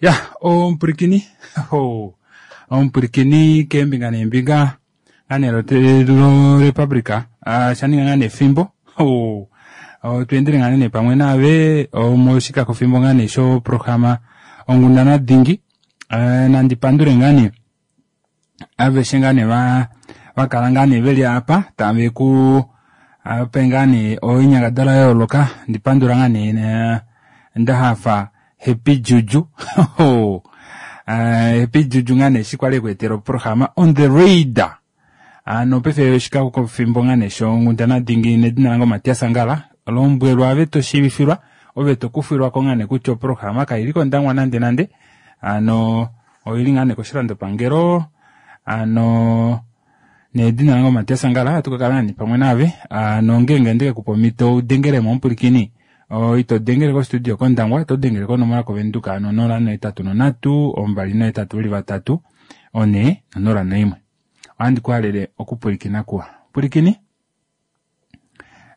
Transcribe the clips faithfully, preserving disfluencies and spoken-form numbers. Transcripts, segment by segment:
Ya omupulikini oh, omupulikini keembinga neembinga ngane lorepublica uh, shaninga ngane efimbo oh, oh, tweendele ngane ne pamwe naave moshikakofimbo ngane shoprograma onghundana dingi uh, nandi pandule ngane aveshe ngane va vakala ngane veli apa tave ku ape ngane oinyangadalwa ya yooloka ndipandula ngane ndahafa Happy Juju uh, Happy Juju ngane eshi kwali ekweetela oprograma on the radar ano paife oshikakofimbo ngane shonghundana dingi nedina lange Matias Angala lombwelwa ave toshiivifilwa ove tokufilwako ngane kutya oprograma kaili kOndangwa nande nande ano oili ngane koshilandopangelo ano nedina lange Matias Angala ohatu kakala ngane pamwe naave ano ngeenge ndekekupa omhito udengelemo omupulikini ito dengele kostudio kOndangwa oto dengele konomola koVenduka ano nola nohetatu nonhatu ombali nohetatu veli vatatu one nonola noimwe. Ohandi kuhalele okupulikina kuwa. Pulikini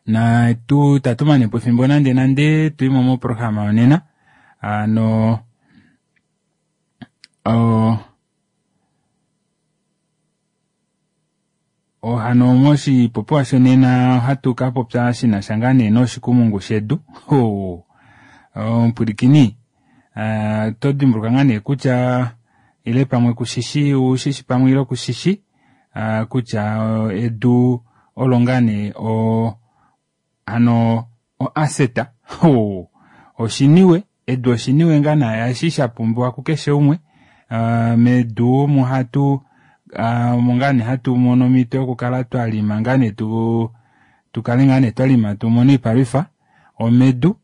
na tu tatu manepo efimbo nande nande tuimo moprograma yonena ano o hano moshipopiwa shonena ohatu kapopya shinasha ngaa nee noshikumungu shedu omupulikini oto dimbuluka ngaa nee kutya ile pamwe kushishi ushishi pamwe ile kushishi kutya edu olo ngaa nee hano oaseta oshiniwe edu oshiniwe ngaa nee eshi shapumbiwa kukeshe umwe medu omu hatu omo ngaa nee hatu mono omhito yokukala twalima ngaa nee tu tukale ngaa nee twalima tumone oipalwifa omedu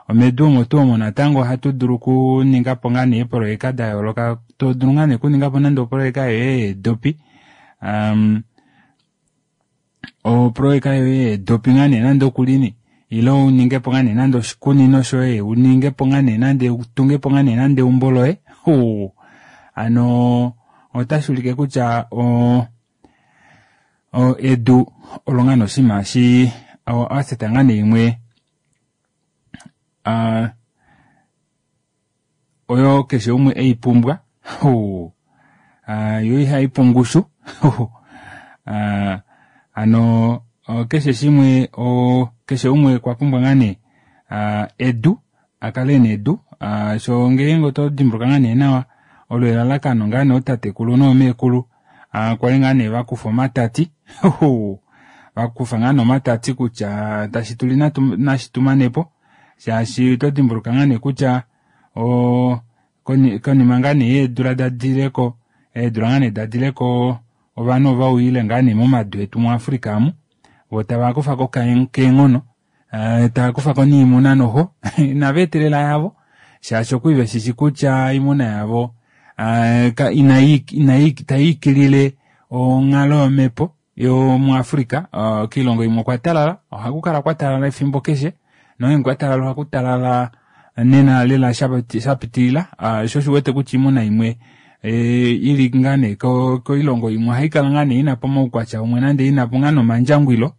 omedu omo tuu omo natango ohatu dulu okuningapo ngaa nee eepoloyeka dayooloka todulu ngaa nee okuningapo nande opoloyeka yoye yeedopi um, opoloyeka yoye yeedopi ngaa nee nande okulini ile uningepo ngaa nee nande oshikunino shoye uningepo ngaa nee nande utungepo ngaa nee nande eumbo loye ano otashi ulike kutya o edu olo ngaa nee oshinima shi oaseta ngaa nee imwe oyo keshe umwe eipumbwa yo ihaipu ongushu hano keshe shimwe keshe umwe okwa pumbwa ngaa nee edu akale ena edu shoo ngeenge oto dimbuluka ngaa nee nawa olo elalakano ngaa nee ootatekulu noomekulu kwali ngaa nee vakufa omatati vakufa ngaa nee omatati kutya tashi tuli nashi tumanepo shaashi oto dimbuluka ngaa nee kutya konima ngaa nee yeedula dadileko eedula ngaa nee dadileko ovanhu ovauyile ngaa nee momadu etu muAfrica amu voo tava kufako keenghono tava niimuna noho inava etelela yavo shaashi okwali veshishi kutya oimuna yavo itayiikilile onghalo yomepo yomuAfrica koilongo imwe okwa talala ohakukala kwatalala efimbo keshe nongeenge kwatalala ohakutalala nena lela shapitilila sho osho uwete kutya oimuna imwe ili ngaa nee koilongo imwe ohaikala ngaa nee inapo omaukwatya umwe nande inapo ngaa nomandjangwilo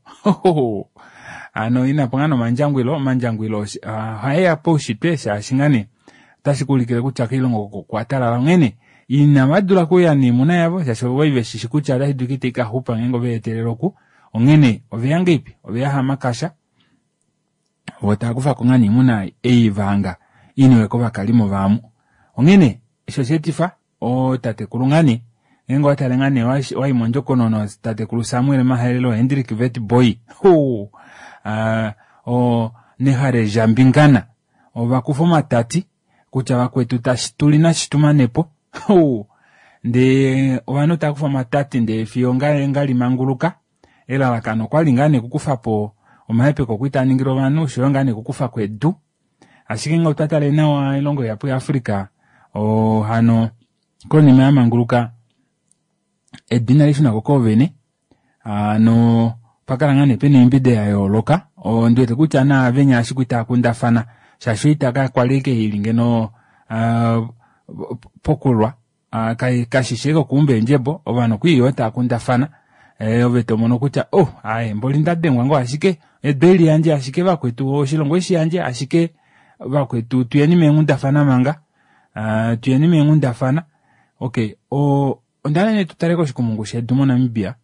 hano inapo ngaa nomandjangwilo omandjangwilo ohaeya paushitwe shaashi ngaa nee otashi kuulikile kutya koilongo oko okwatalala onghene inavadula okuya noimuna yavo shaashi okwali veshishi kutya otashi dulika itaikaxupa ngeenge oveetelele oku onghene oveya ngahelipi oveya hamakasha voo taakufako ngaa nee oimuna ei vahanga iniwe kovakalimo vaamu onghene eshi osheetifa ootatekulu ngaa nee ngeenge owatale ngaa nee wayi mondjokonona tatekulu Samuel Mahelelo Hendrik Witbooi Nehale Jambingana ovakufa omatati kutya vakwetu tashi tuli nashi tumanepo ndee ovanhu taakufa omatati ndee fiyo ngalimanguluka elalakano okwali ngaa nee okukufapo omahepeko kwali taaningilwa ovanhu oshoyo ngaa nee okukufako edu ashike ngee otwa tale nawa oilongo ihapu ya Africa hano konima yamanguluka edu inalishunako koovene hano opakala ngaa nee pena oimbide yayooloka ondiwete kutya naavenya eshi kwali taakundafana shaashi oita kakwali ashike ili ngeno pokulwa kashishi ashike okuumba eendjebo ovanhu okwali yoo taakundafana ove tomono kutya oh aaye mboli ndadengwa ngoo ashike edu eli yandje ashike vakwetu oshilongo eshi yandje ashike vakwetu tuyeni meenghundafana manga Tuyeni meenghundafana. Okey, ondahala nee tutale koshikumungu shedu moNamibia.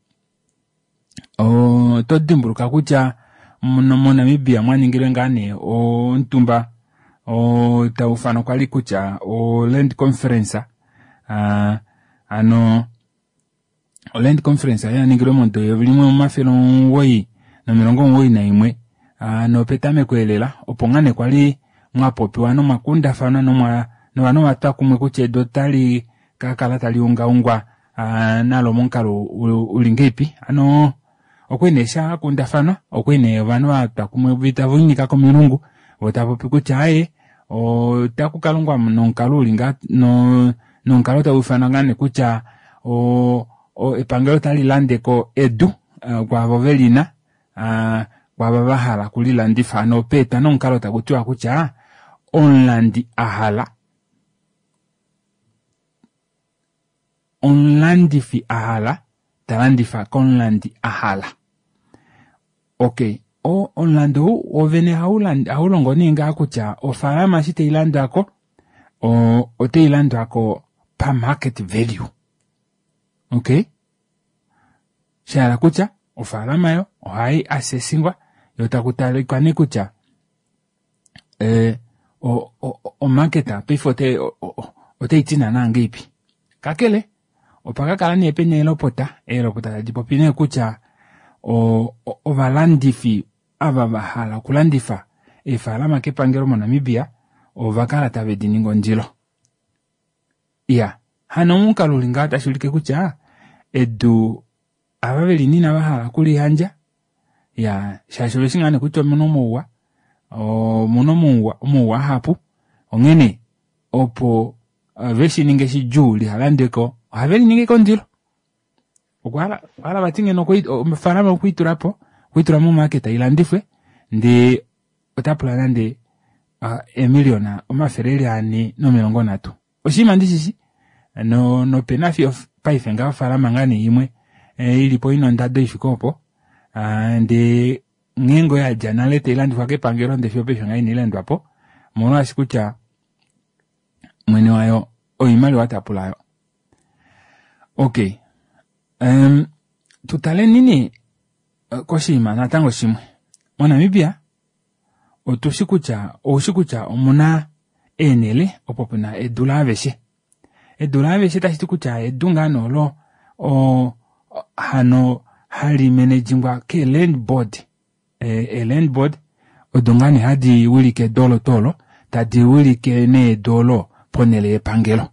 Oto dimbuluka kutya moNamibia mwaningilwe ngaa nee omutumba taufanwa kwali kutya o land conference, hano o land conference oyaningilwe momudo eyovi limwe omafele omugoyi nomilongo omugoyi naimwe nopetameko elela opo ngaa nee kwali mwapopiwa nomwakundafanwa novanhu ovatwa kumwe kutya edu otali kakala tali ungaungwa nalo momukalo uli ngahelipi. Hano okwali nee shakundafanwa, okwali nee ovanhu vatwa kumwe tavelinyika komilungu voo tavapopi kutya aaye otakukalongwa nomukalo uli ngaha nomukalo tauufanwa ngaa nee kutya epangelo ota lilandeko edu kwaavo velina kwaava vahala okulilandifa. Hano peetwa nee omukalo takutiwa kutya omulandi ahala omulandifi ahala talandifa komulandi ahala. Okey, omulandu ou woovene ohaulongo nee ngaha kutya ofaalama eshi tailandwako otailandwako pamarket value. Okey, shahala kutya ofaalama aayo ohai assessingwa yoo takutalikwa nee kutya omarket paife otaiti naana ngahelipi. Kakele opakakala nee pena eelopota, eelopota tadipopi nee kutya ovalandifi ava vahala okulandifa eefalama kepangelo moNamibia ovakala tave diningi ondilo. Iyaa, hano momukalo uli ngaha otashuulike kutya edu ava velina inavahala okuliyandja iyaa shaashi oveshi ngaa nee kutya omuna omauwa, omuna omauwa ahapu onghene opo veshininge shidjuu lihalandweko ohaveliningi ashike ondilo. Okwahala vati ngeno ofaalama okweitulapo okweitula momarket ilandifwe ndee otapula nande eemiliona omafele eli anhe nomilongo nhatu. Oshinima ndishishi nopena fiyo paife ngaha ofaalama ngaa nee imwe ilipo ina ondado ifike oopo ndee nghee ngoo yadja nale tailandifwa kepangelo ndee fiyo opaife ngaha inailandwapo omolwaashi kutya mwene wayo oimaliwa tapula aayo. Okey, tutaleni nee koshinima natango shimwe. MoNamibia otushi kutya oushi kutya omuna eenele opo pena edu laaveshe. Edu laaveshe tashiti kutya edu ngaa nee olo hano hali managingwa ke land board. Ee land board odo ngaa nee hadi wilike edu olo tuu olo tadi wilike nee edu olo ponele yepangelo.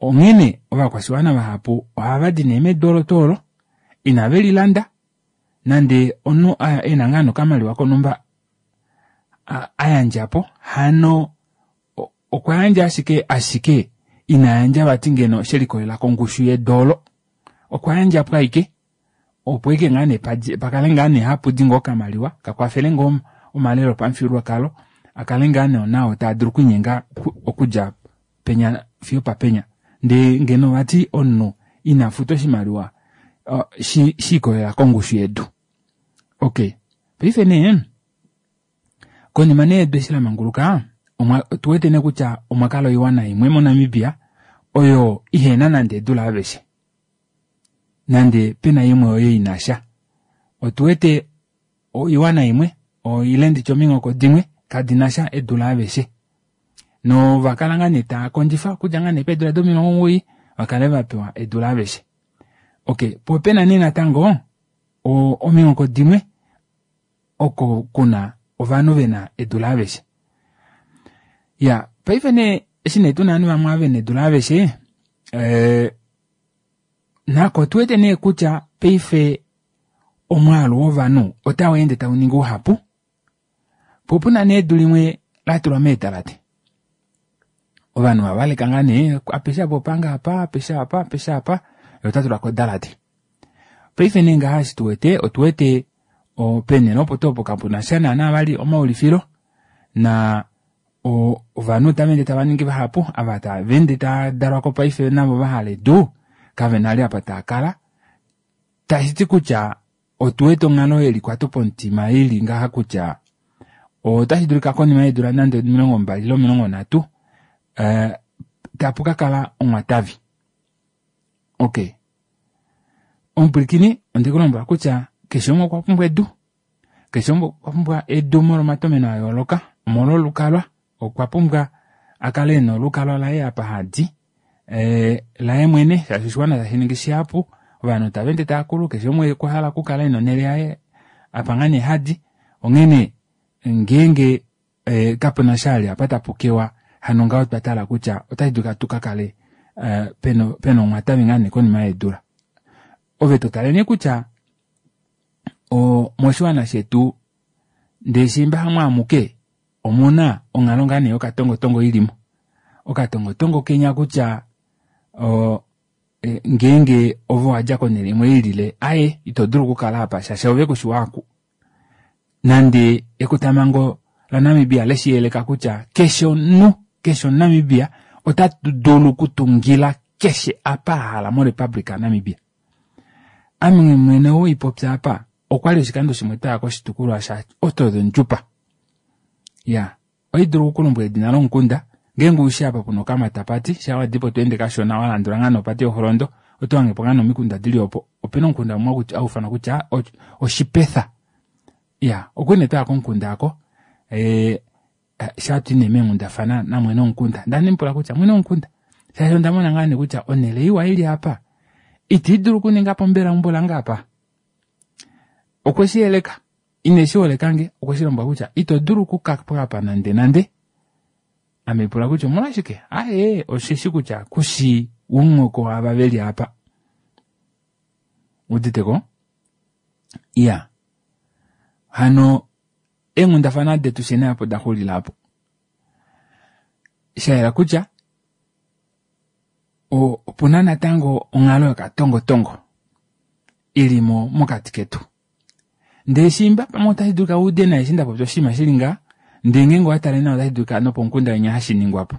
Onghene ovakwashiwana vahapu ohavadi nee medu olo tuu olo inavelilanda nande omunhu ena ngaa nee okamaliwa konhumba ayandjapo hano okwayandja ashike ashike inayandja vati ngeno shelikolelela kongushu yedu oolo, okwayandjapo ashike opo ashike ngaa nee pakale ngaa nee hapudi ngoo okamaliwa kakwafele ngoo omalelo opamufyuululwakalo akale ngaa nee nao taadulu okwiinyenga okudja penya fiyo opapenya ndee ngeno vati omunhu inafuta oshimaliwa shiikolelela kongushu yedu. Okey, paife nee konima nee edu eshi lamanguluka otuwete nee kutya omwakala oiwana imwe moNamibia oyo ihena nande edu laaveshe nande pena imwe oyo inasha. Otuwete oiwana imwe ile nditye ominghoko dimwe kadinasha edu laaveshe novakala ngaa nee taakondjifa okudja ngaa nee peedula domilongo omugoyi vakale vapewa edu laaveshe. Okey, poo opena nee natango ominghoko dimwe oko kuna ovanhu vena edu laaveshe. Iyaa paife nee eshi nee tuna ovanhu vamwe ava vena edu laaveshe nako otuwete nee kutya paife omwaalu wovanhu otaweende tauningi uhapu poo opuna nee edu limwe latulwa meedalate. Ovanhu ovaleka ngaa nee apeshe apa opange apa, apeshe apa apeshe apa yee otatulako odalate. Paife nee ngaha eshi tuwete otuwete peenele opo tuu opo kapunasha naana vali omaulifilo naa ovanhu otavaende tavaningi vahapu ava tavaende taadalwako paife navo vahala edu kavena vali apa taakala tashiti kutya otuwete onghalo yelikwato pomutima ili ngaha kutya otashidulika konima yeedula nande omilongo mbali ile omilongo nhatu Tapu kakala onghwatavi. Okey omupwilikini ondekulombwela kutya keshe umwe okwapumbwa edu, keshe umwe okwapumbwa edu molwo omatomeno ayooloka, omolwo olukalwa okwapumbwa akale ena olukalwa laye apa hadi ee laye mwene shaashi oshiwana tashiningi shihapu, ovanhu tavaende taakulu, keshe umwe okwahala okukala ena onele yaye apa ngaa nee hadi. Onghene ngeenge kapenasha vali apa tapukewa hano ngaho otwatala kutya ota shidulika tukakale pena onghwatavi ngaa nee konima yeedula. Ove totale nee kutya oo moshiwana shetu ndee shiimba hamo amuke omuna onghalo ngaa nee yokatongotongo ilimo. Okatongotongo kenya kutya oo ngeenge ove owadja konele imwe ilile aaye itodulu okukala aapa shaashi ove kushi waaku. Nande ekotamhango laNamibia leshiyeleka kutya keshe omunhu, keshe omuNamibia ota dulu okutungila keshe apa ahala morepublic yaNamibia. Ame mwene ou haipopya aapa okwali oshikando shimwe twaya koshitukulwa sha Otjozondjupa. Iyaa ohaidulu okukulombwela edina lomukunda ngeenge ushi apa pena okamatapati shaa wadipo tweende kashona walandula ngoo nee opate yoholondo oto hangepo ngoo nee omikunda dili opo. Opena omukunda umwe hauufanwa kutya Oshipetha. Iyaa okwali nee twaya komukunda aako ee shaa twayi nee meenghundafana namwene womukunda ndee handimupula kutya mwene womukunda shaashi ondamona ngoo nee kutya onele iwa ili aapa ita idulu okuningapo mbela eumbo lange aapa? Okweshiyeleka ineshiholekange okweshilombwela kutya ito dulu okukapo aapa nande nande. Ame haipula kutya omolwashike, aaye osheshi kutya kushi womuhoko waava veli aapa. Owuuditeko? Iyaa hano eenghundafana detu fyeni aapo odaxulila aapo. Shayela kutya opuna natango onghalo yokatongotongo ilimo mokati ketu. Ndee shiimba pamwe otashidulika uude nai eshi ndapopya oshinima shili ngaha ndee ngeenge owatale nawa otashidulika nopomukunda winya hashiningwapo.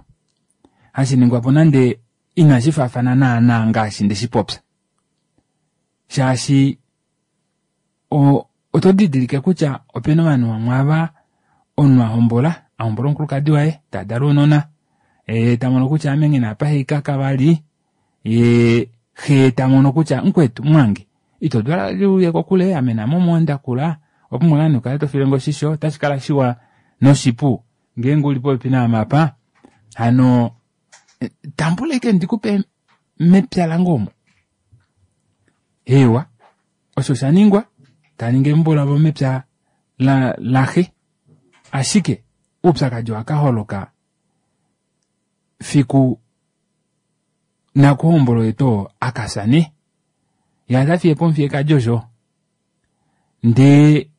Hashiningwapo nande inashifaafana naana ngaashi ndeshipopya. Shaashi oto didilike kutya opena ovanhu vamwe aava omunhu ahombola, ahombola omukulukadi waye tadala ounona yee tamono kutya ame nghena apa haikaka vali yee xee tamono kutya mukwetu mumwange ito dulu vali uye kokule ame naame omo ndakula owapumbwa ngoo nee ukale tofilenge oshisho otashikala shiwa noshipu ngeenge uli popepi naame apa hano tambula ashike ndikupe mepya lange omu. Eewa osho oshaningwa taningi eumbo lavo mepya laxe ashike oupyakadi owakaholoka fiku nakuhombola oye tuu oo akafya nee yee otafiyepo omufiyekadi osho ndee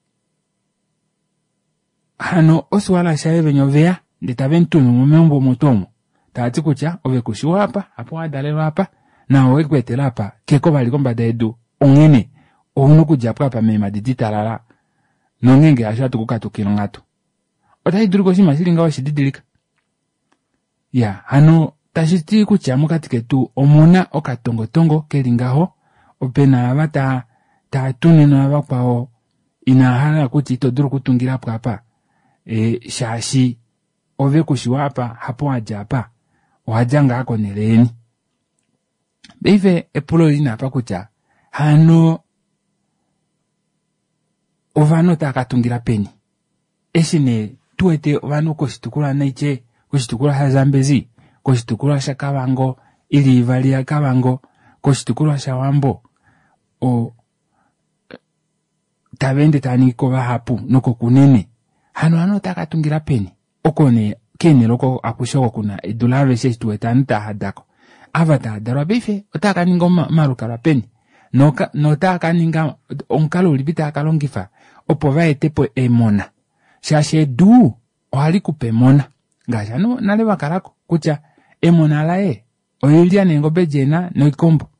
hano osuwala shaye venya oveya ndee tavemutumu meumbo omo tuu omo taati kutya ove kushi waapa hapo wadalelwa aapa naau ekweetela aapa keko vali kombada yedu onghene ouna okudjapo aapa meemadi ditalala nongeenge hasho ohatu kukatukile onghatu. Otashidulika oshinima shili ngaho weshididilika? Iyaa hano tashiti kutya mokati ketu omuna okatongotongo keli ngaho, pena ava taatunine vakwao inaahala kutya ito dulu okutungilapo aapa shaashi ove kushi waapa hapo wadja aapa owadja ngaa konele yeni. Paife epulo olili nee apa kutya hano ovanhu otava katungila peni eshi nee tuwete ovanhu koshitukulwa naitye koshitukulwa shaZambezi, koshitukulwa shaKavango ili ivali yaKavango, koshitukulwa shaWambo tavaende tavaningiko vahapu nokoKunene hano ovanhu otava katungila peni oko nee keenele oko akushe oko kuna edu laaveshe eshi tuwete ovanhu taahadako. Ava taadalwa paife otaakaninga omalukalwa peni notaakaninga omukalo ulipi taakalongifa opo vaetepo emona shaashi edu ohalikupe emona ngaashi ovanhu nale vakalako kutya emona laye oilya neengobe edi ena noikombo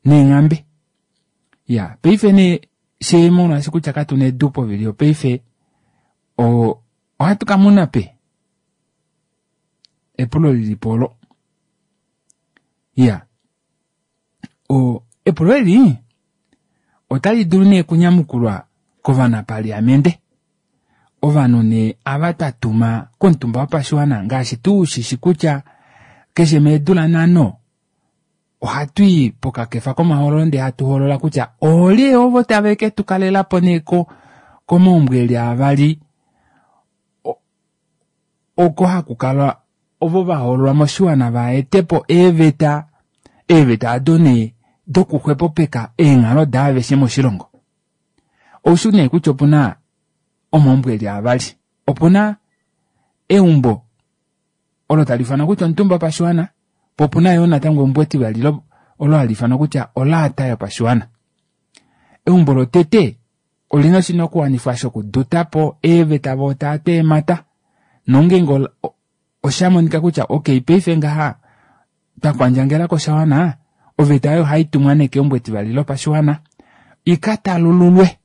neenghambe. Iyaa paife nee fyee molwaashi kutya katuna edu povili yopaife oo ohatu kamuna peni? Epulo lilipo oolo. Iyaa epulo eli otali dulu nee okunyamukulwa kovanapaliamente, ovanhu nee ava twatuma komutumba wopashiwana ngaashi tuu ushishi kutya Keshe meedula nhano ohatu i pokakefa komahoololo ndee hatu hoolola kutya oolye ovo tave ke tu kalelapo nee ko komaumbo eli avali oko haku kala ovo vahoololwa moshiwana vaetepo eeveta, eeveta aado nee dokuxwepopeka eenghalo daaveshe moshilongo. Oushi nee kutya opuna omaumbo eli avali, opuna eumbo olo tali ifanwa kutya omutumba wopashiwana, po opuna yoo natango eumbo etivali olo hali ifanwa kutya olaata yopashiwana. Eumbo lotete olina oshinakuwanifwa shokudutapo eeveta voo taatu eemata nongeenge oshamonika kutya okey paife ngaha twakwandjangelako shawana, oveta oyo ohaitumwa nee keumbo etivali lopashiwana ikatalululwe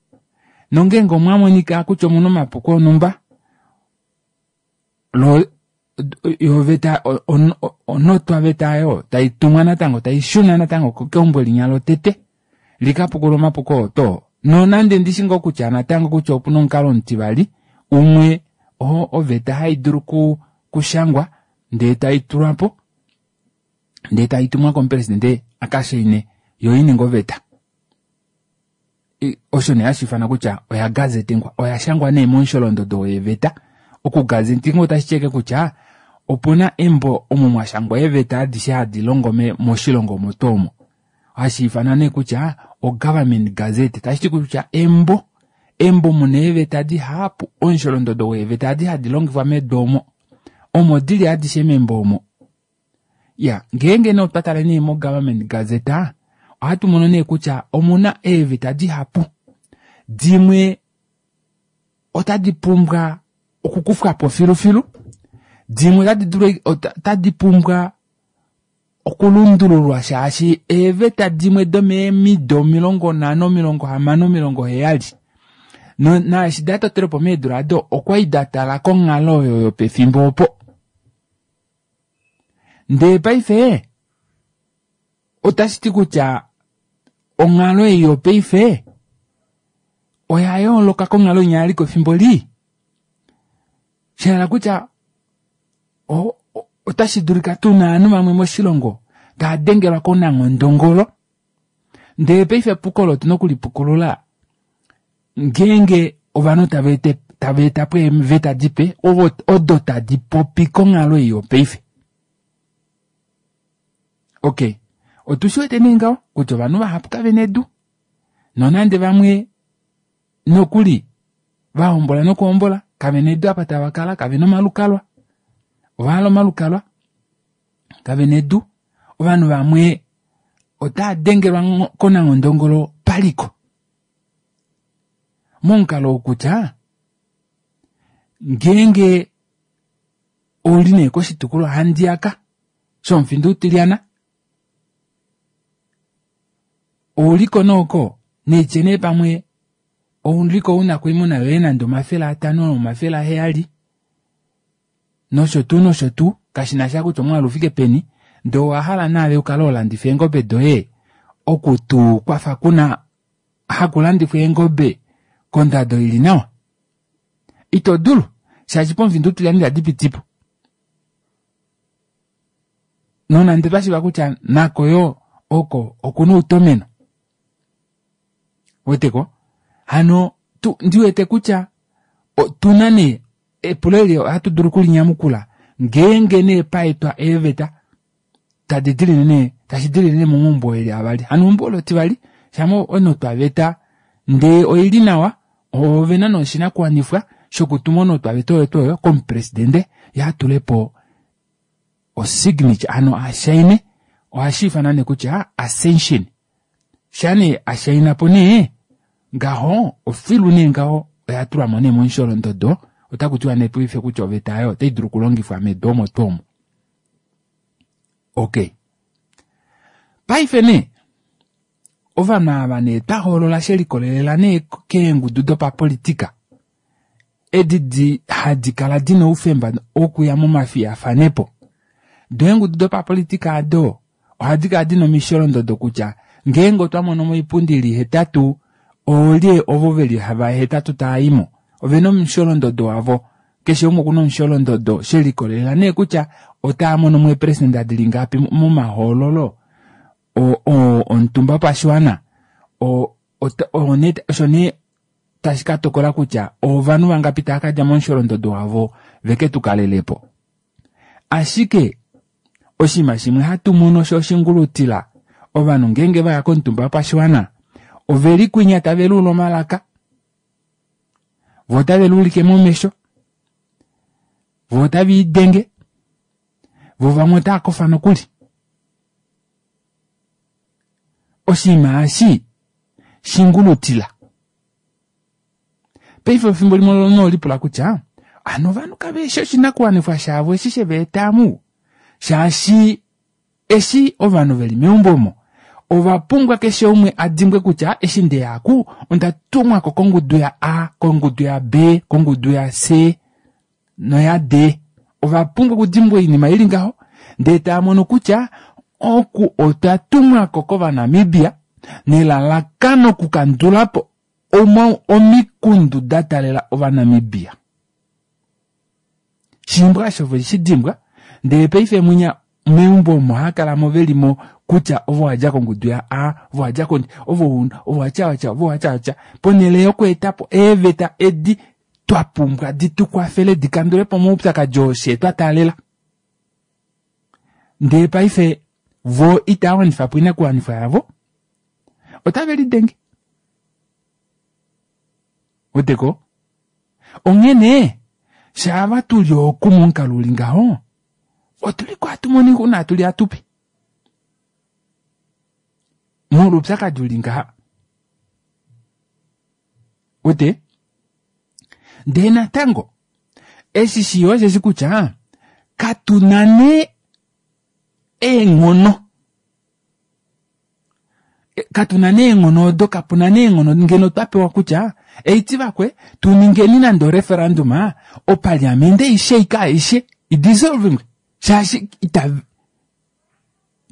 nongeenge omwamonika kutya omuna omapuko onumba loo yoo oveta onotwaveta aayo taitumwa natango taishuna natango keumbo linya lotete likapukulule omapuko oo too nonande ndishi ngoo kutya natango kutya opuna omukalo omutivali umwe oo oveta haidulu okushangwa ndee taitulwapo ndee taitumwa komupresidente akashaine yoo ininge oveta. Osho nee hashi ifanwa kutya oya gazetengwa, oya shangwa nee momusholondodo weeveta. Okugazetingwa otashi ti ashike kutya opuna embo omo mwashangwa eeveta adishe hadi longo moshilongo omo tuu omo, hashi ifanwa nee kutya o government gazette, tashiti kutya embo, embo muna eeveta dihapu, omusholondodo weeveta adi hadi longifwa medu omo, omo dili adishe membo omo. Iya ngeenge nee otwa tale nee mo government gazette ohatu mono nee kutya omuna eeveta dihapu, dimwe otadi pumbwa okukufwapo filufilu, dimwe otadi dulu otadi pumbwa okulundululwa shaashi eeveta dimwe domeemido omilongo nhano, omilongo hamano, omilongo heyali naashi datotelwepo meedula aado okwali datala konghalo oyo yopefimbo opo. Ndee paife otashiti kutya onghalo ei yopaife oya yooloka konghalo inya yaliko efimbo lii, shahala kutya otashi dulika tuna ovanhu vamwe moshilongo tava dengelwa konanghondongolo ndee paife epuko olo otuna okulipukulula ngeenge ovanhu tava etapo eeveta dipe odo tadi popi konghalo ei yopaife. Okey, otushi wete nee ngaho kutya ovanhu vahapu kavena edu nonande vamwe nokuli vahombola nokuhombola kavena edu apa tava kala, kavena omalukalwa, ovahala omalukalwa kavena edu. Ovanhu vamwe otava dengelwa konanghondongolo paliko momukalo ou kutya ngeenge ouli nee koshitukulwa handiyaka shomufinda utilyana ouliko nooko naitye nee pamwe ouliko una oimuna yoye nande omafele atano omafele aheyali nosho tuu nosho tuu kashinasha kutya omwaalu ufike peni ndee owahala naave ukale holandifa eengobe doye oku tuu kwafa kuna haku landifwa eengobe kondado ili nawa, ito dulu shaashi pomufinda utilyana itadi pitipo. Nonande twashiiva kutya nako yoo oko okuna outomeno, ouweteko hano ndiwete kutya otuna nee epulo eli ohatu dulu okulinyamukula ngeenge nee paetwa eeveta tadi dilile nee tashi dilile nee momaumbo eli avali. Hano eumbo olo etivali shama onotwaveta ndee oili nawa ovena nee oshinakuwanifwa shokutuma onotwaveta oyo tuu oyo komupresidente yee atulepo osignature hano ashaine, ohashiifanwa nee kutya ascension. Shaa nee ashainapo nee ngaho ofilu nee ngaho oya tulwamo nee momusholondodo, otakutiwa nee paife kutya oveta aayo otai dulu okulongifwa medu omo tuu omo. Okey, paife nee ovanhu ava nee twahoolola shelikolelela nee keengudu dopapolitika edi di hadi kala dina oufemba wokuya momafiyafanepo, doo eengudu dopapolitika aado ohadi kala dina omisholondodo kutya ngeenge otwa mono oipundi ili hetatu oolye ovo veli vahetatu taaimo, ovena omusholondodo wavo Keshe umwe okuna omusholondodo shelikolelela nee kutya otaa mono mo eeperesenda dili ngapi momahoololo omutumba wopashiwana osho nee tashi ka tokola kutya ovanhu vangapi tava kadja momusholondodo wavo veke tukalelepo. Ashike oshinima shimwe hatu mono sho oshingulutila ovanhu ngeenge vaya komutumba wopashiwana oveli kwinya tave luula omalaka, voo otave luulike momesho, voo otave idenge, voo vamwe otava kofa nokuli. Oshinima eshi shingulutila. Paife efimbo limwe nolipula kutya hano ovanhu kaveshi oshinakuwanifwa shavo eshi sheveeta amu, shaashi eshi ovanhu veli meumbo omo ova pumbwa keshe umwe a dimbwe kutya eshi ndeyaku onda tumwako kongudu ya A, kongudu ya B, kongudu ya C noya D. Ova pumbwa okudimbwa oinima ili ngaho ndee tava mono kutya oku otwa tumwako kOvanamibia nelalakano okukandulapo omikundu da talela Ovanamibia. Shimbwa osho ve shi dimbwa ndee paife mwinya meumbo omo hakalamo velimo kutya ovo wadja kongudu ya A, ovo wadja kon ovo ovo watya watya ovo watya watya ponhele yokweetapo eeveta edi twa pumbwa di tukwafele di kandulepo omaupyakadi oo fye twa taalela. Ndee paife vo itava wanifa po oinakuwanifwa yavo, otave lidenge. Weteko? Onghene shaava tuli oku momukalo uli ngaho otuliko hatu mono oixuna hatuli hatupi molwa oupyakadi uli ngaha. Wete? Ndee natango eshi shiyo osheshi kutya katuna nee eenghono, katuna nee eenghono odo, kapuna nee eenghono ngeno twa pewa kutya eiti vakwe tuningeni nande oreferendum opaliamende aishe ika aishe idissolving shaashi ita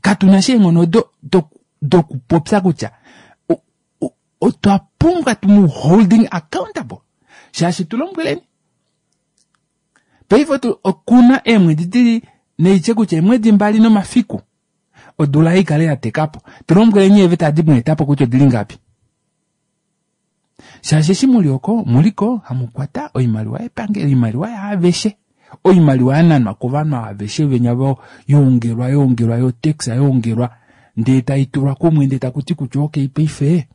katuna shi eenghono odo dokupopya kutya otwa pumbwa tumu holding accountable shaashi tulombweleni paife okuna eemwedi dili neitye kutya eemwedi mbali nomafiku odula ikale ya tekapo tulombweleni eeveta adi mweetapo kutya odili ngapi. Shaashi eshi muli oko muliko hamukwata oimaliwa yepangelo, oimaliwa yaaveshe, oimaliwa yananwa kovanhu aveshe venya vo yoongelwa yoongelwa yotax yoongelwa ndee taitulwa kumwe ndee takuti kutya okay paife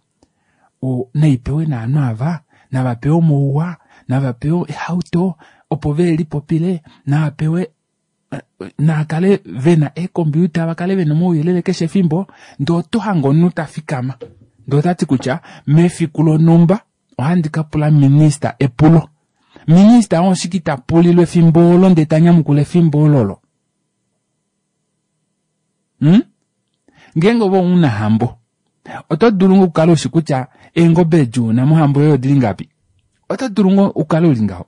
naipewe naanhu ava navapewe omauwa, navapewe ehauto opo velipopile, navapewe naakale vena eekompiuta vakale vena omauyelele keshe efimbo. Ndee oto hange omunhu tafikama ndee otati kutya mefiku lonhumba ohandi ka pula minista epulo. Minista oo oshike ita pulilwe efimbo olo ndee tanyamukula efimbo ololo? Hmm? Ngeenge ove omunahambo oto dulu ngoo okukala ushi kutya eengobe edi una mohambo yoye odili ngapi? Oto dulu ngoo okukala uli ngaho.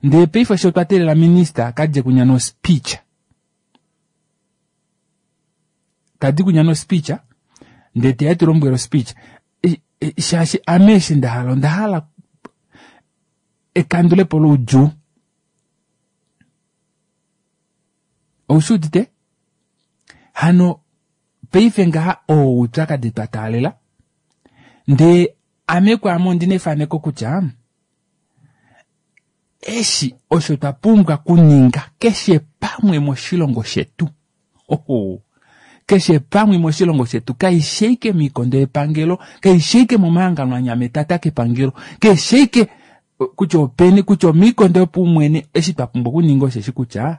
Ndee paife osho twa teelela minista kadje kunya no speech. Tadi kunya no speech ndee teya tulombwele ospeech. Shaashi ame eshi nda hala onda hala ekandulepo loudjuu. Oushi udite? Hano paife ngaha oo oupyakadi twa taalela. Ndee ame kwaame ondina efaneko kutya eshi osho twa pumbwa kuninga keshe pamwe moshilongo shetu. Oho. Keshe pamwe moshilongo shetu kaishi ashike moikondo yepangelo, kaishi ashike momahangano anyametata kepangelo, keshe ashike kutya openi kutya omiikondo yopaumwene. Eshi twa pumbwa okuninga osheshi kutya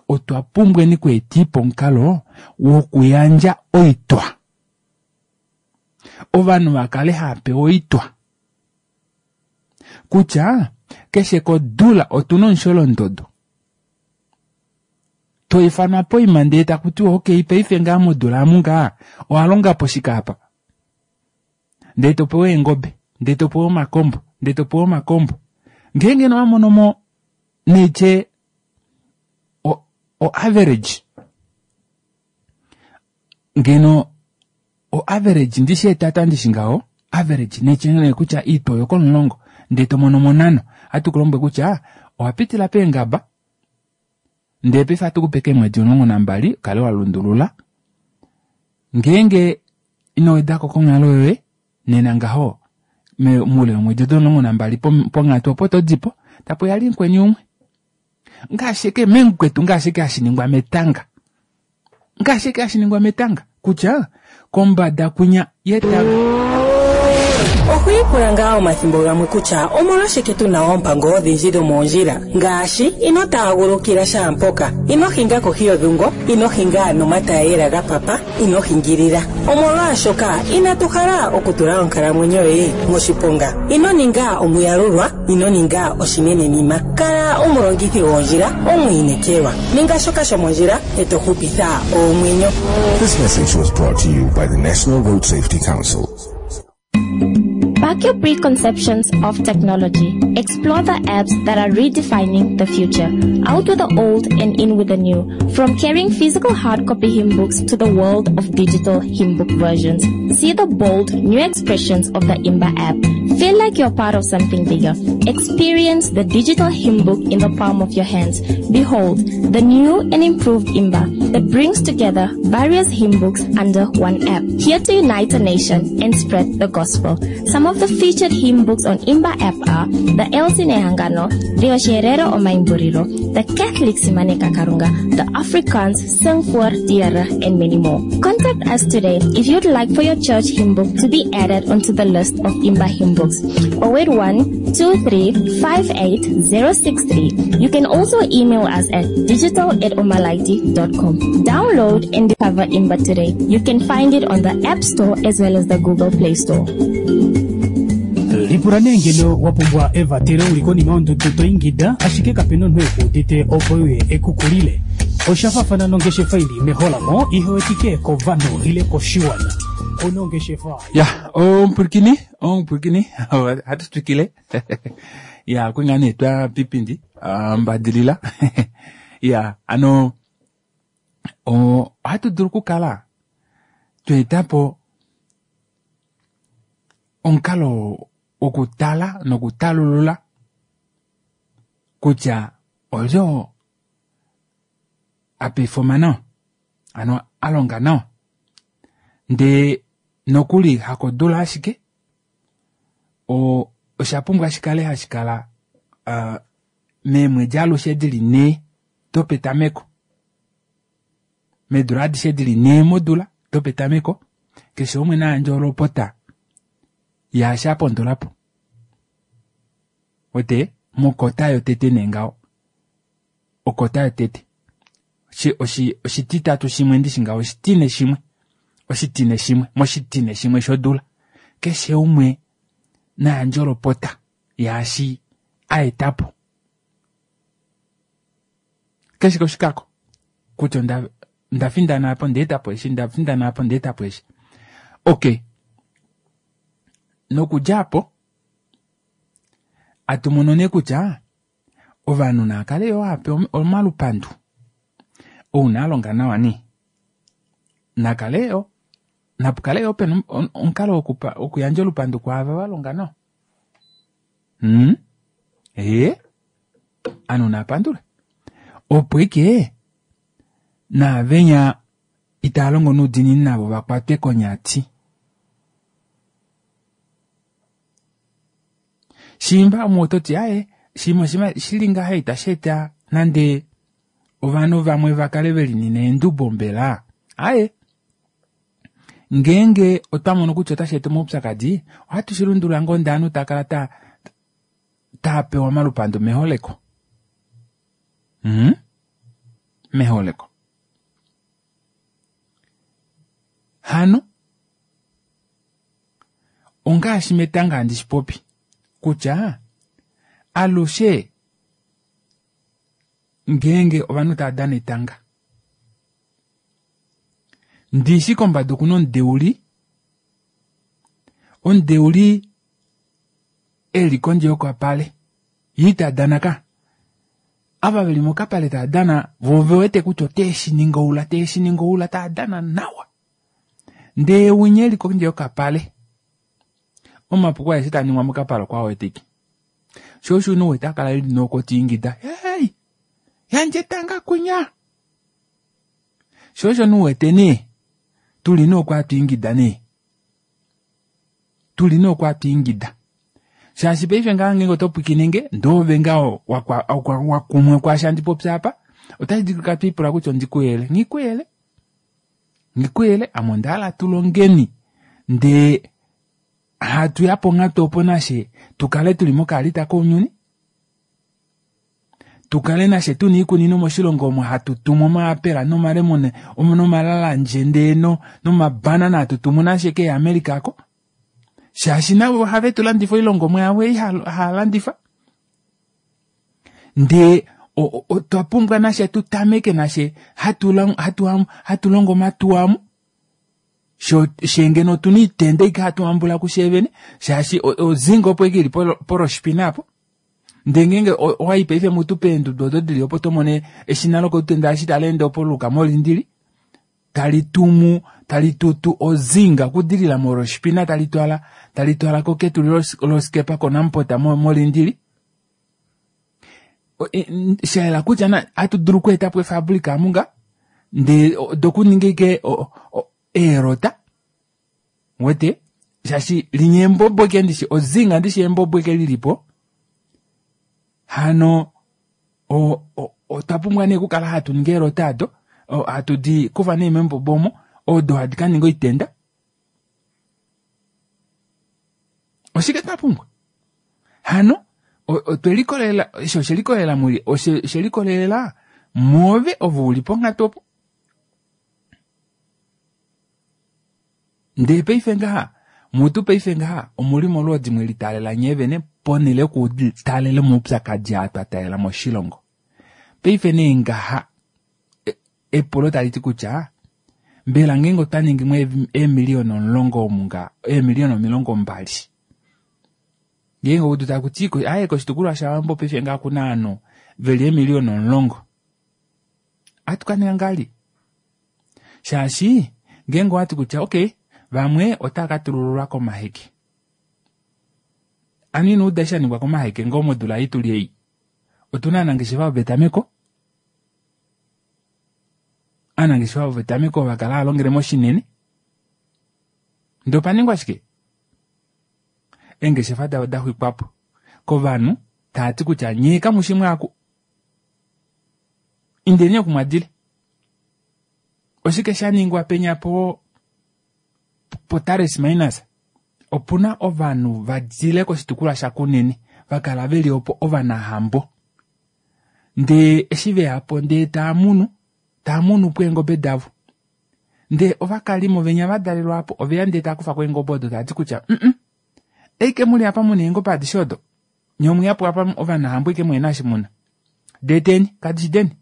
otwa pumbweni okweetipo omukalo wokuyandja oitwa. Ovanhu vakale hava pewa oitwa kutya keshe kodula otuna omusholondodo toifanwa poima ndee takutiwa okay paife ngaa modula amu ngaa owalongapo shike apa, ndee topewa eengobe, ndee topewa omakombo, ndee topewa omakombo. Ngeenge nowamonomo neitye o, o average ngeno o average ndishi etata ndishi ngaho average neitye nee kutya iitwa oyo komulongo ndee tomono monhano ohatu kulombwele kutya Owapitila peengaba ndee paife ohatu kupe keemwedi omulongo nambali ukale walundulula ngeenge ino wedako konghalo yoye nena ngaho moule womwedi odo omulongo nambali ponghatu opo todipo tapuya vali mukweni umwe ngaashi ashike memukwetu ngaashi ashike hashiningwa metanga ngaashi ashike hashiningwa metanga kutya kombada kwinya yetanga. Okwiipula ngaa omathimbo gamwe kutya omolwashike tu na oompango odhindji dhomoondjila ngaashi ino taagulukila shaampoka, ino hinga kohi yodhungo, ino hinga nomatayela ga papa, ino hingilila. Omolwaashoka inatu hala okutula onkalamwenyo yoye moshiponga. Ino ninga omuyalulwa, ino ninga oshinenenima. Kala omulongithi goondjila omwiinekelwa. Ninga shoka shomondjila e to hupitha oomwenyo. This message was brought to you by the National Road Safety Council. Back your preconceptions of technology. Explore the apps that are redefining the future. Out with the old and in with the new. From carrying physical hard copy hymn books to the world of digital hymn book versions. See the bold new expressions of the Imba app. Feel like you're part of something bigger. Experience the digital hymn book in the palm of your hands. Behold, the new and improved Imba that brings together various hymn books under one app. Here to unite a nation and spread the gospel. Some of the featured hymn books on Imba app are the Elsie Nehangano, the Osherero Omaimburiro, the Catholic Simaneka Karunga, the Afrikaans Sing voor die Here, and many more. Contact us today if you'd like for your church hymn book to be added onto the list of Imba hymn books. oh eight one, two three five eight zero six three. You can also email us at digital at omalaiti dot com. Download and discover Imba today. You can find it on the App Store as well as the Google Play Store. Lipula nee ngeno wa pumbwa evatelo uli konima yondudu to ingida ashike kapena omunhu ekuudite opo uye ekukulile. Osha faafana nongeshefa ili meholamo ihewetike kovanhu ile koshiwana. Onongeshefa ya omupwilikini omupwilikini hatu twikile ya kwinga nee twa pipindi mbadilila ya ano ohatu dulu okukala tweetapo omukalo wokutala nokutalulula kutya olyo apefoma nawa ano alonga nawa ndee nokuli hakodula ashike o osha pumbwa shikale hashikala uh, meemwedi alushe dili nhee dopetameko meedula adishe dili nhee modula dopetameko keshe umwe nayandje olopota yaashi apondolapo wete mokota yotete nee ngaho okota yotete oshititatu shimwe ndishi ngaho oshitine shimwe oshitine shimwe moshitine shimwe shodula keshe umwe nayandje olopota yaashi aetapo keshe koshikako kutya onda ndafindana apo ndeetapo eshi ndafindana apo ndeetapo eshi. Okay, nokudja apo atumono nee kutya ovanhu naakale yo ape omalupandu ouna alonga nawa nee nakale yo napukale yo pena omukalo wokuyandja olupandu kwaava valonga nawa. Hmm? Ee anu napandule opo ike naavenya italongo nuudinini navo vakwatwe konyati. Shimba umwe ototi aye shimwe shili ngaha itashi eta nande ovanhu vamwe vakale velinina eendubo mbela aye ngeenge otwa mono kutya otashi eta omaupyakadi ohatu shi lundulula ngoo ndee ovanhu takala ta tapewa omalupandu meholeko. Mm? Meholeko. Hano ongaashi metanga handi shi popi kutya alushe ngeenge ovanhu tava dana etanga ndishi kombada okuna omudeuli omudeuli eli kondje yokapale ye ita dana ka ava veli mokapale tava dana vo vewete kutya oteshi ninga oula teshi ninga oula tava dana nawa ndee winya eli kondje yokapale omapuko aeshe taa ningwa mokapale okwa wetike Sho osho unhu wete akala eli nokotiingida hey, yandje tanga kunya. Sho osho unhu wete nee tuli nokwatwiingida nee tuli nokwatwiingida shaashi paife ngaha ngeenge oto pwikinenge ndee oove ngaho wakumwa kwaashi handi popi apa, otashi dulika twiipula kutya ondikuyele nghikuyele nghikuyele ame ondahala tulongeni ndee hatuya ponghatu opo nashe tukale tuli mokaalita kounyuni, tukale nashe tuna oikunino moshilongo omo hatu tumu omaapela nomalemune nomalalanje ndee nomabanana hatu tumu nashe kee America ako, shaashi navo ohave tulandifa oilongomwa yavo ei haalandifa ndee otwa pumbwa nashe tutameke nashe hatu longo omatuwa amu shee ngeno otuna oitenda ashike hatu hambula kusheevene shaashi ozinga opo ashike ili poroshipina apo ndee ngeenge owayi paife mutu peendudu odo dili opo tomono eshina lokolutenda eshi taleende opo luuka molindili tali tumu tali tutu ozinga okudilila moroshipina tali twala tali twala ketulilo loskepa konamport molindili shayela kutya hatu dulu okweetapo efabrika amunga ndee dokuninga ashike eerota wete shaashi linya embobo ashike ndishi ozinga ndishi embobo ashike lilipo hano otwa pumbwa nee okukala hatu ningi eelota ado hatu di kufa nee membobo omo odo hadi kaninga oitenda. Oshike twa pumbwa hano otwelikolelela osho oshelikolelela muli oshelikolelela mwoove ove uli ponghatu opo. Ndee paife ngaha mutu paife ngaha omuli molwoodi mwelitaalela nyeevene ponele yokutaalela omaupyakadi aa twa taalela moshilongo. Paife nee ngaha epulo taliti kutya mbela ngeenge otwa ningi mo eemiliyona omulongo omunga eemiliyona omilongo mbali ngeenge oudu takuti aye koshitukulwa shaWambo paife ngaha okuna ovanhu veli eemiliyona omulongo ohatu kaninga ngahelipi shaashi ngeenge owati kutya okey vamwe otava katulululwa komaheke anu ino uda eshi shaningwa komaheke ngoo modula ei tuli ei otuna ovanangeshefa vopetameko ovanangeshefa vopetameko vakala hava longele moshinene ndee opaningwa shike eengeshefa davo daxwikwapo kovanhu taati kutya nyee kamushi mwaaku indeni oku mwadile. Oshike shaningwa penya po poTaris Minus opuna ovanhu vadile koshitukulwa shaKunene vakala veli opo ovanahambo ndee eshi veyapo ndee taamunu taamunu po eengobe davo ndee ovakalimo venya vadalelwa apo oveya ndee taakufako eengobe odo taati kutya mm eike muli apa muna eengobe adishe odo nyee omweyapo apa ovanahambo ashike muhena eshi muna deeteni kadishi deni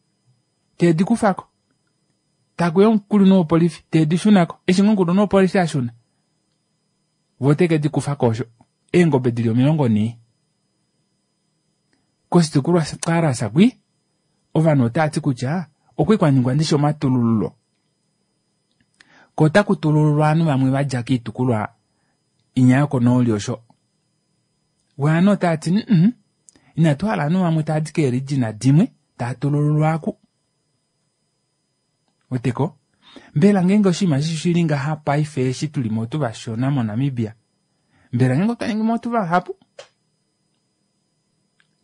teedikufako takuya omukulunhu wopolifi teedishunako eshi ngoo omukulunhu wopolifi ashuna voo oteke dikufako osho eengobe dili omilongo nhee koshitukulwa Karas kwi ovanhu otaati kutya okwali kwaningwa ndishi omatulululo ko otaku tulululwa ovanhu vamwe vadja koitukulwa inya yokonooli osho voo ovanhu otaati mm inatu hala ovanhu vamwe taadi keerijina dimwe taatulululwa aku weteko mbela ngeenge oshinima eshi shili ngaha paife eshi tulimo otu vashona moNamibia mbela ngeenge otwa ningimo otu vahapu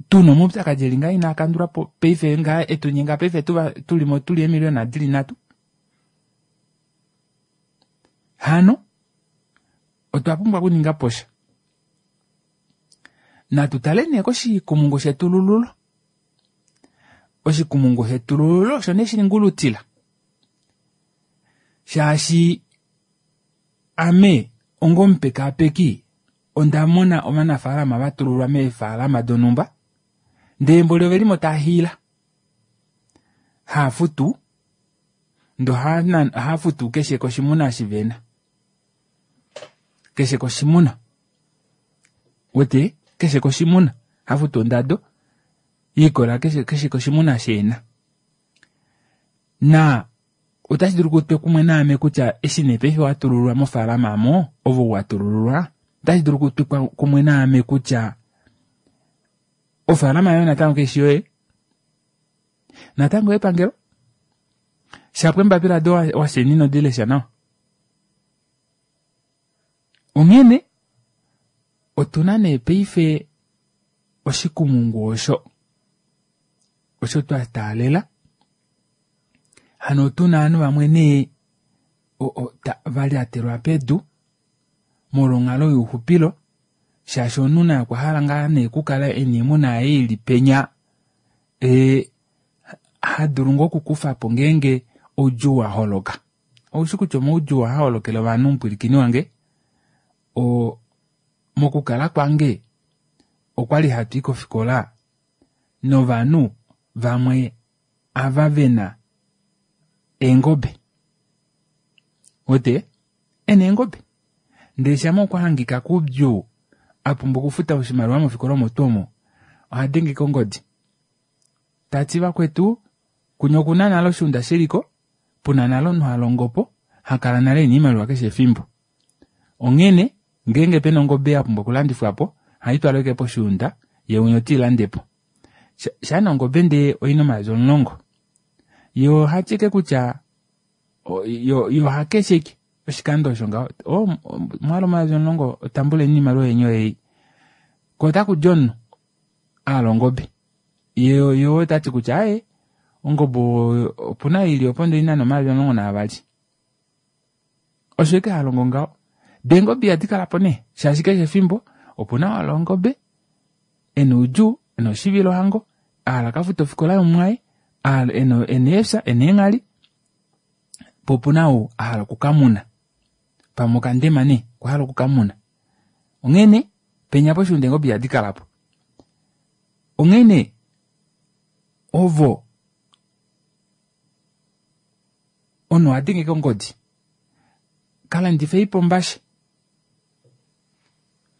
tuna omaupyakadi eli ngaha inaa kandulwapo paife ngaha etunyenga paife tulimo tuli eemiliyona dili nhatu hano otwa pumbwa okuninga posha. Natu tale nee koshikumungu shetulululo. Oshikumungu shetulululo osho nee shingulutila shaashi ame onga omupekaapeki onda mona ovanafaalama vatululwa meefalama donhumba ndee mboli ovelimo taahiila haafutu ndee ohaafutu keshe koshimuna eshi vena keshe koshimuna wete keshe koshimuna hafutu ondado yeikola keshe koshimuna eshi ena naa otashi dulu kutwe kumwe naame kutya eshi nee paife watululwa mofaalama aamo ove ou watulululwa otashi dulu kutwe kumwe naame kutya Ofaalama yoye natango kaishi yoye, natango epangelo shapo embapila do washeni inodilesha nawa. Onghene otuna nee paife oshikumungu osho osho twa taalela. Hano otuna ovanhu vamwe nee valyatelwa pedu molwa onghalo youxupilo, shaashi omunhu naye okwa hala ngaa nee okukala ena oimuna yaye ili penya ee hadulu ngoo okukufapo ngeenge oudjuu waholoka. Oushi kutya omaudjuu ohaa holokele ovanhu mupwilikini wange. O mokukala kwange okwali hatui kofikola novanhu vamwe ava vena eengobe, wete ena eengobe ndee shama okwa hangika koudjuu apumbwa okufuta oshimaliwa mofikola omo tuu omo, ohadenge kongodi tati vakwetu kunya okuna nale oshuunda shiliko puna nale omunhu halongopo hakala nale ena oimaliwa keshe efimbo. Onghene ngeenge pena ongobe yapumbwa okulandifwapo ohaitwalwa ashike poshuunda yee umwe teilandepo. Shaa ongobe ndee oina omayovi omulongo yee ohati ashike kutya yo ohakesha ashike oshikando osho ngaho, oo omwahala omayovi omulongo tambuleni oimaliwa yeni oyeyi. Koo otakudi omunhu ahala ongobe yee otati kutya aaye ongobe opuna ei ili opo ndee oina nee omayovi omulongo naavali. Osho ashike halongo ngaho. Dee eengobe ihadi kalapo nee shaashi keshe efimbo opuna oo ahala ongobe ena oudjuu, ena oshivilohango, ahala akafute ofikola yomumwaye, ena eefya, ena eenghali, poo opuna ou ahala okukamuna pamwe okandema nee okwahala okukamuna. Onghene penya poshuunda eengobe ihadi kalapo. Onghene ovo omunhu ohadenge ashike ongodi kalandifeipo ombashe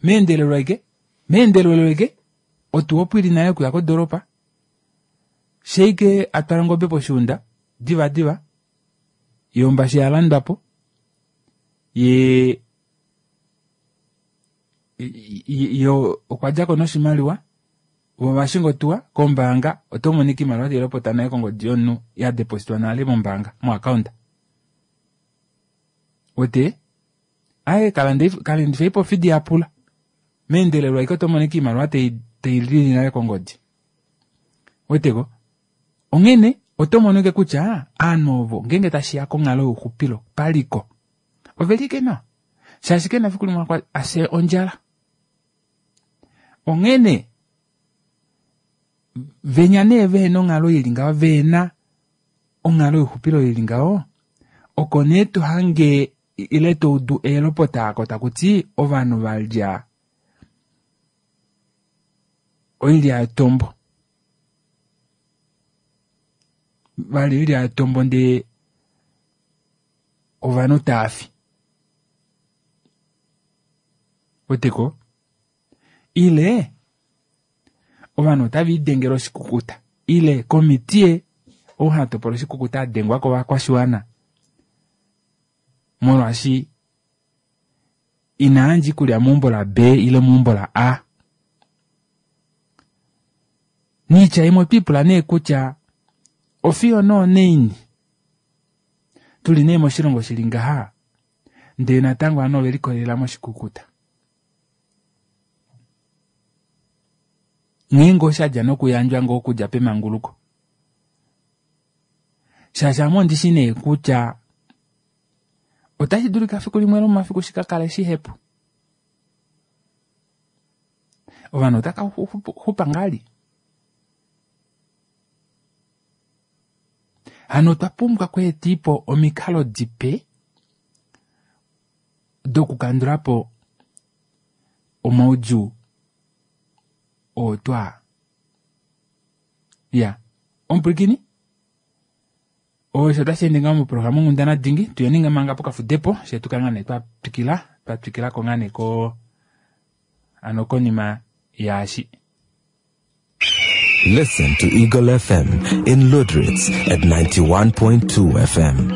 meendelelo ashike meendelelo ashike otuwa opo ili nale yokuya kodoropa, shaike atwala ongobe poshuunda diva diva yoo ombashe yalandwapo yee yo okwadjako noshimaliwa voo ovashinga otuwa kombaanga otomono ashike oimaliwa tailopota nale kongodi yomunhu yadepositwa nale mombaanga mo account. Wete aaye kalandifeipo ofidi yapula meendelelo ashike otomono ashike oimaliwa tailili nale kongodi. Weteko onghene otomono ashike kutya ovanhu ovo ngeenge tashiya konghalo youxupilo paliko oveli ashike nawa shaashi kena efiku limwe afye ondjala. Onghene venya nee vehena onghalo ili ngaho, vehena onghalo youxupilo ili ngaho, oko nee tohange ile toudu eelopota aako takuti ovanhu valya oilya yetombo, valya oilya yetombo ndee ovanhu taafi. Weteko ile ovanhu otave lidengele oshikukuta ile komitiye ou hatopola oshikukuta adengwa kovakwashiwana molwaashi inayandja oikulya meumbo la B ile meumbo la A. Niitya imwe otwiipula nee kutya ofiyo nee onaini tuli nee moshilongo shili ngaha ndee natango ovanhu ovelikolelela moshikukuta. Nghee ngoo shadja nokuyandjwa ngoo okudja pemanguluko, shaashi ame ondishi nee kutya otashi dulika fiku limwe lomomafiku shikakale shihepu. Ovanhu otaka xupa ngali. Hano otwa pumbwa okweetipo omikalo dipe dokukandulapo omaudjuu oo twa ya omupwilikini osho otashi ende ngaho moprograma onghundana dingi. Tuyeni manga pokafudepo fye tukale ngaa nee twatwikila twatwikilako ngaa nee ko hano konima yaashi. Listen to Eagle F M in Lüderitz at ninety-one point two F M.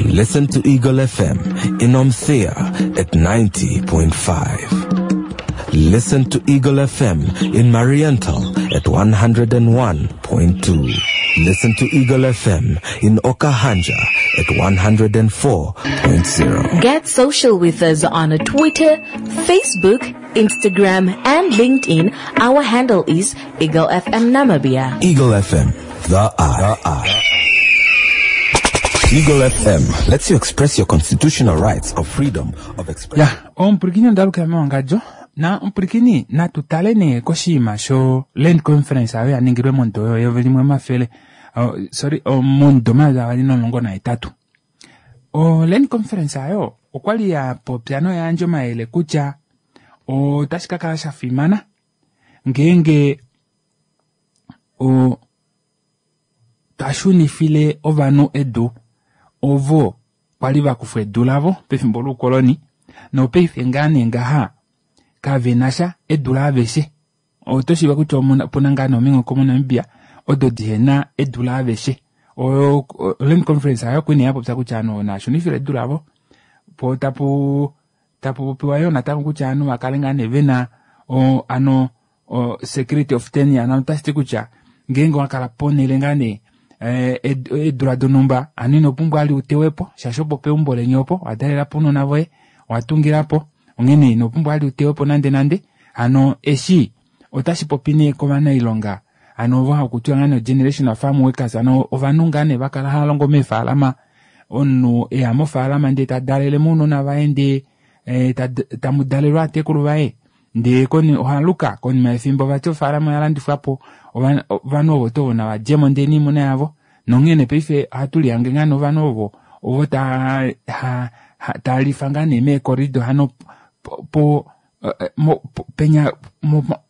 Listen to Eagle F M in Omuthiya at ninety point five. Listen to Eagle F M in Mariental at one hundred and one point two. Listen to Eagle F M in Okahandja at one hundred and four point zero. Get social with us on Twitter, Facebook, Instagram and LinkedIn. Our handle is Eagle F M Namibia. Eagle F M, the eye. The eye. Eagle F M lets you express your constitutional rights of freedom of expression. Ya, omupulikini ondaluka mewangadjo na omupulikini natu tale nee koshinima sho land conference ayo yaningilwe momudo yeyovi limwe omafele, oh, sorry, oh, momudo omayovi avali nomulongo nahetatu. O land conference ayo okwali ya popya noyayandja omayele kutya otashi ka kala sha fimana ngeenge o tashunifile ovanhu edu ovo kwali vakufwa edu lavo pefimbo loukoloni nopaife ngaa nee ngaha kavenasha edu laaveshe. Oto shiiva kutya opuna ngaa nee ominghoko moNamibia odo dihena edu laaveshe. O land conference ayo okwali nee yapopya kutya ovanhu nashunifile edu lavo po tapu tapu popiwa yoo natango kutya ovanhu vakale ngaa nee vena o, ano o, security of tenure, ano otashiti kutya ngeenge wakala ponele ngaa nee eedula donhumba hano ino pumbwa ali utewepo shaashi opo peumbo leni opo wadalelapo ounona voye owatungilapo onghene ino pumbwa ali utewepo nande nande. Hano eshi otashi popi nee kovanailonga hano ovo hakutiwa ngaa nee generational farm workers, hano ovanhu ngaa nee vakala hava longo meefalama, omunhu eya mofaalama ndee tadalele mounona vaye ndee tamu dalelwa ovatekulu vaye ndee ohaluka konima yefimbo vati ofaalama oyalandifwapo ovanhu ovo tuu ovo navadjemo ndee noimuna yavo nonghene paife ohatu lihange ngaa nee ovanhu ovo ovo talifa ngaa nee meekorido hano po penya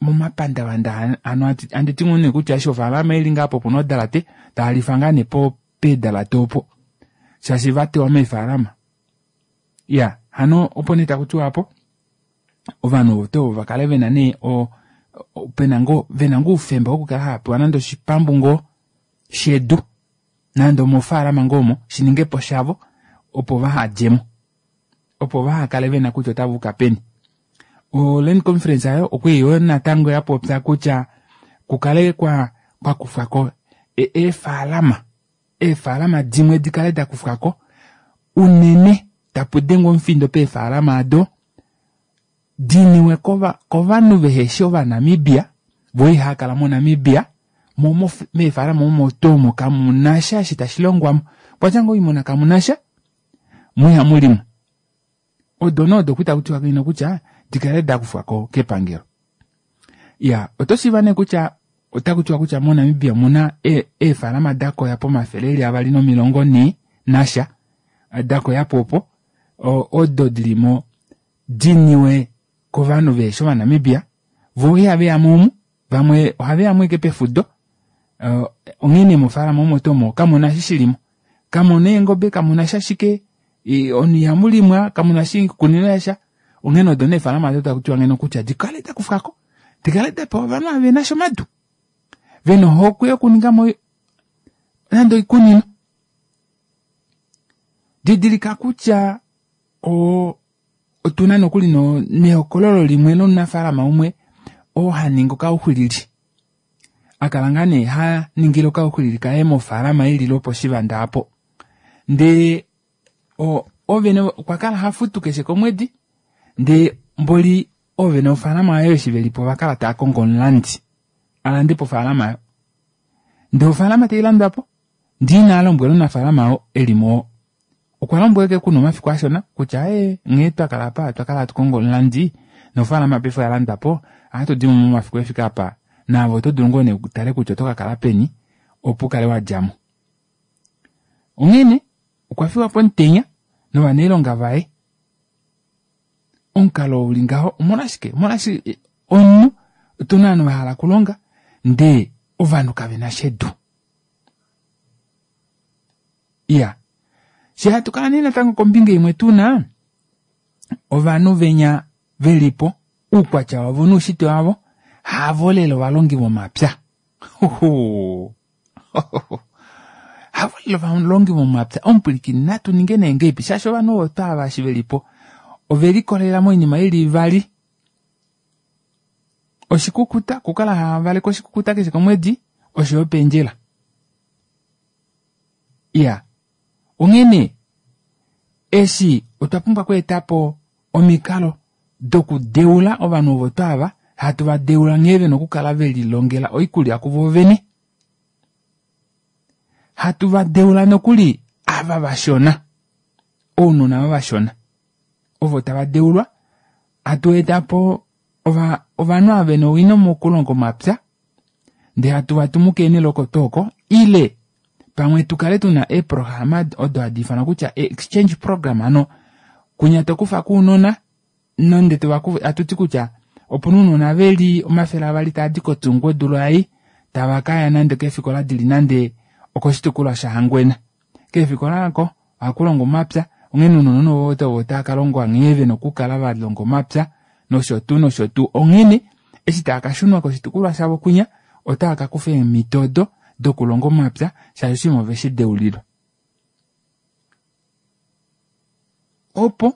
momapandavanda hano anditi ngoo nee kutya eshi ofaalama ili ngaa po puna odalate talifa ngaa nee peedalate opo shaashi vatewa meefalama. Ya hano opo nee takutiwa apo ovanhu ovo tuu vakale vena nee pena ngoo vena ngoo oufemba wokukala havapewa nande oshipambu ngoo shedu nande omofaalama ngoo omo shiningepo shavo opo vahadjemo opo vahakale vena kutya otava peni. O land conference ayo okwali yoo natango yapopya kutya kukale kwa kwakufwako eefalama eefalama dimwe dikale dakufwako unene tapu dengwa omufindo peefalama ado diniwe kovanhu veheshi ovanamibia vo ihakala moNamibia mo meefalama omo tuu omo kamunasha eshi tashi longwamo kwatya ngoo oimuna kamunasha mo ihamulimwa odo nee odo kwali takutiwa ngeno kutya dikale dakufwako kepangelo. Ya oto shiiva nee kutya otakutiwa kutya moNamibia omuna eefalama dakoya pomafele eli avali nomilongo nhee nasha dakoyapo opo odo dilimo diniwe kovanhu veheshi ovanamibia voo ihaveyamo omu vamwe ohaveyamo ashike pefudo onghene mofaalama omo tuu omo kamuna eshi shilimo kamuna eengobe kamuna sha ashike omunhu ihamulimwa kamuna oshikunino shasha onghene odo nee eefalama odo takutiwa ngeno kutya dikale dakufwako dikale dapewa ovanhu ava venasha omadu vena ohokwe yokuningamo nande oikunino. Didilika kutya otuna nokuli nehokololo limwe lomunafaalama umwe oo haningi okauxwilili akala ngaa nee haningile okauxwilili kaye mofaalama ili loposhivanda aapo ndee ovene okwa kala hafutu keshe komwedi ndee mboli oovene vofaalama ayo eshi velipo ovakala taakongo omulandi alandepo ofaalama ayo ndee ofaalama tailandwapo ndee ina lombwela omunafaalama oo elimo okwa lombwela ashike kuna omafiku ashona kutya ee nghee twakala apa twakala hatu kongo omulandi nofaalama paife oyalandwapo ohatu dimo momafiku efike apa naave oto dulu ngoo nee utale kutya oto kakala peni opo ukale wadjamo. Onghene okwa fiwa pomutenya novanailonga vaye omukalo uli ngaho omolwashike omolwashike omunhu otuna ovanhu vahala okulonga ndee ovanhu kavenasha edu. Iya shee hatu kala nee natango kombinga imwe tuna ovanhu venya velipo oukwatya wavo noushitwe wavo havo lela ovalongi vomapya havo lela ovalongi vomapya omupwilikini natu ninge nee ngahelipi shaashi ovanhu ovo twaava eshi velipo ovelikolelela moinima ili ivali Oshikukuta, okukala havaleke oshikukuta keshe komwedi, osho opendjela. Iya, onghene eshi otwa pumbwa okweetapo omikalo dokudeula ovanhu ovo twaava, hatu va deula nghee vena okukala velilongela oikulya kuvo vene. Hatu va deula nokuli ava vashona, ounona ava vashona ovo tava deulwa, hatu eta po ova ovanhu ava vena owino mokulonga omapya, ndee hatu vatumu keenhele oko tooko, ile pamwe tukale tuna eeprograma odo hadi ifanwa kutya exchange program, hano kunya tokufa kuunona nonde tovakufa, hatuti kutya opuna ounona veli omafele avali taadi kotsungwa odula ei, tava kaya nande keefikola dili nande okoshitukulwa shaHangwena. Keefikola oko ohaku omapya, onghene ounona ovo ovo tava kalongwa nghee vena okukala valonga omapya nosho tuu nosho tuu. Onghene eshi tava kashunwa koshitukulwa shavo kwinya, otava kakufa eemhito odo dokulonga omapya shaashi oshinima oveshi deulilwa. Opo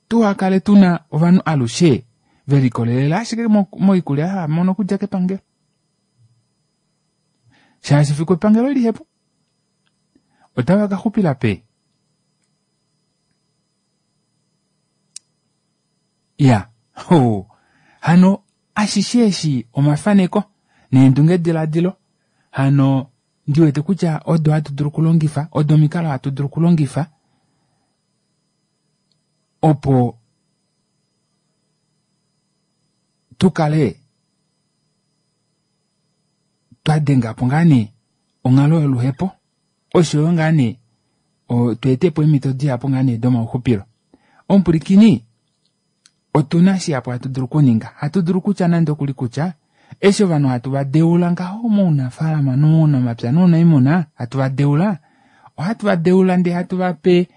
tuhakale tuna ovanhu alushe velikolelela ashike moikulya hava mono okudja kepangelo. Shaashi fiku epangelo lihepo, otava ka xupila pe. Ya, ho, hano ashishe eshi omafaneko neendunge diladilo, hano ndiwete kutya odo hatu dulu okulongifa, odo omikalo hatu dulu okulongifa opo tukale twa denga po ngaa nee onghalo yoluhepo, oshoyo ngaa nee tweetepo eemhito dihapu ngaa nee domauxupilo. Omupulikini, otuna shihapu hatu dulu okuninga, hatu dulu kutya nande okuli kutya eshi ovanhu hatu va deula ngaho mounafaalama nomounamapya nounaimuna, hatu va deula, ohatu va deula ndee hatu va pe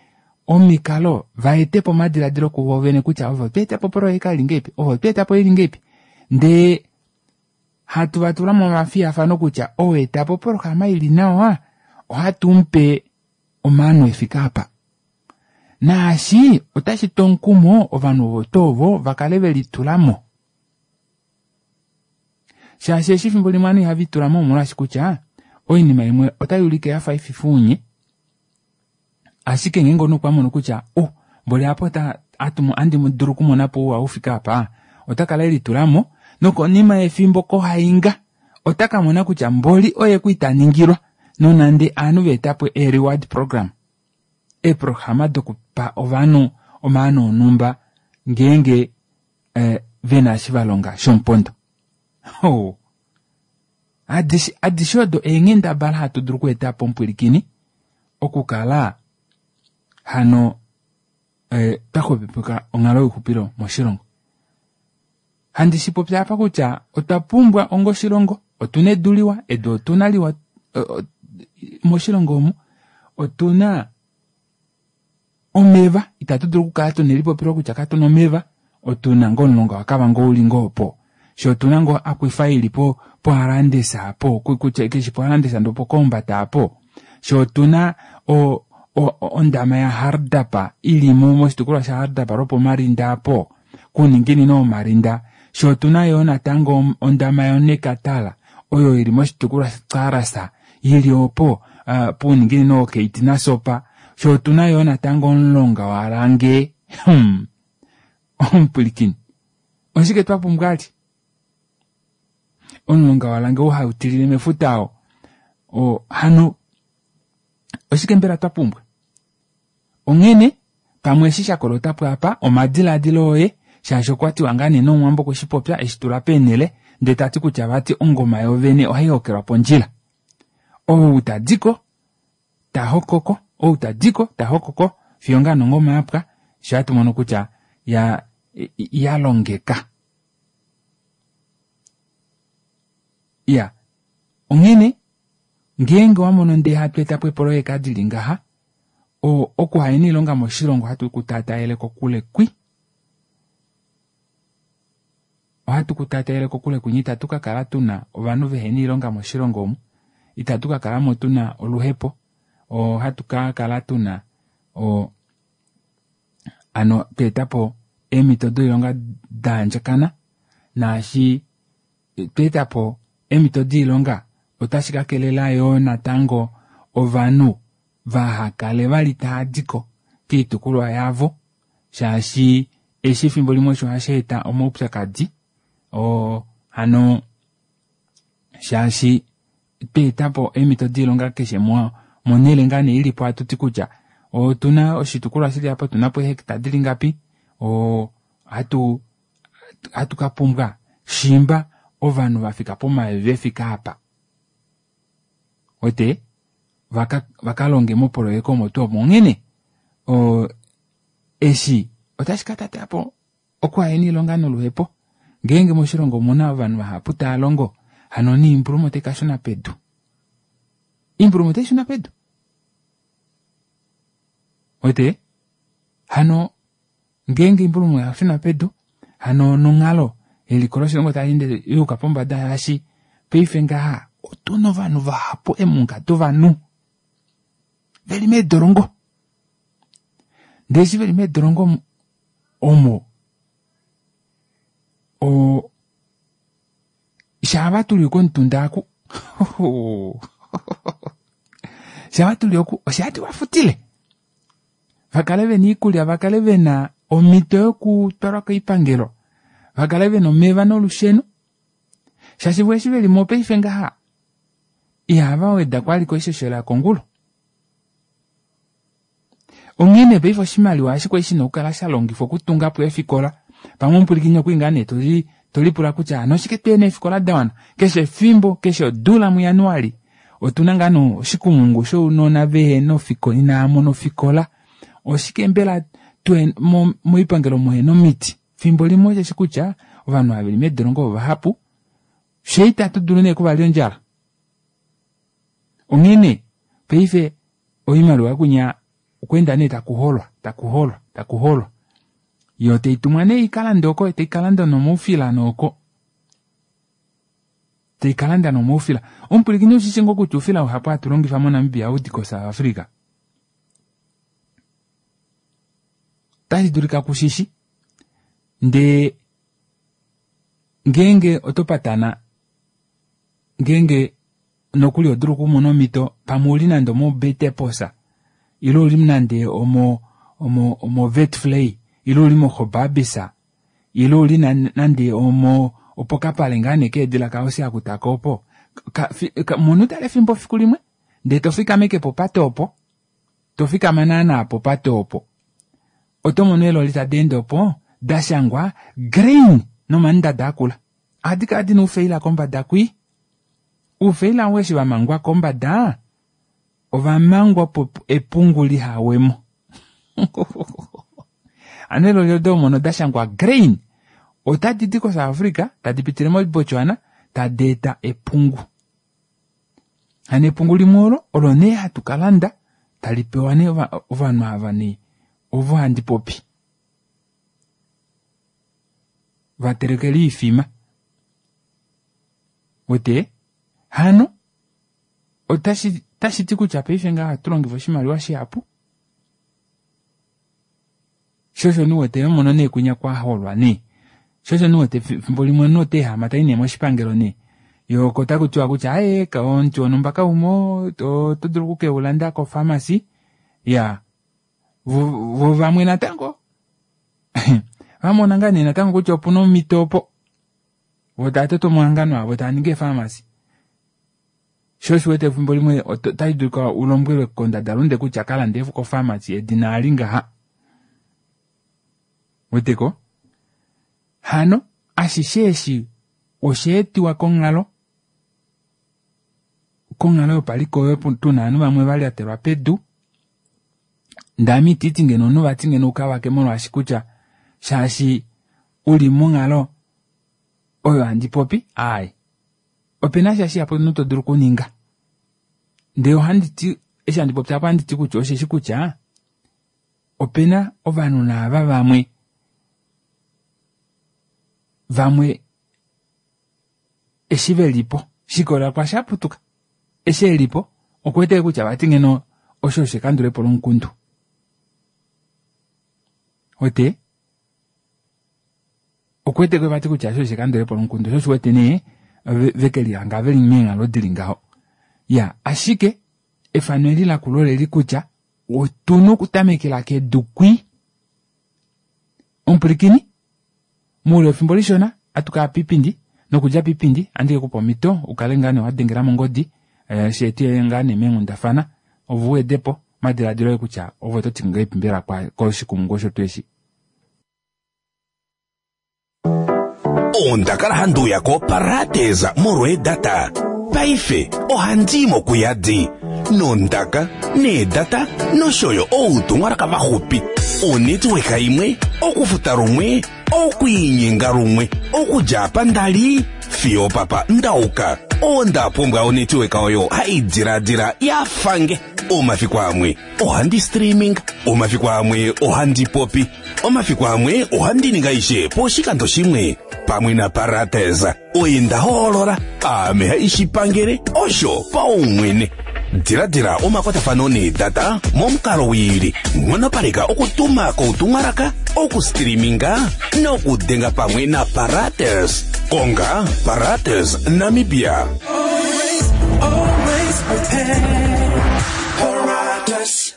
omikalo va etepo omadiladilo kuvo vene kutya ovo tweetapo projeka ili ngeipi, ovo tweetapo ili ngeipi, ndee hatu va tula momafiyafano kutya ou etapo programa ili nawa, ohatu mupe omaano efike apa. Naashi otashi tu omukumo ovanhu ovo tuu ovo vakale velitulamo. Shaashi eshi efimbo limwe ovanhu ihava itulamo omolwaashi kutya oinima imwe otai ulike yafa ififa unye, ashike ngeenge omunhu okwa mono kutya oh mboli apa ota andi dulu okumonapo ouwa ufike apa, ota kala elitulamo nokonima yefimbo kohainga ota ka mona kutya mboli oye ku itaningilwa, nonande ovanhu va etapo e reward program, eeprograma dokupa ovanhu omaano onhumba ngeenge eh, vena eshi valonga shomupondo. Oh. Adishe, adishe odo eenghendabala hatu dulu okweetapo omupwilikini okukala hano eh, twa onghalo youxupilo moshilongo. Handi shipopya apa kutya otwa pumbwa onga oshilongo, otuna edu liwa, edu otuna liwa moshilongo omu, otuna omeva, itatu dulu okukala tuna elipopilo kutya katuna omeva, otuna ngoo omulonga waKavango uli ngoo opo, sho otuna ngoo akwifa ili po poHarandesa apo, kutya keshi poHarandesa ndo poKombata apo, sho otuna o, o, ondama yaHardap ili moshitukulwa shaHardap lwopomarinda apo, kuninginino womarinda, sho otuna yoo natango ondama yoNekatala oyo ili moshitukulwa shaKarasa ili opo uh, puuninginino woKeiti naSopa, sho otuna yoo natango omulonga waLange. Hmm. Omupwilikini, oshike twa pumbwa ali? Omulonga waLange oo hau tilile mefuta oo. O, hano oshike mbela twa pumbwa? Onghene pamwe eshi sha kolotapo apa omadiladilo oye, shaashi okwa tiwa ngaa nee nomuwambo okwe shi popya eshi tula peenhele, ndee tati kutya vati ongoma yovene ohai hokelwa pondjila. Ou tadiko ta hokoko, ou tadiko ta hokoko, fiyo ngaa nongoma yapwa, sho hatu mono kutya ya ya longeka. Ya, onghene ngeenge wamono ndee hatu etapo eepoloyeka dili ngaha, okuhayena oilonga moshilongo ohatu kutaataele kokule kwi. Ohatu kutaataele kokule kwinya, itatu ka kala tuna ovanhu vehena oilonga moshilongo omu, itatu ka kalamo tuna oluhepo, ohatu ka kala tuna o ano tweetapo eemhito doilonga daandjakana, naashi twa etapo eemhito doilonga otashi kakelela yoo natango ovanhu vahakale vali taadiko koitukulwa yavo shaashi eshi efimbo limwe osho hashi eta omaupyakadi oo hano shaashi twa etapo eemhito doilonga keshe monhele ngaa nee ilipo hatuti kutya otuna oshitukulwa shili apa otunapo eehecta dili ngapi oo hatu hatu kapumbwa shimba ovanhu vafika pomayovi efika apa wete vakalonge mopoloyeka omo tuu omo onghene oo eshi otashi katatapo okuhena oilonga noluhepo ngeenge moshilongo omuna ovanhu vahapu taalongo hano noimbuluma otaikashuna pedu oimbuluma otaishuna pedu wete hano ngeenge oimbuluma oyashuna pedu hano nonghalo eliko loshilongo taleende yuuka pombada shaashi paife ngaha otuna ovanhu vahapu eemunga dovanhu veli meedolongo ndee eshi veli meedolongo omo oo shaava tuli komutunda oku shaava tuli oku oshihati vafutile vakale vena oikulya vakale vena omito yokutwalwa koipangelo vakale vena omeva nolusheno shaashi voo eshi velimo paife ngaha ihava wedako vali koishoshela yokongulu onghene paife oshimaliwa eshi kwali shina okukala shalongifwa okutungapo eefikola pamwe omupwilikini okwali ngaa nee toli tolipula kutya hano oshike tuhena eefikola dawana keshe efimbo keshe odula muJanuali otuna ngaa nee oshikumungu shounona vehena ofikola inaamona ofikola oshike mbela moipangelo muhena omiti fimbo limwe osheshi kutya ovanhu ava veli meedolongo ovahapu fyee itatu dulu nee okuvalya ondjala onghene paife oimaliwa kunya okweenda nee takuholwa takuholwa takuholwa yoo taitumwa nee ikalande oko taikalanda nomaufila nooko taikalanda nomaufila omupwilikini ushishi ngoo kutya oufila uhapu hatu longifa moNamibia ohaudi ko South Africa otashi dulika kushishi ndee ngeenge oto patana ngeenge nokuli odulu okumona omhito pamwe uli nande omoBeteposa ile uli nande omo omo omo Vetvlei ile uli moGobabis ile uli nande omo opokapale ngaa nee keedila kaHosea Kutako opo mona utale efimbo efiku limwe ndee tofikameke popate opo tofikama naana popate opo oto mono eeloli tadi ende opo dashangwa grain nomandada akula ohadi kala dina oufaila kombada kwii oufaila ou eshi vamangwa kombada ovamangwa opo epungu lihawemo hano eeloli odo homono dashangwa grain otadi di ko South Africa tadi pitile moBotswana tadi eta epungu hano epungu limwe olo olo nee hatu kalanda tali pewa nee ovanhu ava nee ovo handi popi vatelekele oifima wete hano otashi otashi ti kutya paife ngaha ohatu longifa oshimaliwa shihapu sho osho niwete mono nee kunya kwaholwa nee sho osho niwete fimbo limwe omunhu oteehama tai nee moshipangelo nee yoo oko takutiwa kutya aaye omuti wonhumba kaumo oto dulu okukeulanda ko-pharmacy ya vo vamwe natango vamona ngaa nee natango kutya opuna omhito opo vo tava toto omahangano avo tava ningi eepharmacy sho osho uwete efimbo limwe otashi dulika ulombwelwe kondadalunde kutya kalande ko-pharmacy edina ali ngaha weteko hano ashishe eshi osha etiwa konghalo konghalo yopaliko oyo tuna ovanhu vamwe valyatelwa pedu ndee ame ititi ngeno omunhu vati ngeno ukavake molwaashi kutya shaashi uli monghalo oyo handi popi aaye opena sha shihapu omunhu todulu okuninga ndee ohandi ti eshi handi popi apa ohandi ti kutya osheshi kutya opena ovanhu naava vamwe vamwe eshi velipo shikolela kwaashi aputuka eshi elipo okuwete kutya vati ngeno osho osho ekandulepo lomukundu wete okuwete vati kutya osho osho ekandulepo lomukundu sho osho uwete nee Vekelihanga veli meenghalo dili ngaho. Ya ashike efano eli lakula oleli kutya otuna okutamekela kedu kwii. Omupwilikini moule wefimbo lishona atukaya piipindi nokudja piipindi ohandi kekupa omito ukale ngaa nee wadengela mongodi sheetuye ngaa nee meenghundafana ove uwedepo omadilaadilo oye kutya ove ototi ngahelipi mbela koshikumungu osho tuu eshi. Onda kala handi uya koParadise molwa eedata. Paife ohandi i mo kuyadi nondaka, needata nosho yo outumwalaka vaxupi. Onetwork imwe, okufuta lumwe, okwiinyenga lumwe, okudja apa nda li fiyo opapa nda uka. Onda pumbwa onetwork oyo hai diladila ya fange. Omafiku amwe ohandi streaming, omafiku amwe ohandi popi, omafiku amwe ohandi ningi aishe poshikando shimwe. Pamwe naParates oye nda hoolola, aame haishi pangele osho paumwene. Diladila omakwatafano needata momukalo wiili, nghonopaleka okutuma koutumwalaka, okustreaminga nokudenga pamwe naParates. Konga Parates Namibia. Always, always prepared. Paratus.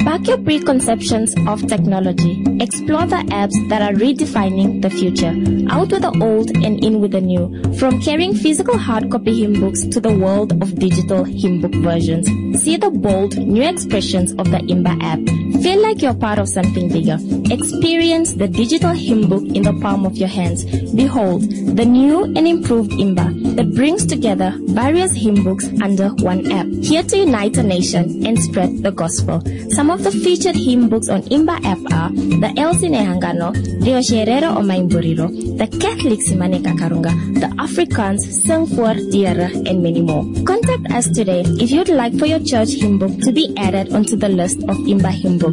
Back your preconceptions of technology. Explore the apps that are redefining the future. Out with the old and in with the new. From carrying physical hard copy hymn books to the world of digital hymn book versions. See the bold new expressions of the Imba app. Feel like you're part of something bigger. Experience the digital hymn book in the palm of your hands. Behold, the new and improved Imba that brings together various hymn books under one app. Here to unite a nation and spread the gospel. Some of the featured hymn books on Imba app are the Elsie Nehangano, Riosherero Omaimburiro, the Catholic Simaneka Karunga, the Afrikaans Sing voor Diere, and many more. Contact us today if you'd like for your church hymn book to be added onto the list of Imba hymn books.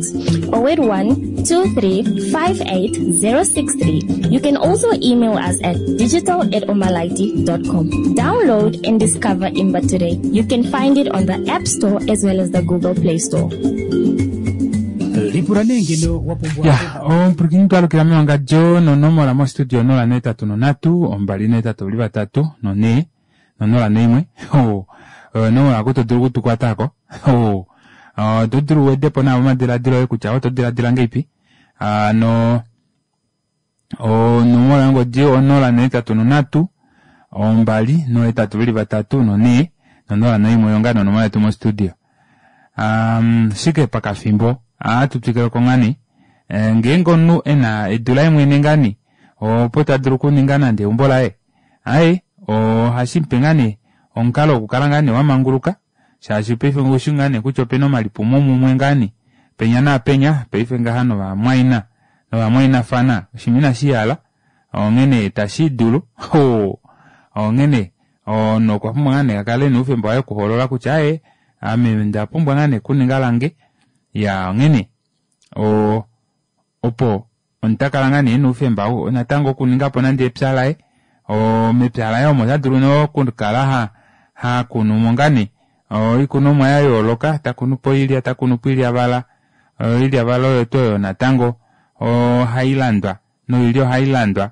oh eight one, two three five eight zero six three. You can also email us at digital at omalaiti dot com. Download and discover Imba today. You can find it on the App Store as well as the Google Play Store. Lipula nee ngeno wa pumbwa Ya, omupwilikini twalukila mewangadjo nonomola mostudio onola nohetatu nonhatu ombali nohetatu ovali vatatu nonhee nonola noimwe. Oh, onomola oku to dulu okutukwatako. Oh, oto dulu uwedepo nawa omadiladilo oye kutya oto diladila ngahelipi. Hano onomola yongodi onola nohetatu nonhatu ombali nohetatu veli vatatu nonhee nonola noimwe oyo ngaa nonomola yetu mostudio. Um, shike pakafimbo ohatu twikileko ngaa nee ngeenge omunhu ena edu laye mwene ngaa nee opo tadulu okuninga nande eumbo laye aaye ohashimupe ngaa nee omukalo wokukala ngaa nee wamanguluka shaashi paife oushi ngaa nee kutya opena omalipumo mumwe ngaa nee penya naapenya paife ngaha novamwaina novamwainafana oshinima inashihala onghene tashidulu onghene omunhu okwa pumbwa ngaa nee akale ena oufemba waye wokuhoolola kutya aaye ame onda pumbwa ngaa nee okuninga lange ya onghene o opo omunhu takala ngaa nee ena oufemba natango okuningapo nande epya laye mepya laye omo otadulu nee okukala hakunumo ngaa nee oikunomwa yayooloka takunupo oilya takunupo oilyavala oilyavala oyo tuu oyo natango ohailandwa noilya ohailandwa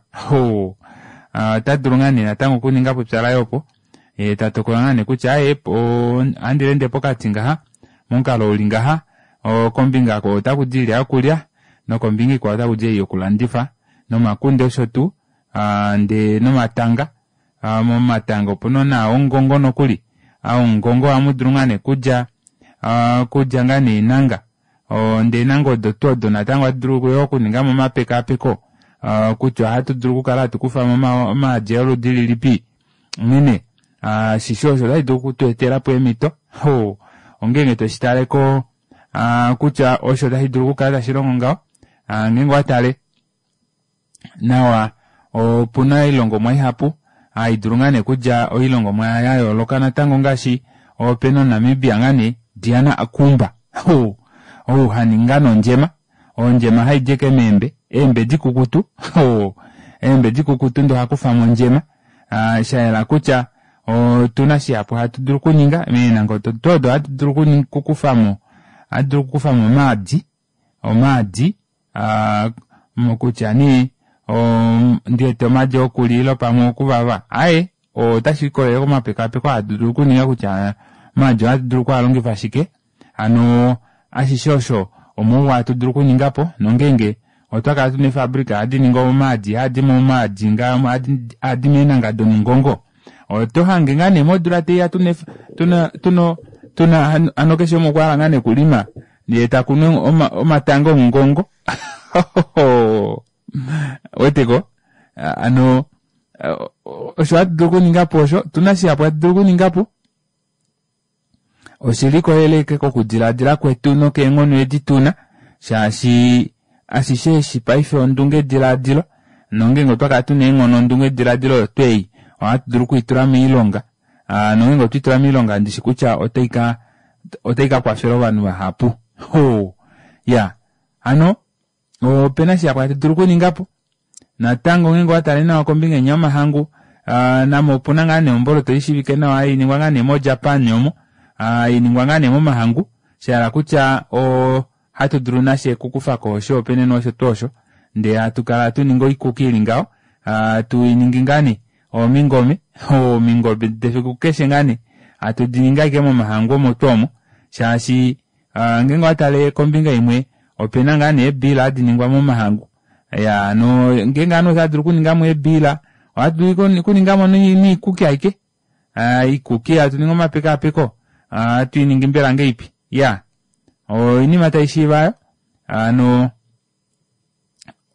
otadulu ngaa nee natango okuningapo epya laye opo yee tatokola ngaa nee kutya aaye ohandi leende pokati ngaha momukalo uli ngaha kombinga oko otakudi oilya yokulya nokombinga ikwao otakudi ei yokulandifa nomakunde osho tuu ndee nomatanga momatanga opuna naa omungongo nokuli omungongo ohamudulu ngaa nee kudja kudja ngaa nee eenanga ndee eenanga odo tuu odo natango ohatu dulu yoo okuningamo omapekaapeko kutya ohatu dulu okukala hatu kufamo omaadi oludi lilipi onghene ashishe osho otashi dulu okutweetelapo eemito ongeenge toshitaleko kutya osho tashi dulu okukala tashilongo ngaho ngeenge owatale nawa opuna oilongomwa ihapu haidulu ngaa nee okudja oilongomwa yayooloka natango ngaashi opena omunamibia ngaa nee Diana Akumba ou haningi nondjema ondjema haidi ashike meembe eembe dikukutu eembe dikukutu ndee ohakufamo ondjema shayela kutya otuna shihapu hatu dulu okuninga meenanga odo tuu odo ohatu dulu okukufamo ohatu dulu okukufamo omaadi omaadi kutya nee ndiwete omaadi okulya ile pamwe okuvava aaye Otashi ikolele komapekapeko hatu dulu okuninga kutya omaadi ohatu dulu okualongifa shike. Hano ashishe osho omauwa hatu dulu okuningapo nongenge otwa kala tuna eefabrika hadi ningi omaadi haadi momaadi ngaa haadi meenanga domungongo oto hange ngaa nee modula teiya tuna tuna tuna tuna hano keshe umwe okwa hala ngaa nee okulima yee takunu omatanga omungongo weteko ano osho hatu dulu okuningapo osho otuna shihapu hatu dulu okuningapo oshilikolele ashike kokudilaadila kwetu nokeenghono edi tuna shaashi ashishe eshi paife ondunge dilaadilo nongenge otwa kala tuna eenghono ondunge dilaadilo oyo twei ohatu dulu okuitula moilonga nongenge otweitula moilonga ndishi kutya otaika otaika kwafela ovanhu vahapu ya hano opena shihapu hatu dulu okuningapo natango ngeenge owatale nawa kombinga inya yomahangu namo opuna ngaa nee omboloto ishivike nawa hainingwa ngaa nee mo Japan omo hainingwa ngaa nee momahangu shahala kutya ohatu dulu nashe okukufako osho opene nosho tuu osho ndee hatu kala tuninga oikuki ili ngaho hatuiningi ngaa nee omingome omingome defiku keshe ngaa nee hatu diningi ashike momahangu omo tuu omo shaashi ngeenge owatale kombinga imwe opena ngaa nee eebila hadi ningwa momahangu ya hano ngeenge ovanhu otava dulu okuningamo eebila ohatu dulu okuningamo noikuki aike oikuki hatu ningi omapekapeko ohatuiningi mbela ngeipi iya oinima taishiiva aayo hano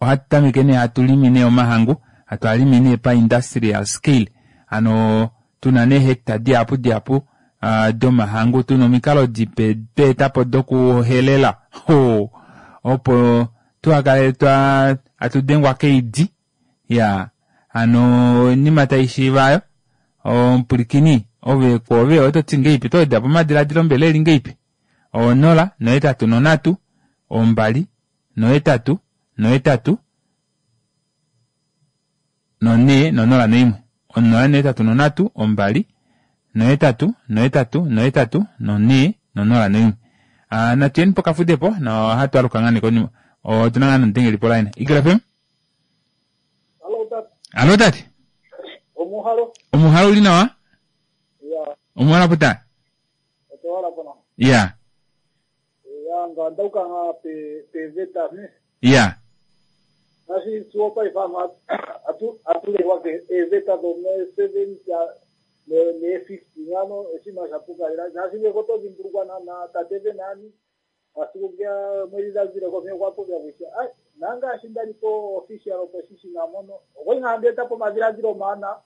ohatu tameke nee hatu limi nee omahangu hatu alimi nee pa industrial scale hano tuna nee hectare dihapu dihapu domahangu tuna omikalo dipe tweetapo dokuhelela opo tuhakale twa hatu dengwa keidi ya hano oinima taishiiva aayo omupulikini ove kwoove ototi ngeipi oto wedapo omadilaadilo mbela eli ngeipi onola nohetatu nonhatu ombali nohetatu nohetatu nonhee nonola noimwe onola nohetatu nonhatu ombali nohetatu nohetatu nohetatu nonhee nonola noimwe natuyeni pokafudepo nohatu aluka ngaa nee konima otuna ngaa nomudengeli poline Eagle F M Allo tate Omuhalo Omuhalo uli nawa Ya Omuhalo puta Otohala pona Ya Ya ngandauka nga pe pe veta ne Ya Ngaashi suo paife atu atulewa ke eveta do me seventy ne ne fifty ngano oshinima sha puka lela ngaashi ngeke oto dhimbulukwa naana tate Venani masiku ngeya omwedhi dha zile ko okwa popya kutya ai nangaashi ndali po official opposition mono okwali ngaa handi eta po omadhiladhilo omawanawa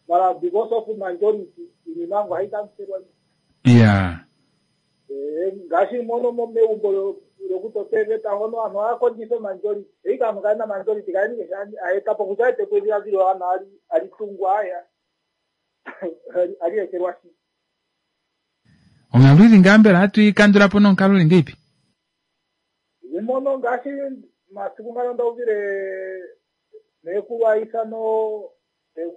mara because of majority iinima yangu ohayi kanselwa Ya Eh, ngaashi mono mo- megumbo lokutota eveta hono aantu ohaya kondjitha majority eyi kaantu kaye na majority kaye ninge sha aeta po kutya ete po edhiladhilo ewanawa ali ali tungwa aya ali ekelwashi Onghalo ili ngaa mbela hatu ikandula po nonkalo ili ngeipi mono ngaashi masiku ngano ndauvile nekulu aithano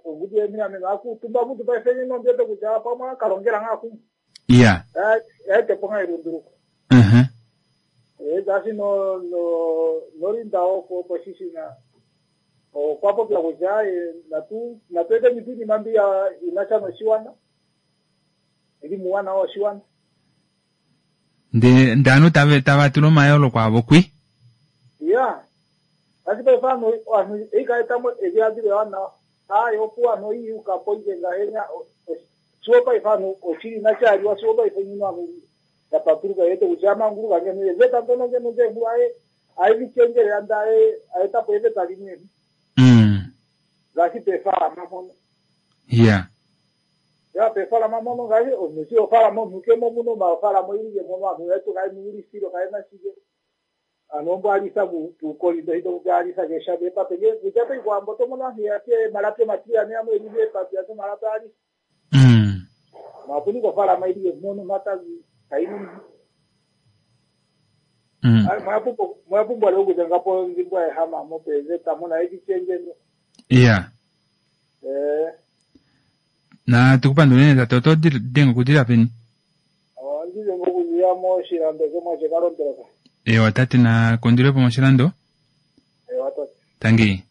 ongudu yemilameno akuutumba mutu paife nondiwete kutya pamwe akalongela ngaa kumwe Ya yaetepo ngaa elunduluko uh-huh. ngaashi no no nolinda opo poshishina okwa popya kutya natu natu eteni tu iinima mbi inasha noshiwana ili muuwanawa woshiwana Ndee ndee ovanhu tava tava tula omayooloko avo kwi ya ngaashi paife aantu aantu eikaetamo edhiladhilo ewanawa hayi opuwo aantu oyiiyukapo ike ngahenya siwo paife aantu oshili inashi siwo paife nyino aantu yapatuluka yete kutya yamanguluka ngeno eveta ndono ngeno ngehu aye ayelichenjelela nda aye aetapo eveta limwe mm. ngaashi pefalama mpono Ya ya pefalama mpono ngaashi omuntu si ofalama omuntu kemo muno mafalama oyilile mono aantu yetu kaye nuulisilo kaye na shike ano ombo alisa puukolindo hito kupya alisa kesha epape nge kutya toikwambo tomono aantu yake malapi omatiliyane yamwe elile epape yake malapi alisa mm. mapuni kofalama ilile mono matazi kainu mm. mwapumbwa leo kuzengapo nzimbwa ehama mo pezeta mona ecichenjeno Ya eh na tukupandula unene tate oto denge okudila peni ondize ngokuziya moshilando shomwe shekalondeleka ewa tate na kondilepo moshilando ewa tate tangi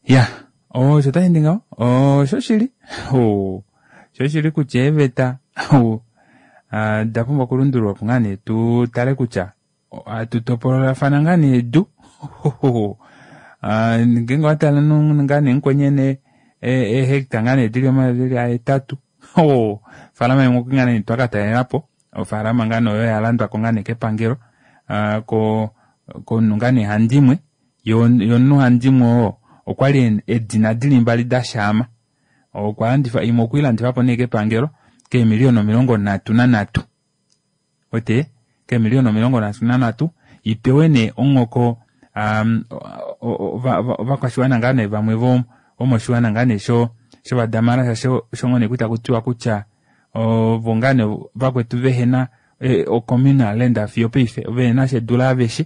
ya Osho tashi ngaho oshoshili oshoshili kutya eeveta da pumbwa okulundululwa opo ngaa nee tu tale kutya hatu topololafana ngaa nee edu. Ngeenge owatala ngaa nee mukweni ena eehecta ngaa nee dili omayovi ahetatu, ofaalama imwe okwali ngaa nee twakatalelapo, ofaalama ngaa nee oyo yalandwako ngaa nee kepangelo komunhu ngaa nee handimwe, yee omunhu handimwe oo okwali eedina dili mbali dashaama, okwalandifa imwe okweilandifapo nee kepangelo keemiliyona omilongo nhatu nanhatu, uwete keemiliyona omilongo nhatu nanhatu ipewe nee omuhoko ovakwashiwana ngaa nee vamwe vomoshiwana ngaa nee shovadamara shaashi osho ngoo nee takutiwa kutya ovo ngaa nee vakwetu vehena o-communal land fiyo opaife vehenasha edu laaveshe,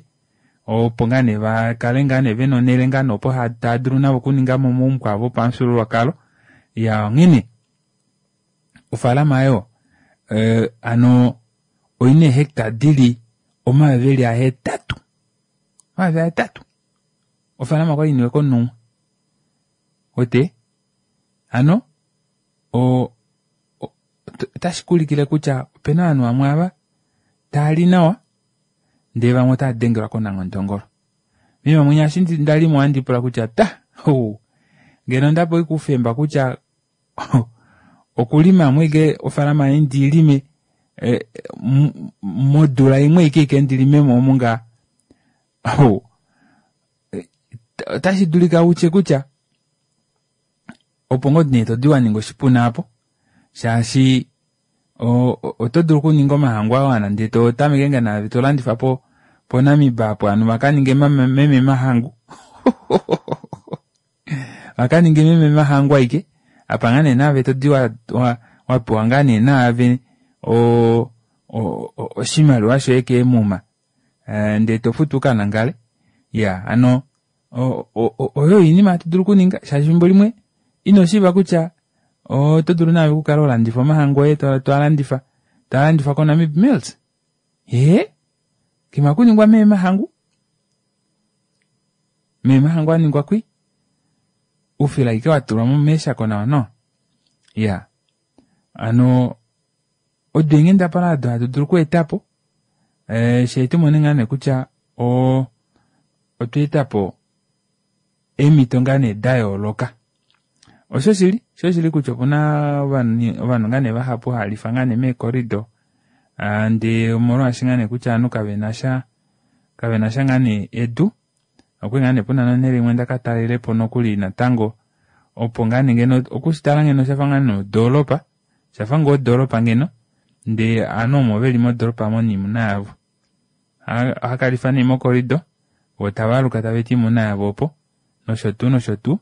opo ngaa nee vakale ngaa nee vena onele ngaa nee opo taadulu navo okuningamo omaumbo avo opamufyuululwakalo. Iyaa onghene ofaalama aayo hano oina eehecta dili omayovi eli ahetatu, omayovi ahetatu ofaalama okwali iniwe komunhu umwe uwete hano oo otashikuulikile kutya opena ovanhu vamwe aava taali nawa ndee vamwe otaadengelwa konanghondongolo. Meme mwinya eshi ndalimo ohandiipula kutya ta ngeno ondapewa ashike oufemba kutya okulimamo ashike ofaalama yange ndiilime modula imwe aike ashike ndilimemo omu ngaha, otashidulika utye kutya opo ngoo nee todi waninga oshipuna aapo shaashi oto dulu okuninga omahangu awana ndee totameke ngoo naave tolandifa poNamiba apo ovanhu vakaninge meme mahangu vakaninge meme mahangu aike apa ngaa nee naave todi wapewa ngaa nee naave oshimaliwa shoye keemuma ndee tofutu ukanangale. Iyaa hano oyo oinima hatu dulu okuninga shaashi efimbo limwe inoshiiva kutya oto dulu naave okukala holandifa omahangu oye toalandifa taalandifwa koNamib Mills, ee kima kuningwa mee mahangu, mee mahangu aningwa kwi oufila ashike watulwamo meeshako nawa nawa. Iyaa hano odo eenghendabala odo hatu dulu okweetapo fyee tumone ngaa nee kutya otweetapo eemito ngaa nee dayooloka. Oshoshili oshoshili kutya opuna ovanhu ngaa nee vahapu haalifa ngaa nee meecorridor ndee omolwaashi ngaa nee kutya ovanhu kavenasha kavenasha ngaa nee edu. Okwali ngaa nee puna nonele imwe ndakatalelepo nokuli natango opo ngaa nee ngeno okushitala ngeno oshafa ngaa nee odoropa, oshafa ngoo odoropa ngeno ndee ovanhu omo veli modoropa aamo noimuna yavo. Ohakalifa nee mocorridor voo tavaaluka tavaeta oimuna yavo opo nosho tuu nosho tuu.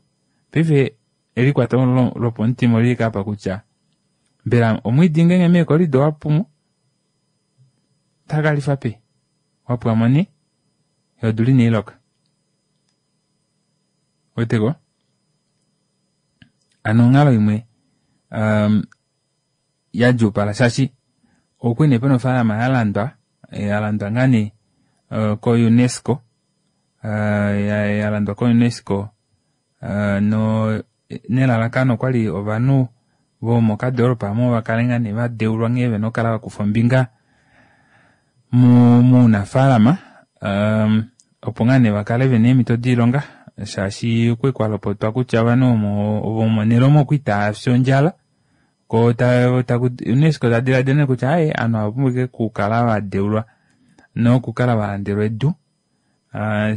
Paife elikwato lopomutima olili ashike aapa kutya mbela omwiidi ngeenge meecorridor owapumo otaakalifa peni wapwamo nee yoo odula inailoka ouweteko hano onghalo imwe yadjuupala shaashi okwali nee pena ofaalama yalandwa yalandwa ngaa nee ko UNESCO yalandwa ko UNESCO nelalakano okwali ovanhu vomokadoropa aamo vakale ngaa nee vadeulwa nghee vena okukala vakufa ombinga mounafalama opo ngaa nee vakale vena eemito doilonga shaashi okwali kwalopotwa kutya ovanhu vomonele omo okwali taafi ondjala koo UNESCO tadilaadila nee kutya aaye ovanhu ava ovapumbwa ashike okukala vadeulwa nokukala valandelwa edu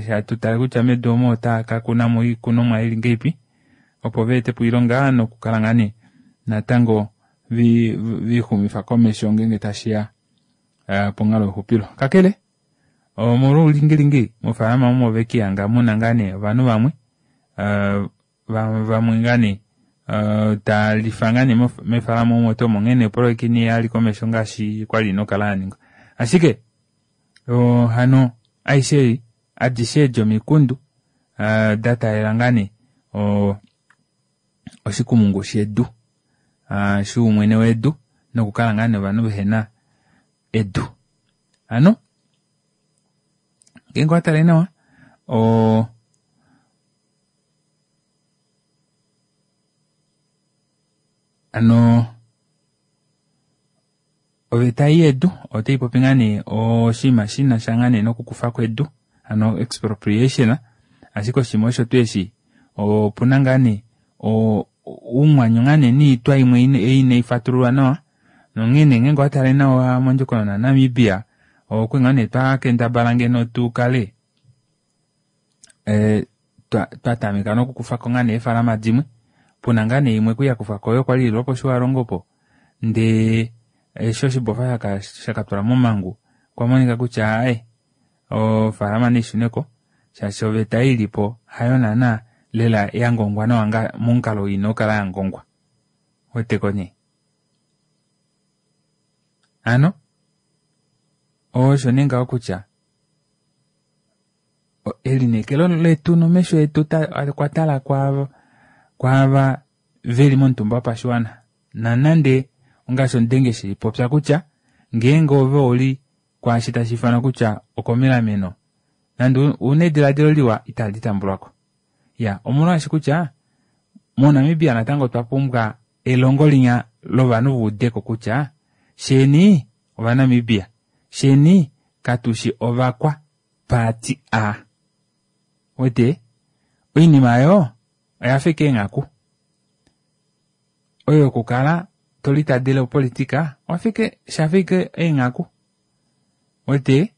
hatutale kutya medu omo otaakakunamo oikunomwa ili ngahelipi opo vaetepo oilonga nokukala ngaa nee natango viixumifa komesho ngeenge tashiya ponghalo youxupilo. Kakele omolwa oulingilingi mofaalama omo ovekiihanga muna ngaa nee ovanhu vamwe vamwe ngaa nee taalifa ngaa nee mefaalama omo tuu omo onghee opoloyeka inaiya komesho ngaashi kwali ina okukala yaningwa. Ashike hano aishe ei adishe edi omikundu dataalela ngaa nee oshikumungu shedu shoumwene wedu nokukala ngaa nee ovanhu vehena edu. Hano ngeenge owatale nawa oo Ano oveta ei yedu otaipopi ngaa nee oshinima shinasha ngaa nee nokukufako edu hano expropriation ashike oshinima osho tuu eshi opuna ngaa nee oumwanyo ngaa nee noitwa imwe ei inaifatululwa nawa nonghene ngeenge owatale nawa mondjokonona yaNamibia okwali ngaa nee twakendabala ngeno tukale twatameka nokukufako ngaa nee eefalama dimwe puna ngaa nee imwe kwali yakufwako oyo kwali ili lwoposhiwalongo opo ndee eshi oshibofa shakatulwa momangu okwa monika kutya aaye ofaalama naishuneko shaashi oveta ei ilipo hayo naana lela yangongwa nawa momukalo ina okukala yangongwa ouweteko nee hano osho nee ngaho kutya elineekelo letu nomesho etu okwa tala kwaava veli momutumba wopashiwana nonande ongaashi omudenge shipopya kutya ngeenge ove ouli kwaashi tashiifanwa kutya okomilameno nande una edilaadilo liwa itali tambulwako iya omolwaashi kutya moNamibia natango otwa pumbwa elongo linya lovanhu vaudeko kutya sheni ovaNamibia sheni katushi ovakwa paati a wete oinima aayo oyafa ashike eenghaku oyo yokukala tolitadele opolitika oshafa ashike eenghaku wete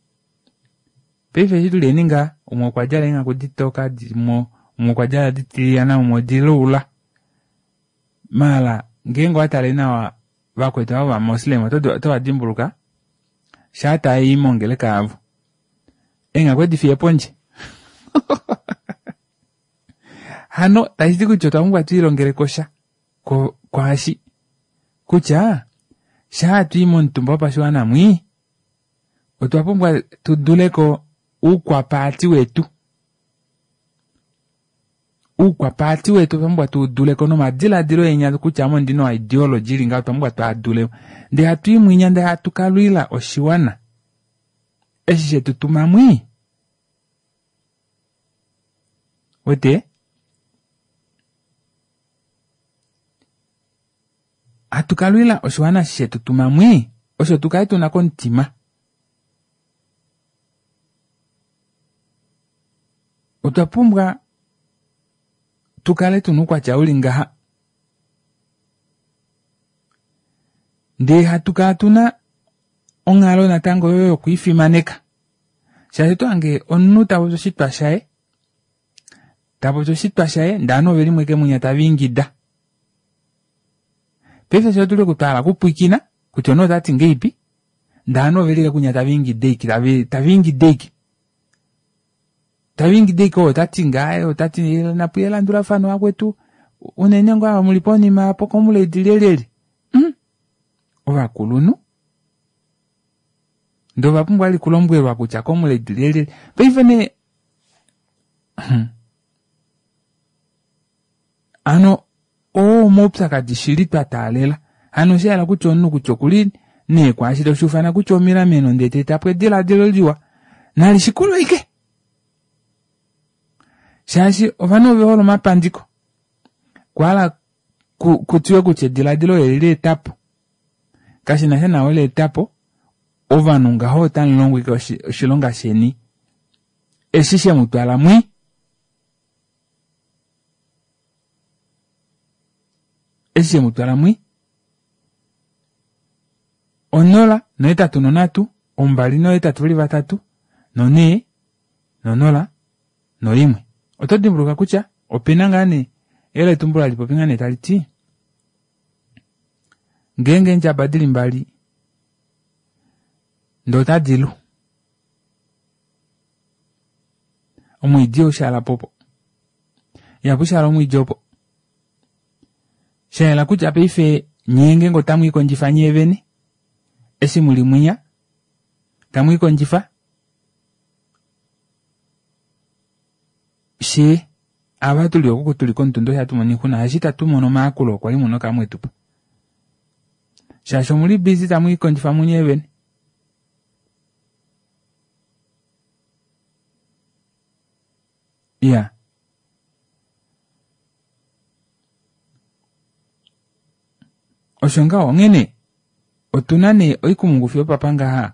paife eshi tuli ngaha umwe okwadjala eenghaku ditoka umwe okwadjala ditilyana umwe odilaula maala ngeenge owatale nawa vakwetu ava ovamoslem otovadimbuluka shaa taayi mongeleka yavo eenghaku edifiya pondje hano tashiti kutya otwa pumbwa twiilongelekosha kwaashi kutya shaa twii momutumba wopashiwana mwii otwa pumbwa tuduleko oukwapaati wetu oukwapaati wetu otwa pumbwa tuuduleko nomadilaadilo enya kutya ame ondina ideology ili ngaha otwa pumbwa twaadule ndee hatui mwinya ndee hatu kalwila oshiwana eshi shetutuma mwii wete hatu kalwila oshiwana eshi shetutuma mwii osho tukale tuna komutima otwa pumbwa tukale tuna oukwatya uli ngaha ndee hatu kala tuna onghalo natango oyo yokwiifimaneka shaashi otohange omunhu tapopi oshitwa shaye tapopi oshitwa shaye ndee ovanhu oveli mweke mwinya tavaingida paife fyee otuli oku twahala okupwiikina kutya omunhu otati ngahelipi ndee ovanhu oveli kunya tavaingida ashike tavaingida ashike tavaingida ashike ou otati ngaha otati napuye elandulafano vakwetu unene ngoo ava muli ponima apo comrade lyelyelye mm ovakulunhu ndee ovapumbwa vali okulombwelwa kutya comrade lyelyelye paife nee hano oo omaupyakadi shili twa taalela hano oshahala kutya omunhu kutya okuli nee kwaashi toshuufana kutya omilameno ndee teetapo edilaadilo liwa nalishikulwe ashike shaashi ovanhu ovehole omapandiko okwahala kutiwe kutya edilaadilo eli leetapo kashinasha nawe leetapo ovanhu ngaho otamulongo ashike oshilonga sheni eshi shemutwala mwii eshi shemutwala mwii onola nohetatu nonhatu ombali nohetatu veli vatatu nonhee nonola noimwe oto dimbuluka kutya opena ngaa nee eyeletumbulo halipopi ngaa nee taliti ngeenge eendjaba dili mbali ndee otadilu omwiidi ihaushaalapo opo ihapushaala omwiidi opo shayela kutya paife nyee ngeenge otamwiikondjifa nyeevene eshi muli mwinya tamwiikondjifa fyee ava tuli oku tuli komutunda osho hatu mono oixuna shaashi itatu mono omayakulo kwali muna okukala mwetupa shaashi omuli busy tamwiikondjifa munye vene iya Osho ngaho onghene otuna nee oikumungu fiyo papa ngaha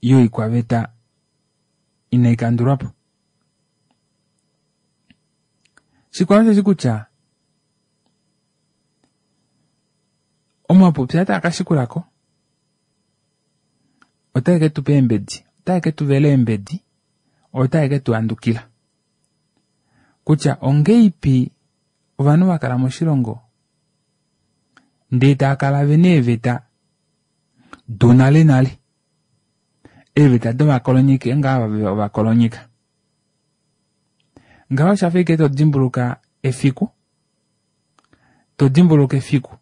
yoikwaveta inaikandulwapo. Shikwao osheshi kutya omapupya taa kashikulako otae ke tupa eembedi, otae ke tuvela eembedi, otae ke tu handukila kutya ongeipi ovanhu vakala moshilongo ndee taakala vena eeveta donale nale, eeveta dovakolonyeki ngaa ovakolonyeka. Ngaho oshafa ashike todimbuluka efiku, todimbuluka efiku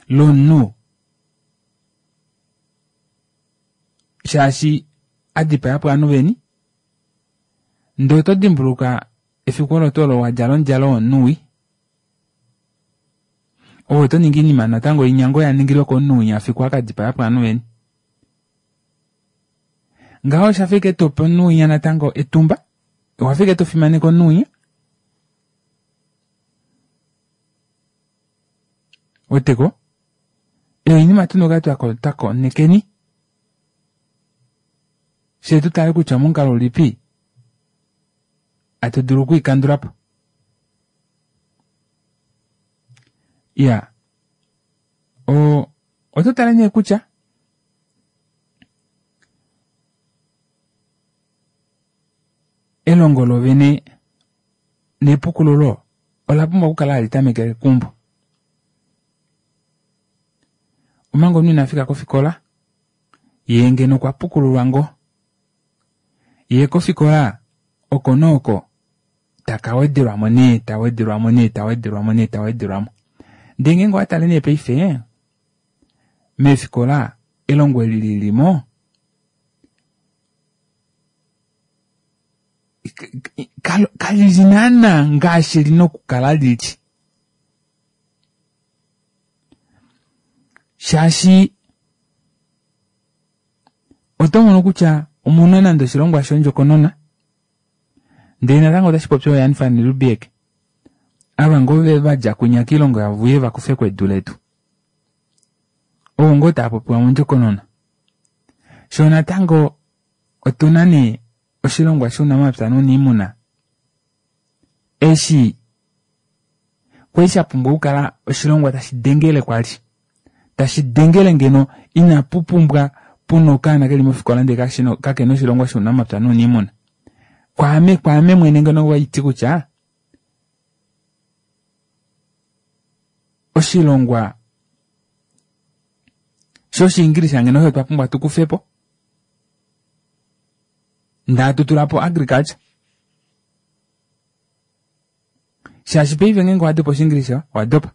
lomunhu shaashi adipayapo ovanhu veni, ndee oto dimbuluka efiku olo tuu olo wadjala omudjalo womunhu wii, ove oto ningi oinima natango inya ngoo yaningilwe komunhu winya fiku akadipayapo ovanhu veni. Ngaho oshafa ashike tope omunhu winya natango etumba, owafa ashike tofimaneke omunhu winya. Weteko? Oinima tuna okukala twakonekeni fyee tutale kutya omomukalo ulipi hatu dulu okwiikandulapo. Iya, o oto tale nee kutya elongo lovene nepukululo ola pumbwa okukala hali tamekele keumbo. Omanga omunhu inafika kofikola, yee ngeno okwa pukululwa ngoo, yee kofikola oko nooko taka wedelwamo nee, tawedelwamo nee, tawedelwamo nee, tawedelwamo. Ndee ngeenge owatale nee paife meefikola elongo eli lilimo kalili naana ngaashi lina okukala lili. Shaashi oto mono kutya omuna nande oshilongwa shondjokonona ndee natango otashi popi ooJan van Riebeeck ava ngoo vadja kwinya koilongo yavo uye vakufeko edu letu. Ovo ngoo tava popiwa mondjokonona. Shoo natango otuna nee oshilongwa shounamapya nouniimuna eshi kwali shapumbwa okukala oshilongwa tashi dengele kwali, tashi dengele ngeno inapu pumbwa puna okaana keli mofikola ndee kakena oshilongwa shounamapya nouniimuna. Kwaame kwaame mwene ngeno waiti kutya oshilongwa shoshiingilisa ngeno osho twa pumbwa tukufepo ndee hatu tulapo agriculture. Shaashi paife ngeenge owadopa oshiingilisa owadopa,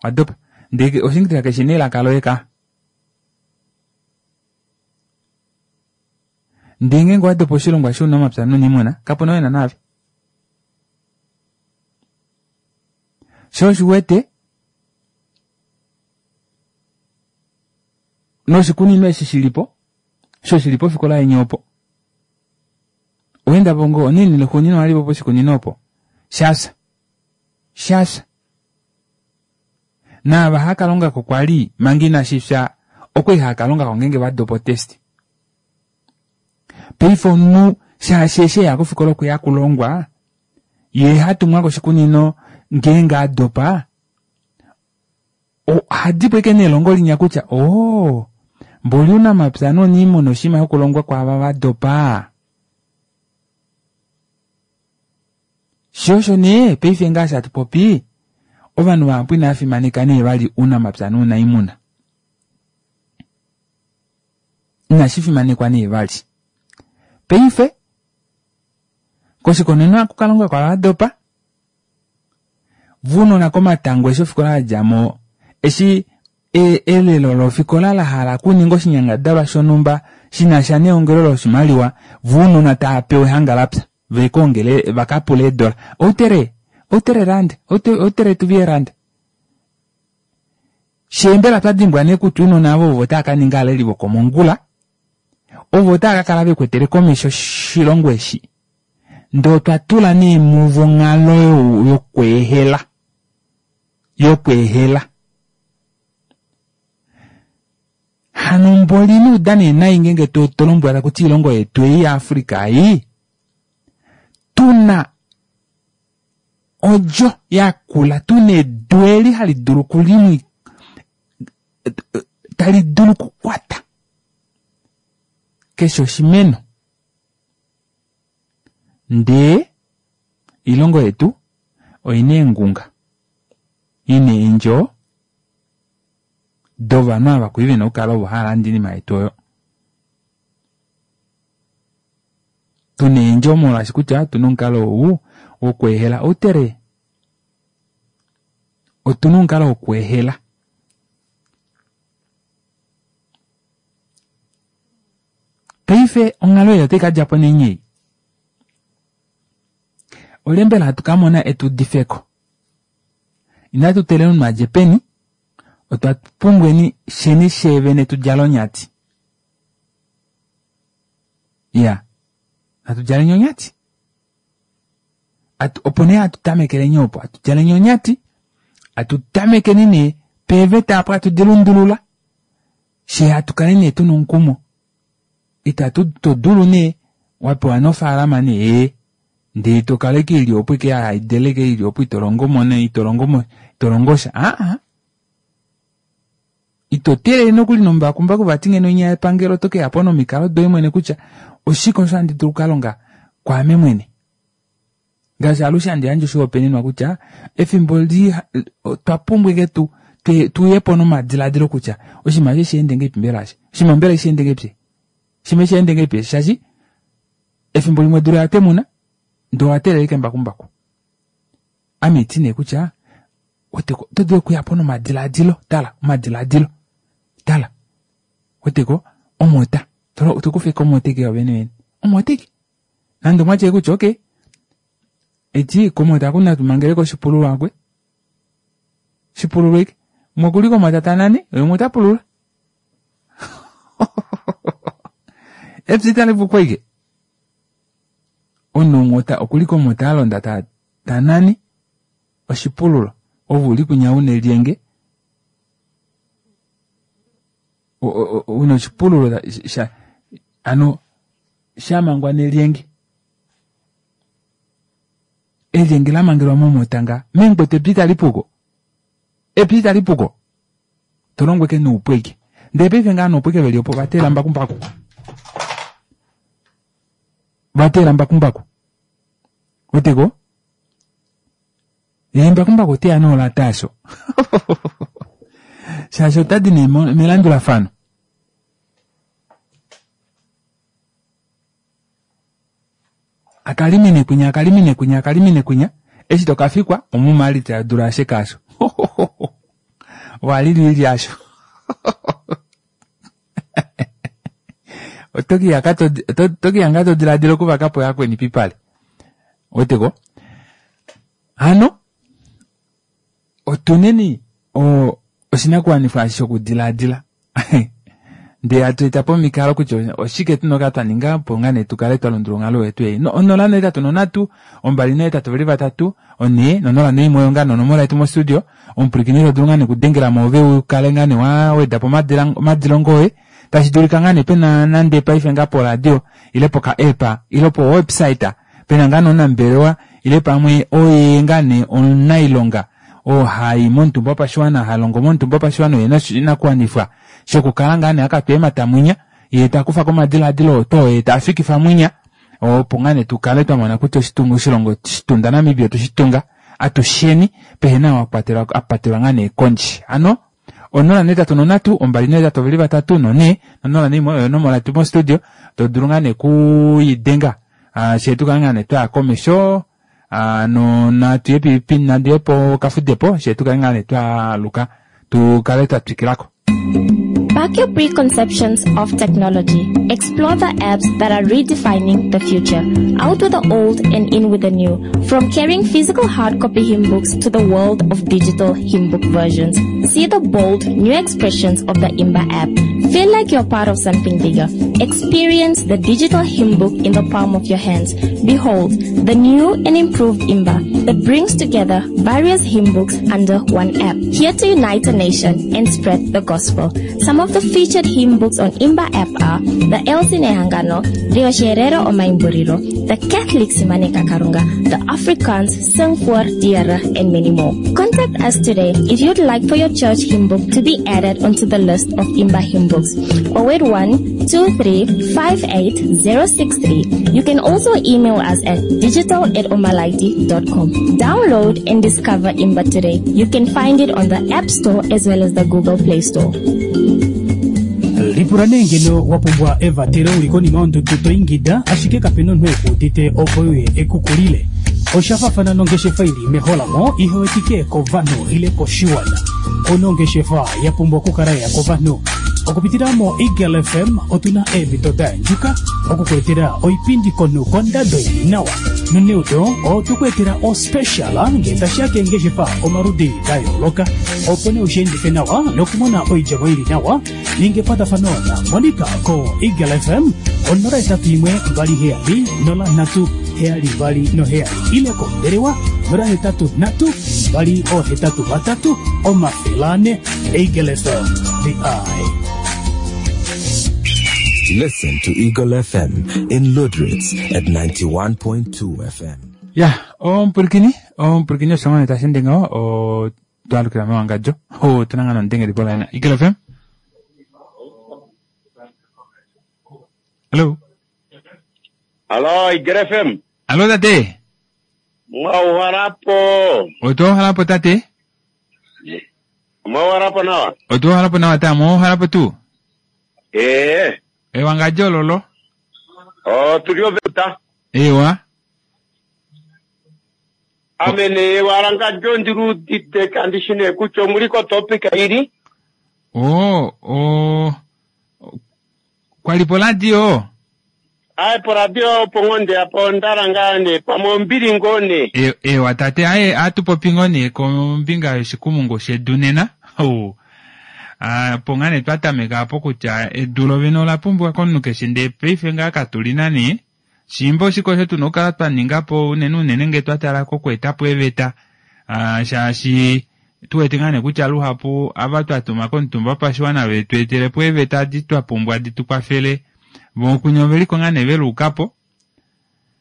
owadopa ndee oshiingilisa kashina elaka loye ka. Ndee ngeenge owadopa oshilongwa shounamapya nouniimuna kapuna ou ena naave. Shoo oshiwete noshikunino eshi shilipo sho shili pofikola yeni opo owendapo ngoo onini lexuuninwa walipo poshikunino opo shafya shafya naava hakalongako kwali manga inashifya okwali haakalongako ngeenge vadopa otest. Paife omunhu shaashi eshi eya kofikola okweya kulongwa yee hatumwa koshikunino ngeenge adopa ohadipo ashike nelongo linya kutya oo mboli ounamapya nouniimuna oshinima shokulongwa kwaava vadopa. Shoo osho nee paife ngaashi hatu popi ovanhu vahapu inava fimaneka nee vali ounamapya nounaimuna. Inashi fimanekwa nee vali. Paife koshikunino ohaku kalongwa kwaava vadopa, vounona komatango eshi ofikola yadjamo eshi elelo lofikola lahala okuninga oshinyangadalwa shonhumba shinasha neongelo loshimaliwa, vounona tava pewa ehanga lapya vekaongele vakapule eedola. Outere, outere rand, outere tuvie rand. Shee mbela twadimbwa nee kutya ounona avo ovo tava kaninga aaleli vokomongula, ovo tava kakala vekwetele komesho oshilongo eshi. Ndee otwa tula nee muvo onghalo yokweehela, yokweehela. Hano mboli nuudane nayi ngenge to to lombwela kuti iilongo yetu ei yaAfrica ei tuna odjo yakula tuna edu eli hali dulu okulimwi tali dulu okukwata keshe oshimeno ndee iilongo yetu oina eengunga ina eendjo dovanhu ava kuli vena okukala ovo hava lande oinima yetu oyo tuna eendjo molwaashi kutya otuna omukalo ou wokweehela outere otuna omukalo wokweehela paife onghalo ei otai kadjapo nenyei olye mbela hatu kamona etudifeko inatu teelela omunhu adje peni otwa pumbweni sheni sheevene tudjale onyati iya natu djaleni onyati atu opo nee hatu tamekeleni opo hatu djaleni onyati hatu tamekeni nee peeveta apo hatu dilundulula shee hatu kale nee tuna omukumo itatu todulu nee wapewa nofaalama nee ee ndee tokala ike ili opo ike haideleke ili opo itolongomo nee itolongomo itolongosha aa ito teelele nokuli nombakumbaku vati ngeno inya yepangelo oto keyapo nomikalo doye mwene kutya oshike osho handi dulu okukalonga kwaame mwene ngaashi alushe handi yandje oshihopaenenwa kutya efimbo li otwa pumbwa ike tu tuyepo nomadiladilo kutya oshinima eshi sheende ngahelipi mbela eshi oshinima mbela sheende ngahelipi oshinima sheende ngahelipi shaashi efimbo limwe odula oya temuna ndee owa teelela ashike embakumbaku ame iti nee kutya oto dulu okuyapo nomadiladilo tala omadiladilo tala weteko omota tokufa ike omota ike yovene vene omota ike nande omwatye kutya okay eti komota aku natu mangeleko oshipululo akwe shipululo ike umwe okuli komota tanane ye umwe ota pulula epya itali puko ike omunhu umwe okuli komota alonda tanane oshipululo ove uli kwinya una elyenge una oshipululo sha hano shamangwa nelyenge elyenge lamangelwa momota nga mengwetu epya itali puko epya itali puko tolongo ike noupu ike ndee paife ngaa noupu ike veli opo vateela mbakumbaku vateela mbakumbaku weteko yee mbakumbaku oteya noolata asho shaashi otadi nee melandulafano akalimine kwinya akalimine kwinya akalimine kwinya eshi tokafikwa omumalita yadula ashike asho walilili asho otokiya ngaa todiladila okuvakapo yakweni pipale weteko hano otuneni oshinakuwanifwa shokudilaadila ndee hatu etapo omikalo kutya oshike tuna okukala twaninga opo ngaa nee tukale twalundulula onghalo yetu ei onola nohetatu nonhatu ombali nohetatu veli vatatu onhee nonola noimwe oyo ngaa nonomola yetu mostudio omupwilikini todulu ngaa nee okudengelamo ove ukale ngaa nee wawedapo omadilongo oye tashi dulika ngaa nee pena nande paife ngaa poradio ile poka app ile po website pena ngaa nee omunambelewa ile pamwe oye ngaa nee omunailonga oo hai momutumba wopashiwana halongo momutumba wopashiwana ena oshinakuwanifwa shokukala ngaa nee akatwa eemata mwinya yee takufako omadilaadilo oto yee tafikifa mwinya opo ngaa nee tukale twamona kutya oshilongo shitunda Namibia otweshitunga atusheni pehena ou apatelwa ngaa nee kondje hano onola nohetatu nonhatu ombali nohetatu oveli vatatu nonhee nonola naimwe oyo onomola yetu mostudio todulu ngaa nee okuidenga fyee tukale ngaa nee twaya komesho no natuye natuye pokafudepo fyee tukale ngaa nee twaaluka tukale twatwikilako. Back your preconceptions of technology. Explore the apps that are redefining the future. Out with the old and in with the new. From carrying physical hard copy hymn books to the world of digital hymn book versions. See the bold new expressions of the Imba app. Feel like you're part of something bigger. Experience the digital hymn book in the palm of your hands. Behold, the new and improved Imba that brings together various hymn books under one app. Here to unite a nation and spread the gospel. Some of the featured hymn books on Imba app are the Elsin Ehangano, the Osherero Omaimburiro, the Catholic Simaneka Karunga, the Afrikaans Sing voor die Here, and many more. Contact us today if you'd like for your church hymn book to be added onto the list of Imba hymn books. oh eight one, two three five eight zero six three. You can also email us at digital at omalaiti dot com. Download and discover Imba today. You can find it on the App Store as well as the Google Play Store. Lipula nee ngeno wa pumbwa evatelo uli konima yondudu to ingida ashike kapena omunhu ekuudite opo uye ekukulile. Osha faafana nongeshefa ili meholamo ihewetike kovanhu ile koshiwana. Ono ongeshefa ya pumbwa okukala ya kovanhu. Okupitila mo Eagle F M otuna eemhito da yandjuka okukuetela oipindi komunhu kondado ili nawa. Noneudo otukuetela ospecial ngee tashiya keengeshefa omaludi da yooloka. Opo nee ushiendife nawa nokumona oidjemo ili nawa, ninga ekwatafano na Monica ko Eagle F M onola etatu imwe mbali heyali nola nhatu heyali mbali noheyali ile kombelewa nola hetatu nhatu mbali ohetatu vatatu omafele ane. Eagle F M, the eye. Listen to Eagle F M in Lüderitz at ninety-one point two F M. Ya, ompulukini, ompulukini osho tashi ende ngaho, o twalukila mewangadjo. O tunanga nondenge lipola ena. Eagle F M? Hello? Hello, Eagle F M. Hello, tate. Mwauharapo. Otoharapo, tate? Mwauharapo nawa? Otoharapo nawa, ta. Mwauharapo tu? Eh. Ewangadjo lolo. Oh, tulio veta. Ewa. Amene warangadjo ndirudite kandishine kucho muliko topic iri. Oh, oh. Kwalipo radio. Aye, po radio pongonde apo ndarangane pamwe mbili ngone. E, ewa tate aye atupopi ngone kombinga yoshikumungu shedu nena. Oh. Ah, pongane twatameka apo kutya edu lovene ola pumbiwa komunhu keshe ndee paife ngaa katuli nani. Shimba oshiko shetu nokukala twa ningapo unene unene ngee twatala kokweetapo eveta. Ah, shaashi tuwete ngaa nee kutya luhapu ava twatuma komutumba wopashiwana vetu etelepo eveta adi twa pumbwa di tukwafele. Vokunya oveliko ngaa nee veluukapo.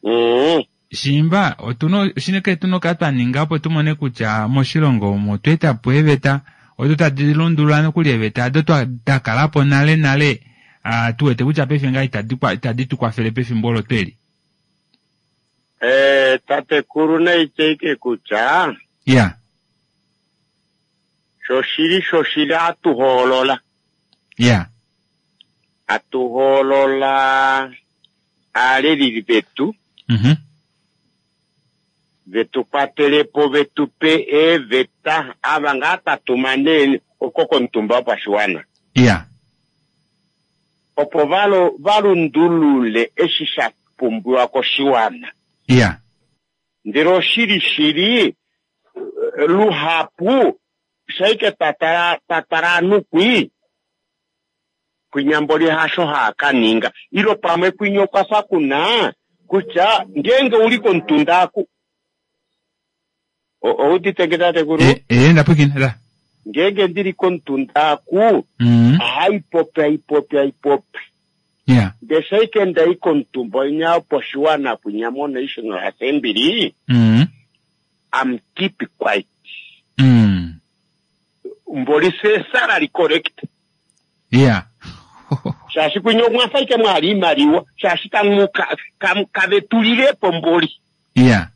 Mm. Shimba otuno shineke tuno kala twa ningapo tumone kutya moshilongo omo otweetapo eveta odo tadi lundulula nokuli eveta ado twa dakalapo nale nale. Ah, tuwete kutya paife ngaa itadi kwa-, itadi tukwafele pefimbo olo tweli. Eh, tatekulu naiteike kutya Ya. Shoshili shoshili atuhoolola. Ya. Atuhoolola aaleli vetu. Mhm. Vetu kwatelepo vetupe eveta ava ngaa tatuma nee oko komutumba wopashiwana. Ya. Opo valo, valundulule eshi sha pumbiwa koshiwana. Ya. Ndele oshili shili luhapu shaike tatara, tatara nukwi kwinyamboli hasho hakaninga ilo pamwe kwinyo kwafa kuna kutya ngenge uli kontundaku. O-, oudite nge tatekulu? E, e, ndapwikina, da. Ngenge ndili kontundaku, Mm. aipopi, aipopi, aipopi. Yeah. Ndeshaike ndai kontumbo inya poshiwana kwinya mo National Assembly. Mm. I'm keep quiet. Mm. Mboli se salary correct. Yeah. Shashi kwinyo mwafaike mwali imaliwa, shashi kamuka, kam, kavetulirepo mboli. Yeah.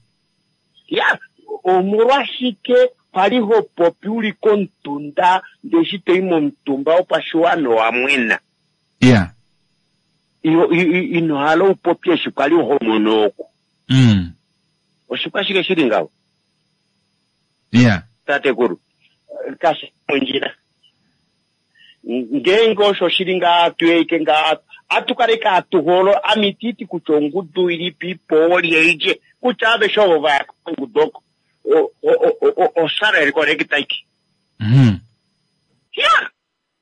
Yeah. Omolwashike paliho popi uli kontunda ndeshite imo mutumba opashiwana wamwena. Yeah. Iyo, i, i, ino halo upopi eshi kwali homono oku. Mm. Oshikwashike shili ngawo? Yeah. Tatekulu. Kasi mondjila. Ngenge osho shili nga tueke nga atukaleka atuholo amititi kutya ongudu ilipi po lyeije kutya aveshe ovo vaya kongudu oko. O, o, o, o, o salary correct iki. Mm. Yeah.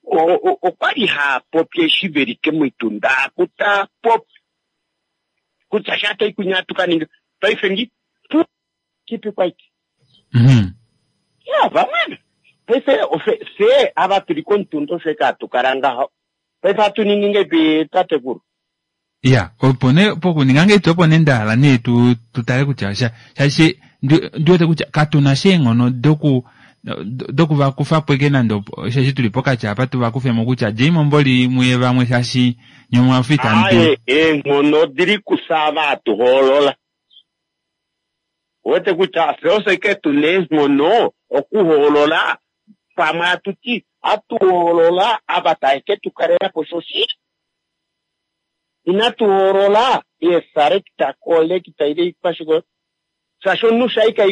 O, o, okwali ha popi eshi velike mwitunda kuta popi. Kutya shata ikunyatuka ninga. Paife ngi, pu, keep it quiet. Mm-hmm. Yeah, vamwana. Paife ofe- fye ava tuli komutunda osho eke hatu kala ngaho. Paife hatu ningi ngeipi tatekulu? Ya, opo nee pokuninga ngeitu opo nee ndahala nee tu tu tale kutya sha shaashi ndi ndi wete kutya katuna sha eenghono doku doku vakufa po eke nande opo- shaashi tuli pokati apa tu vakufemo kutya djei momboli muye vamwe shaashi nye omwafa itamu dulu. Aaye, eenghono odili kufye ava hatu hoolola. Owete kutya fye ofye ike tuna eenghono okuhoolola pamwe hatu ti hatu hoolola ava tave ke tu kalela po shoshili. Inatu hoolola eeselekta, collecta ile ikwashiko shaashi omunhu shaika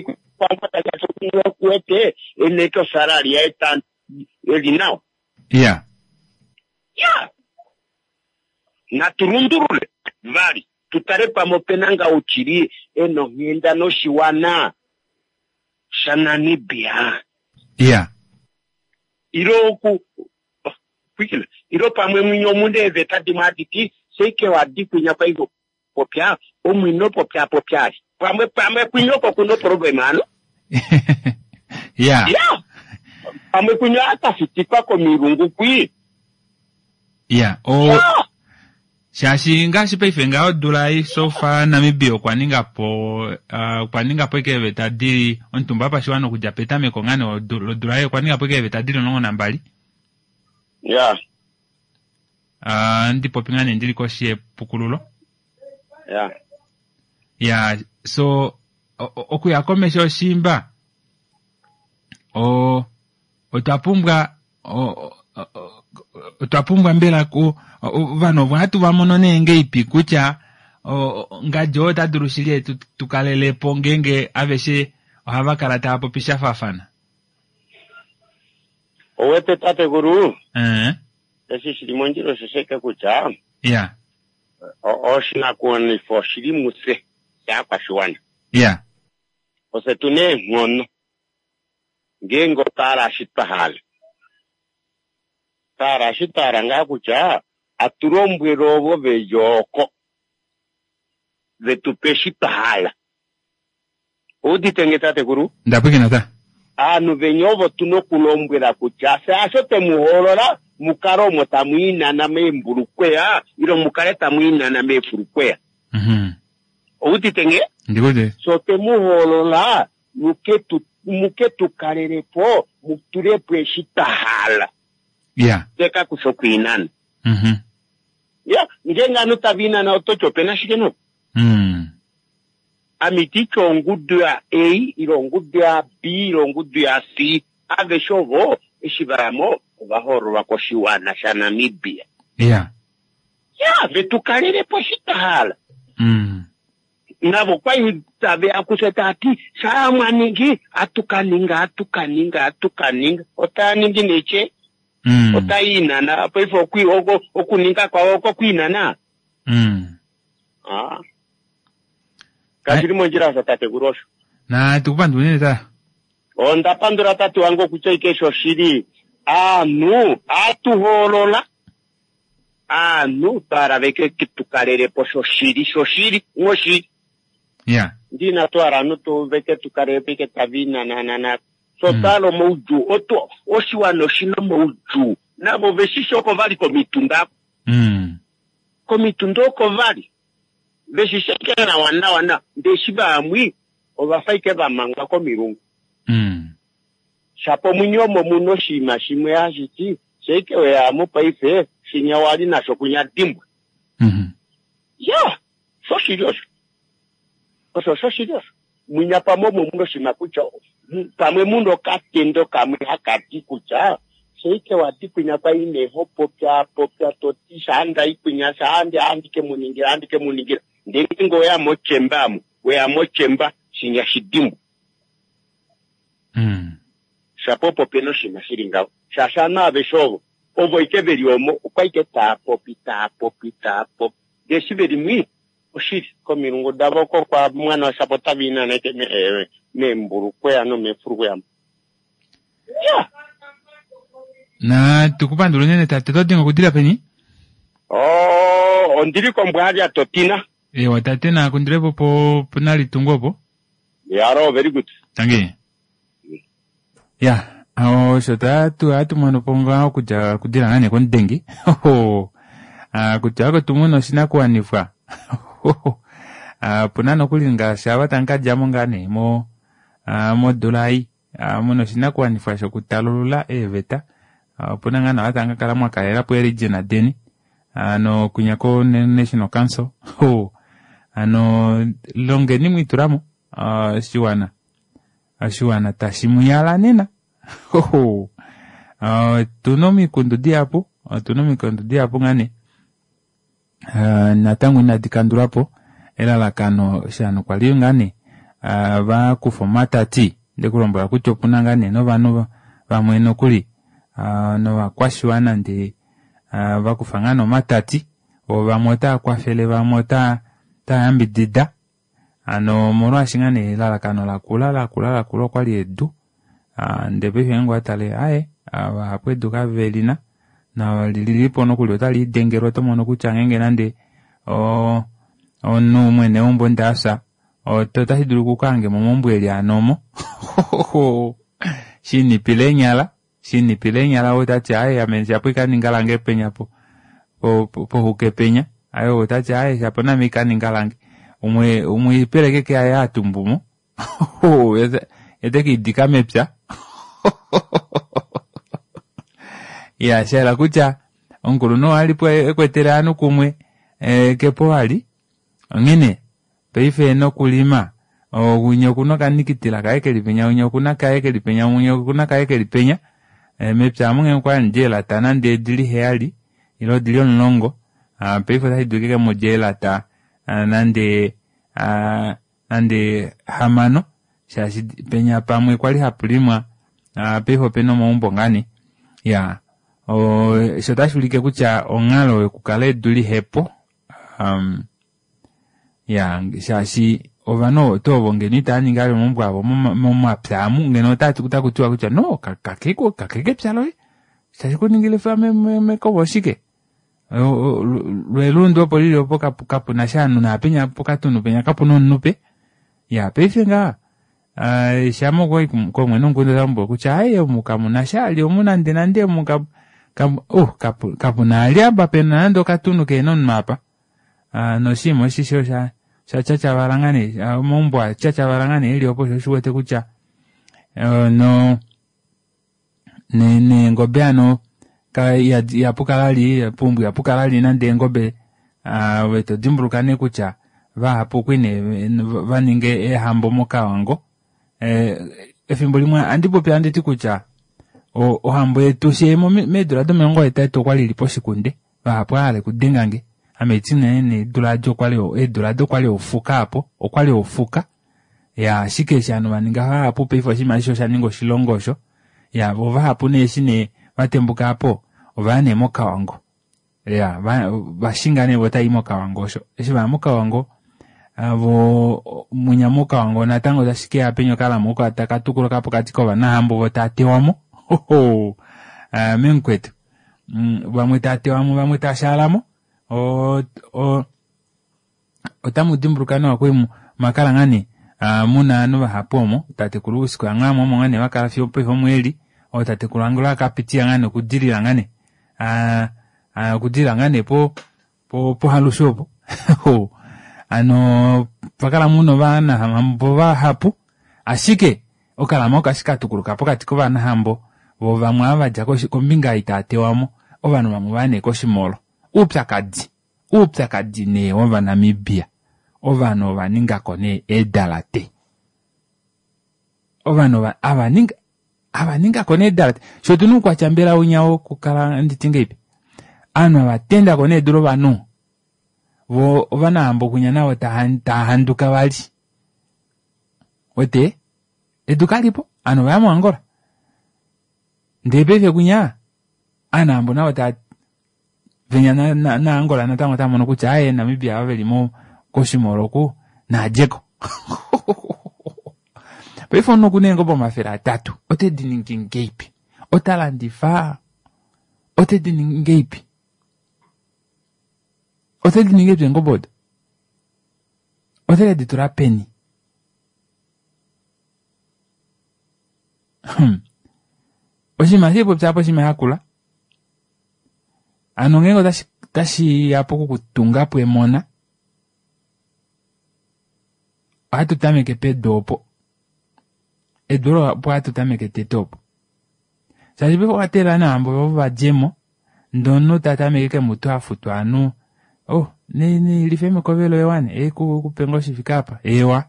kuwete eneke osalary yaye ta eli nawa. Ya. Ya. Natu lundulule vali tutale pamwe opena ngaa ouchili ena onghenda noshiwana shaNamibia. Ya. Ilo oku kwikile ilo pamwe mwinyo omuna eeveta dimwe hadi ti seike wadi kwinya kwai popya omwino popya popya ali pamwe pamwe kwinya oko kuna oproblem ano. Ya. Ya. Pamwe kwinya akafitikwa komilungu kwi. Ya. O Ya. Shaashi ngaashi paife ngaho odula ei so far Namibia okwa ninga po uh, okwa ninga po eke eeveta dili omutumba wopashiwana okudja petameko ngaa nee lodula ei okwa ninga po eke eeveta dili omulongo nambali. Ya. Uh, ndipopi ngaa nee ndili koshi yepukululo. Ya. Ya, so o- o- okuya komesho oshimba o otwa pumbwa o- o- o- otwa pumbwa mbela ku ovanhu ovo hatu va mono nee ngeipi kutya o- o- ngadi oo ota dulu shili tu, tu kalelepo ngeenge aveshe ohava kala tava popi sha faafana. Owete tatekulu Eh, eshi shili mondjila osho sheke kutya ya, o- oshinakuwanifwa oshili mufye shaakwashiwana. ya, Ofye tuna eenghono ngeenge otwa hala eshi twa hala. Twa hala eshi twa hala ngaa kutya atu lombwele ovo veli oko vetupe eshi twa hala. Oudite nge tatekulu? Ndapwikina ta. Aanhu venya ovo tuna okulombwela kutya fye hasho twemu hoolola mukale omo tamu inana meembulukweya ile mukale tamu inana meefulukweya. Mhm. Oudite nge? Ndikuti. So twemu hoolola muke tu muke tu kalelepo mutulepo eshi twa hala. Ya. Teka kusha okuinana. Mhm. Ya, ngeenge ovanhu tava inana ototi opena shike no? Mm. Ame ititi ongudu ya A ile ongudu ya B ile ongudu ya C. Aveshe ovo eshi vayamo ova hoololwa koshiwana shaNamibia. Ya. Ya, vetu kalelepo eshi twa hala. Mm. Navo kwai taveya kufye tati shaa mwaningi atukaninga atukaninga atukaninga otaa ningi neche Mm. otainana paife okwi- oko- okuninga kwawo oko kwiinana. Mm. Ah. Kashili mondjila osho tatekulu osho. Na tukupandula unene ta. Onda pandula tate wange okutya ike shoshili aanhu atuhoolola aanhu twala veke tukalelepo shoshili shoshili ng'oshili. Ya. Ndina twala aanhu tu veke tukalelepo ike taviinananana so twala omaudjuu oto oshiwana oshina omaudjuu navo veshishi oko vali komitunda Mm. komitunda oko vali veshishi ike nawa nawa nawa ndee eshi vamwi ovafa ike vamangwa komilungu. Mm. Shapo mwinyo omo muna oshinima shimwe hashi ti sheike weyamu paife shinya wali nasho kunya dimbwa. Mhm. Ya, shoshili osho. Osho shoshili osho. Mwinya pamwe omo muna oshinima kutya pamwe muna okatendo kamwe hakati kutya sheike wati kwinya kwai ho popya popya toti shaanda ikwinya shaande andike muningira andike muningira ndee ngeenge weya mochemba amu weya mochemba shinya shidimbwa. Mm. Shapo opo pena oshinima shili ngaho shaashi aanhu aveshe ovo ovo ike veli omo okwa ike taa popi taa popi taa popi ndee eshi veli mwi oshili komilungu davo oko kwa mwana shapo tava inana ike me- meembulukweya nomeefulukweya. Ya. Na tukupandula unene tate oto dinga okudila peni? Oh, ondili kombwaalya totina. Ewa tate nakundilepo po ponalitungu opo. Yaro, very good. Tangi. Ya, Osho tatu hatu mono po ngaa okudja okudila ngaa nee komudengi kutya oko tumuna oshinakuwanifwa opuna nokuli ngaashi ava tamu kadjamo ngaa nee mo modula ei muna oshinakuwanifwa shokutalulula eeveta opuna ngaa naava tamu kakala mwakalelapo ee-region deni hano kwinya ko national council hano longeni mwiitulamo oshiwana oshiwana tashi muyala nena otuna omikundu dihapu otuna omikundu dihapu ngaa nee natango inadi kandulwapo elalakano shaanhu kwali ngaa nee vakufa omatati ndekulombwela kutya opuna ngaa nee novanhu vamwe nokuli novakwashiwana ndee vakufa ngaa nee omatati voo vamwe otava kwafele vamwe otava yambidida hano omolwaashi ngaa nee elalakano lakula lakula lakula okwali edu ndee paife ngeenge owatale aaye vahapu edu kavelina nolilipo nokuli otaliidengelwa otomono kutya ngeenge nande oo omunhu mwene weumbo ndee afya otashi dulika ukahangemo meumbo eli hano omo shinipila eenyala shinipila eenyala ou tati aaye ame shapo ikaninga lange penya po pohuke penya ou otati aaye shapo naame ikaninga lange umwe umwe oipeleki ashike yaye hatumbumo yee tekeidika mepya iya shahala kutya omukulunhu oo alipo ekwetele ovanhu kumwe kepo vali onghene paife nokulima winya okuna okanikitila kaye keli penya winya okuna kaye keli penya winya okuna kaye keli penya mepya amu ngenge okwali hamudi eelata nande odili heyali ile odili omulongo paife ota shidulika ashike mudje eelata nande nande hamano shaashi penya pamwe kwali hapulimwa paife opena omaumbo ngaa nee iyaa osho otashuulike kutya onghalo yokukala edu lihepo iyaa shaashi ovanhu tuu ovo ngeno itaaningi vali omaumbo avo momapya amu ngeno otakutiwa kutya no kake kepya loye tashi kuningile mekova oshike lwelundu opo lili opo kapunasha ovanhu naapenya pokatunhu penya kapuna omunhu pe iya paife ngaha shama owayi koomwene womukunda otalombwelwa kutya aaye omu kamunasha vali omu nande nande omu oh kapuna vali apa pena nande okatunhu kehena omunhu apa noshinima oshisho osha tyatyavala ngaa nee omaumbo atyatyavala ngaa nee eli opo shoo osho uwete kutya no neengobe hano ihapukala vali poumbo ihapukala vali nande eengobe ove todimbuluka nee kutya vahapu okwali nee vaninga eehambo mokavango efimbo limwe ohandi popi handiti kutya ohambo yetu fyee meedula domilongo hetatu okwali ili poshikunde vahapu ovahala okudengange ame haiti unene eedula adi okwali eedula aado okwali ofuka aapo okwali ofuka iya ashike eshi ovanhu vaninga vahapu paife oshinima aashishe oshaninga oshilongo osho iya voo vahapu nee eshi nee vatembuka aapo ovaya nee mokavango iya vashinga nee voo otavai mokavango osho eshi vaya mokavango voo mwinya mokavango natango tashikeya penya okalama oko taka tukuluka pokati kovanahambo voo taatewamo memukwetu vamwe taatewamo vamwe taashaalamo otamu dimbuluka nawa kwali mwakala ngaa nee muna ovanhu vahapu omo tatekulu Usko Yanghaamwa omo ngaa nee vakala fiyo opaife omo eli ootatekulu Angula akapitiya ngaa nee okudilila ngaa nee okudilila ngaa nee po pohalushu opo hano pakala muna ovanahambo vahapu ashike okalama oko ashike katukuluka pokati kovanahambo voo vamwe ava vadja kombinga ei taatewamo ovanhu vamwe ovaya nee koshimolo oupyakadi oupyakadi nee wovanamibia ovanhu ovaningako nee eedalate ovanhu avaninga avaningako nee eedalate fyee otuna oukwatya mbela winya wokukala nditi ngahelipi ovanhu avatendako nee edu lovanhu voo ovanahambo kwinya navo taahanduka vali wete edu kalipo ovanhu ovaya mo Angola ndee paife kwinya ovanahambo navo tava venya na Angola natango otaamono kutya aaye Namibia ava veli koshimolo oku naadjeko paife omunhu okuna eengobe omafele atatu otediningi ngahelipi otalandifa otediningi ngahelipi otediningi ngahelipi eengobe odo otekeditula peni hmm. Oshinima shipopya apo oshinima shakula. Hano ngeenge otashi otashi ya pokukutunga po emona, ohatu tameke pedu opo. Edu olo opo hatu tameke tete opo. Shaashi paife owa teelela nee ovanhu ovo vadjemo ndee omunhu tatameke kemutu hafutwa ovanhu oh life mekove loye wane ekupe ngoo shifike apa eewa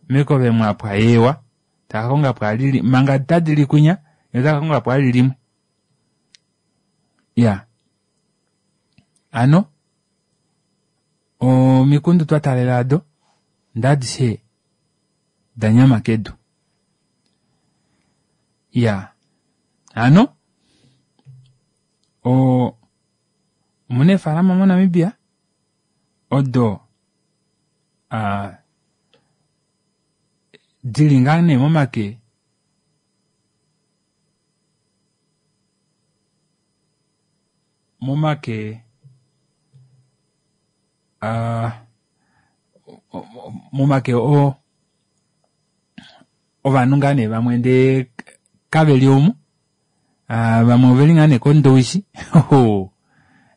mekove mwapwa eewa takakongapo alili manga tadili kwinya yee otakakongapo ali limwe. Iyaa hano omikundu twa taalela ado ndee adishe danyama kedu. Iyaa hano oo omuna eefalama moNamibia odo aa dili ngaa nee momake momake aa momake oo ovanhu ngaa nee vamwe ndee kaveli omu vamwe oveli ngaa nee kondowishi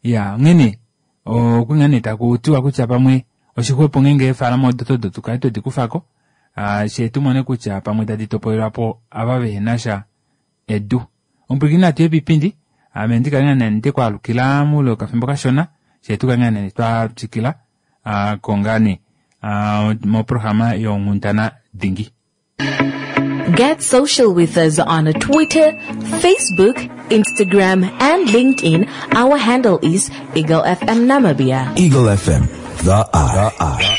iyaa onghene okwali ngaa nee takutiwa kutya pamwe oshixwepo ngeenge eefalama odo odo tukale twedi kufako fyee tumone kutya pamwe tadi topolelwapo ava vehenasha edu. Omupwilikini natuye poipindi ame ndikale ngaa nee ndekwaalukila moule wokafimbo kashona fyee tukale ngaa nee twatwikila aako ngaa nee moprograma yonghundana dingi. Get social with us on Twitter, Facebook, Instagram, and LinkedIn. Our handle is Eagle F M Namibia. Eagle F M, the eye. The eye.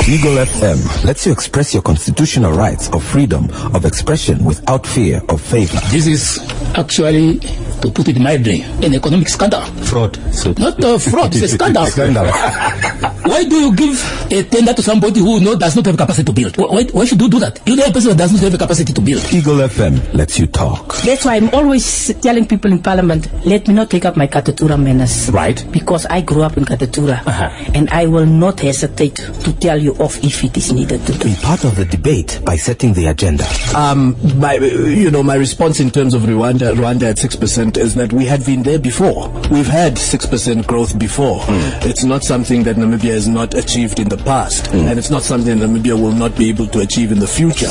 Eagle F M lets you express your constitutional rights of freedom of expression without fear of favor. This is actually, to put it mildly, an economic scandal. Fraud. So Not a fraud, it's a scandal. Scandal. Why do you give a tender to somebody who no, does not have capacity to build? Why, why should you do that? You know a person who does not have the capacity to build. Eagle F M lets you talk. That's why I'm always telling people in Parliament, let me not take up my Katutura manners. Right. Because I grew up in Katutura. Uh-huh. And I will not hesitate to tell you off if it is needed to do. Be part of the debate by setting the agenda. Um, my, you know, my response in terms of Rwanda, Rwanda at six percent is that we had been there before. We've had six percent growth before. Mm. It's not something that Namibia has not achieved in the past, mm. and it's not something that Namibia will not be able to achieve in the future.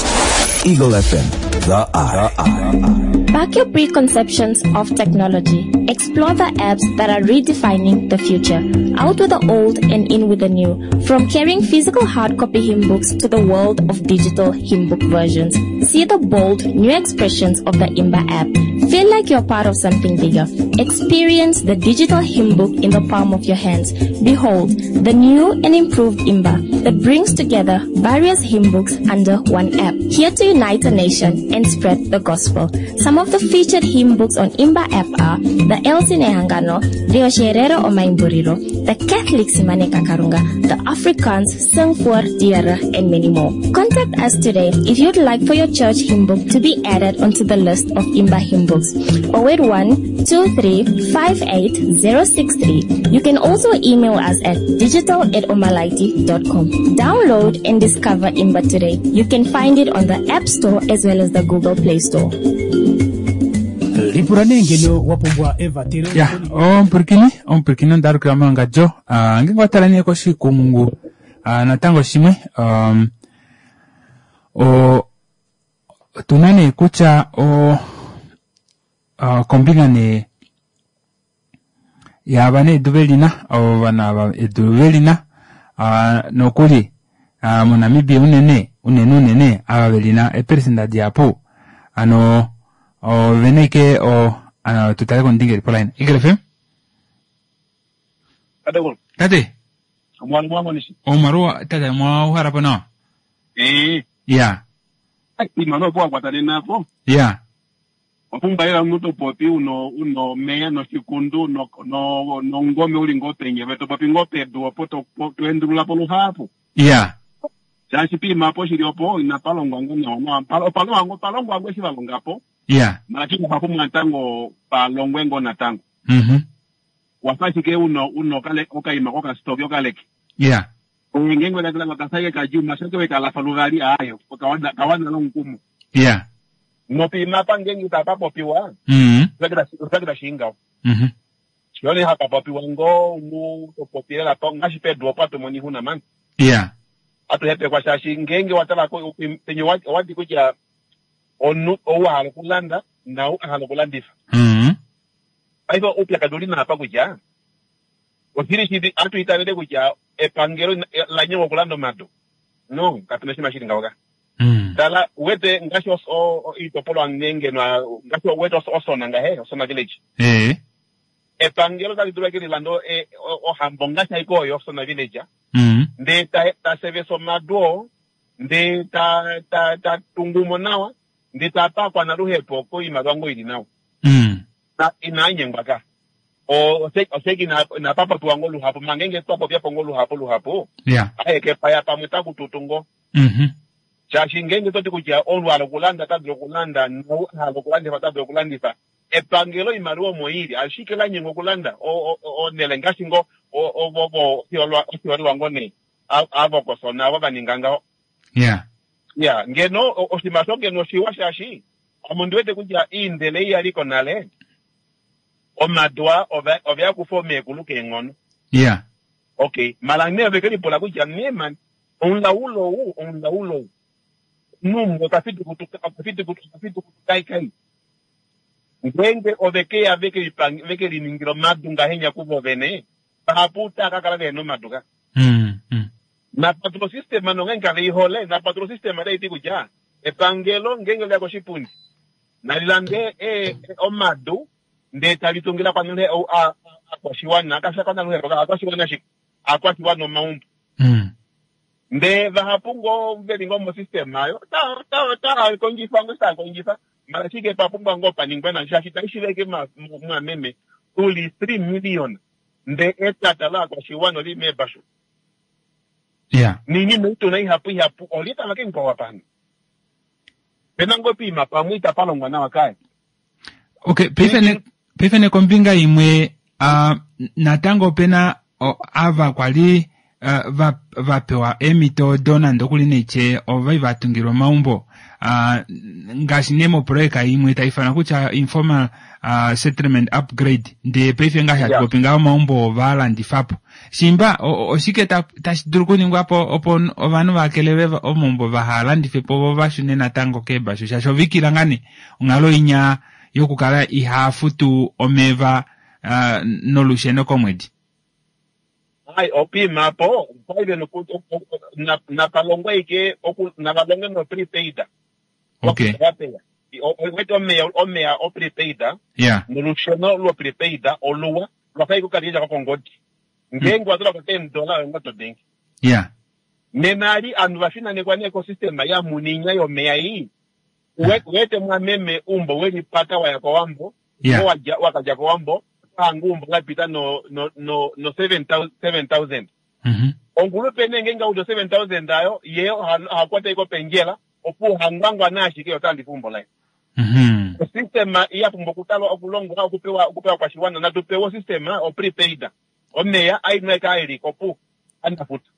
Eagle F M, the eye. The eye. Back your preconceptions of technology. Explore the apps that are redefining the future. Out with the old and in with the new. From carrying physical hard copy hymn books to the world of digital hymn book versions. See the bold new expressions of the Imba app. Feel like you're part of something bigger. Experience the digital hymn book in the palm of your hands. Behold, the new and improved Imba that brings together various hymn books under one app. Here to unite a nation and spread the gospel. Some of the featured hymn books on Imba app are the Elsie Nehangano, the Osherero Omaimburiro, the Catholic Simane Kakarunga, the Afrikaans Sing voor Diere, and many more. Contact us today if you'd like for your church hymn book to be added onto the list of Imba hymn books. oh eight one, two three five eight zero six three. You can also email us at digital at omalaiti dot com. Download and discover Imba today. You can find it on the App Store as well as the Google Play Store. Lipula nee ngeno wa pumbwa evatelo. Ya, omupwilikini, omupwilikini onda alukila mowangadjo. Ah, ngeenge owa tala nee koshikumungu, ah, natango shimwe, um, o, otuna nee kutya o, ah, kombinga nee yaava nee edu velina, ovanhu ava edu velina, ah, nokuli, ah, moNamibia unene, unene unene, ava velina eperesenda dihapu, ano ovena ike o, ano tutale komudingeli poline. Eagle F M? Tate. Tate. Omwalu mwa monishi. Omwalu, tate, mwa uhala po nawa? Eh. Ya. Ai, imano po akwatane napo. Ya. Wapumbwa lela omuntu popi uno, uno meya noshikundu, no, no, nongome uli ngo penye, to popi ngo pedu, opo to, po, to endulula po luhapu. Ya. Shaashi piima po shili opo, ina palongwa ngo nawa nawa. Palo, palongwa ngo, palongwa ngo eshi valonga po. Ya. Lakini pa pumbwa natango palongwe ngo natango. Mhm. Wafa ashike uno, uno kale, okaima kokastoki okaleke. Ya. Ngenge wela kala kasaye kajuma, shake weka la faluvali ayo, kawana, kawana lo nkumu. Ya. Nopima apa ngeenge itapapopiwa Mm. osakita shiingaho. Mhm. Shone hapapopiwa ngoo nu topopi lela pa ngaashi pedu opo atumona oixuna mani. Ya. Atuhepekwa shaashi ngeenge watalako penye owati kutya omunhu ou ahala okulanda nau ahala okulandifa. Mm. Paife oupyakadi uli naapa kutya oshili shili atu itavele kutya epangelo la nyengwa okulanda omadu. No, kapena oshinima shili ngaho ka. Tala uwete ngaashi os- o- o- oitopolwa ngeenge ngaashi uwete Osona ngahe, Osona village. Eh. Epangelo tali dulu ashike lilande e- o- ohambo ngaashi aike oyo Osona village. Mm. Ndee ta ta sevesa omadu oo, ndee ta ta ta tungumo nawa, ndee tapa akwanaluhepo koimaliwa ngoo ili nawa. Mm. Na inanyengwa ka. O oseki ina inapapopiwa ngoo luhapu, manga ngeenge twapopyapo ngoo luhapu luhapu, Ya. aeke paya pamwe takututu ngoo. Mhm. Shaashi ngeenge toti kutya omunhu ahala okulanda ota dulu okulanda, nau ahala okulandifa ota dulu okulandifa. Epangelo oimaliwa omo ili, ashike lanyengwa okulanda onele ngaashi ngoo ovo oshiholelwa ngoo nee avo kosona avo vaninga ngaho. Ya. Ya, ngeno oshinima osho ngeno oshiwa shaashi ame ondiwete kutya iindele ei yaliko nale, omadu aa oveya kufa omeekulu keenghono. Ya. Okay, mala nee ove kelipula kutya nee mani, omulaulo ou, omulaulo ou, omunhu okafitukutuka kai. Ngeenge ove keya veke liningila omadu ngahenya kuvo vene, vahapu otava kakala vehena omadu ka. Mm. Mm. Napatula osystem nongeenge kaveihole, napatula osystem otaiti kutya epangelo ngeenge leya koshipundi, nalilande omadu ndee talitungile akwashiwana, kashi akwanaluhepo, akwashiwana ashike, akwashiwana omaumbo. Mm. Ndee vahapu ngoo veli ngoo mosystem ayo, otava kondjifa ngoo tava kondjifa, mala ashike papumbwa ngoo paningwe na shaashi taishiveke mwameme, tuli three million, ndee etata laakwashiwana oli meebashu. Ya. Niinima ituna ihapu ihapu, oli tava kenkwawa pano. Pena ngoo piima pamwe itapalongwa nawa kaye. Okay, paife ne paife ne kombinga imwe uh, natango opena ava kwali uh, va vapewa eemhito odo nande okuli neitye ovai vatungilwa omaumbo uh, ngaashi nee moprojeka imwe taifanwa kutya informal uh, settlement upgrade, ndee paife ngaashi hatu popi ngaho omaumbo ovalandifapo. Shimba oshike tashi dulu okuningwapo opo ovanhu vakelelwe omaumbo vahalandife po vo vashune natango keebashu, shaashi ovikila ngane onghalo inya yokukala ihafutu omeva uh, nolusheno komwedi. Ai opima po paive napalongwa ike navalonge no prepaid. Okay. Wete omeya omeya o prepaid. Yeah. Nolusheno lwo prepaid oluwa lwafa ikukalija kwa kongodi. Ngeenge watula ko ten dollar ngo to bank. Yeah. Nenali anhu vafinanekwa ne ecosystem ya muninya yomeya iyi. Wete mwameme umbo welipata waya kowambo. Yeah. Waja wakaja kowambo. Angumbo lapita no no no no seven thousand. Mhm. Ongulupe nenge ngaudo seven thousand ayo ye hakwata iko penjela opo hangwangwa nashike yotandi fumbo lai. Mhm. System iya pumbo kutalwa okulongwa okupewa okupewa kwa shiwana na tupewa system o prepaid. Omeya ainweka ili kopu andafuta.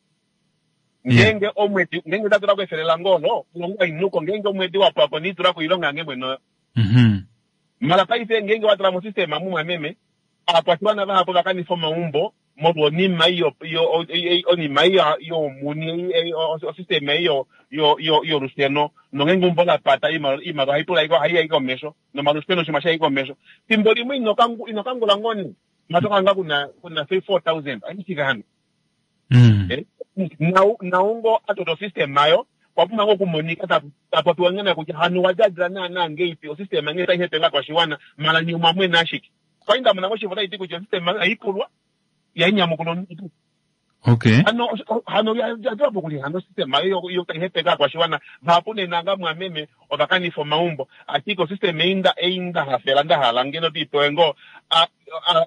Ngenge omwedi ngenge tatula kwefelela ngolo kulongwa inuko ngenge omwedi wapo apo nitura kuilonga ngemwe no. Mhm. Mara paife ngenge watala mo system amumwa meme akwashiwana vahapo vakanifa omaumbo molwa onima iyo onima iyo yomuni osystem iyo yolusheno nongenge umbo lapata iimaliwa haipula haiya komesho nomalusheno shima shai komesho fimbo limwe inokangula ngoni matokanga kuna kuna three four thousand aishika hano. Mm. Naungo atoto system ayo kwapuma ngo kumonika tapopiwa ngena kutya hanu wajadila naana ngeipi osystem nge taihepenga kwashiwana mala nyuma mwe nashiki. Kwainda muna ngoshivo taiti kutya system aipulwa yainyamukulo ntu. Okay. Hano hano yadwapo kuli hano system ayo yo taihepeka kwashiwana vahapu nenanga mwameme ovakanifa omaumbo ashike osystem einda einda hafela ndahala ngeno tiipewe ngo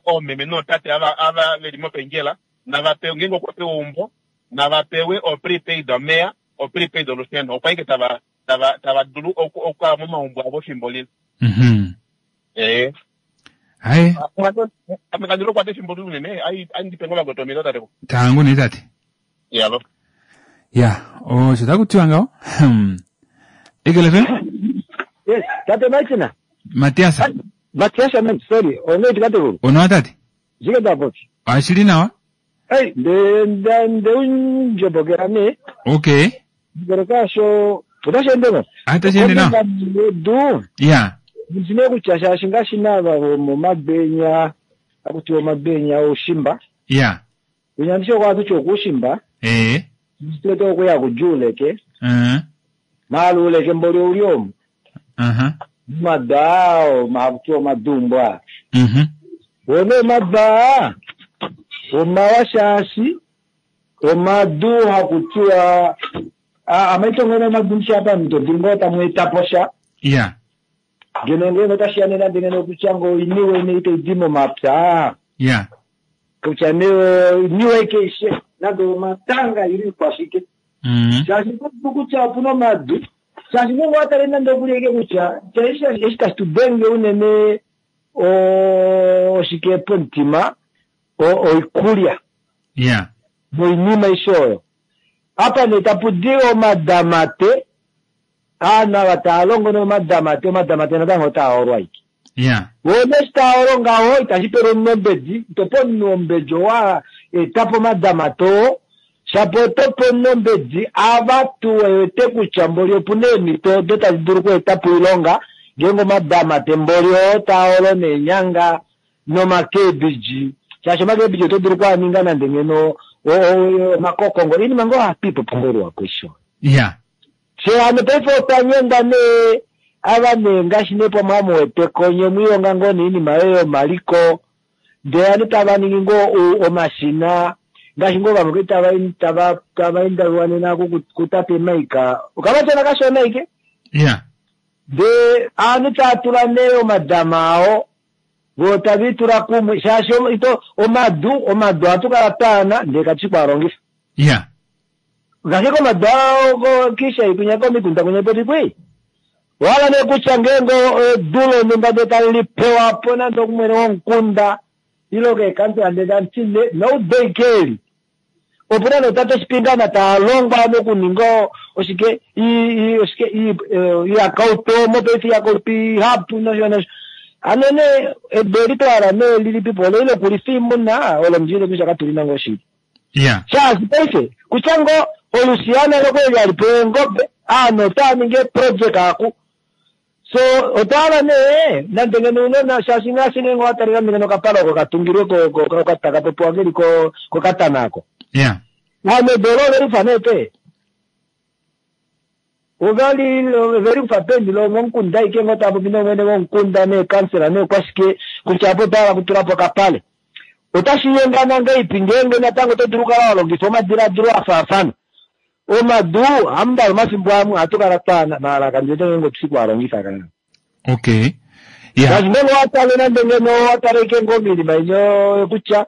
oomeme nootate ava ava veli mopenjela navapewe ngenge okwapewa umbo navapewe o prepaid omeya o prepaid olusheno opo aike tava tava tava dulu okukala momaumbo avo efimbo lile. Mhm. Eh. Hayi. Ame kandilo kwate efimbo linene ai andipe ngoba gotomilo tate. Tangu ne tate. Yalo. Ya, osho takutiwa ngaho. Eagle F M? Yes, tate Martina. Matias. Matias amen, sorry. Ono tate Ono tate. Zike tapopi. Ashili nawa. Hey, nde nde nde unjobokera ne. Okay. Ngero kasho otashe ngo. Atashe nawa. Du. Yeah. Ndine kutya shashi ngashinava mumabhenya akuti omabhenya oshimba. Yeah. Kunyandisho kwatu chokushimba. Eh. Tete okuya kujuleke. Mhm. Maluleke mboli uliomu. Mhm. Madao makuti omadumbwa. Mhm. One mabaa omawashashi omadu hakutiwa amaitongene madumsha apa mtodingo tamwetaposha. Yeah. Ngeno ngeno tashiyanena ndingeno kuchango iniwe ine idimo mapya. Yeah. Kucha newe iniwe keishe nando matanga iri kwashike. Mhm. Shashi kucha puno madu. Shashi mungu atarenda ndokuleke kucha chaisha eshitashitudenge unene oshike pontima oikulya. Yeah. Moinima ishoyo. Apa netapudiwa omadamate ana vatalongo nomadamate omadamate natango otaolwa iki. Yeah. Wone shitaolo ngaho itashipele omunombedi itopo omunombeji owa etapo omadamate oo shapo otopo omunombedi avatu wewete kutya mboli opuna eemhito odo tadi dulu okuetapo oilonga ngeenge omadamate mboli oo taolo neenyanga nomakebiji shaashi omakebiji oto dulu okuaninga nande ngeno omakokongo inima ngoo hapipopo ngoluwako isho. Yeah. She hano paife otanyengwa nee ava nee ngaashi nee pamwe amuweteko nye mwilonga ngoo niinima yoye yomaliko ndee anu tava ningi ngoo omashina ngaashi ngoo vamwe tava tava tava indawiwa nena kutate Maika okavatena kashona ike. Yeah. Ndee anu tatula nee omadama ao vo tavitula kumwe shaashi ito omadu omadu atukala twaana ndee katushi kwalongifa. Yeah. Ngaashi komadu ao kisha ikunya komikunda kunya poti kwi wala nee kutya ngeenge edu lonhumba ndee tali lipewapo nande okumwene womukunda ilo keekansela ndee tamuti noudeikeli opuna notate shipingana taalongwa nokuninga oshike oshike iyakauto mopaife iyakauto ihapu nosho nosho ano ne edu eli twala nee lilipipo olo ile okulifa oimuna olo mundjile kutya katulina ngoo shili. Yeah. Shaashi paife kutya ngoo olusiana lokweli alipo eengobe aanhu otaaningi eproject aku so otwala nee nande ngeno unona shaashi ngaashi ngenge owatalika ngeno okapala oko katungilwe takapopiwa keli kokatana ako. Yeah. Ano edu olo ovelifa nee pe ovali ovelifa peni lomomukunda aike ngoo tapopi nomwene womukunda neekansela neekwashike kutya apo otwaala kutulapo okapale otashinyengana ngaipi ngeenge natango oto dulu okukala walongifa omadiladilo afaafana omadu hamundalo omafimbo amwe ohatukala twaana maala kandiwete ngeenge otushi kuwalongifa kana. Okay. Yeah. Shaashi ngenge owatale nande ngeno owataleke ngoo miinima inyo kutya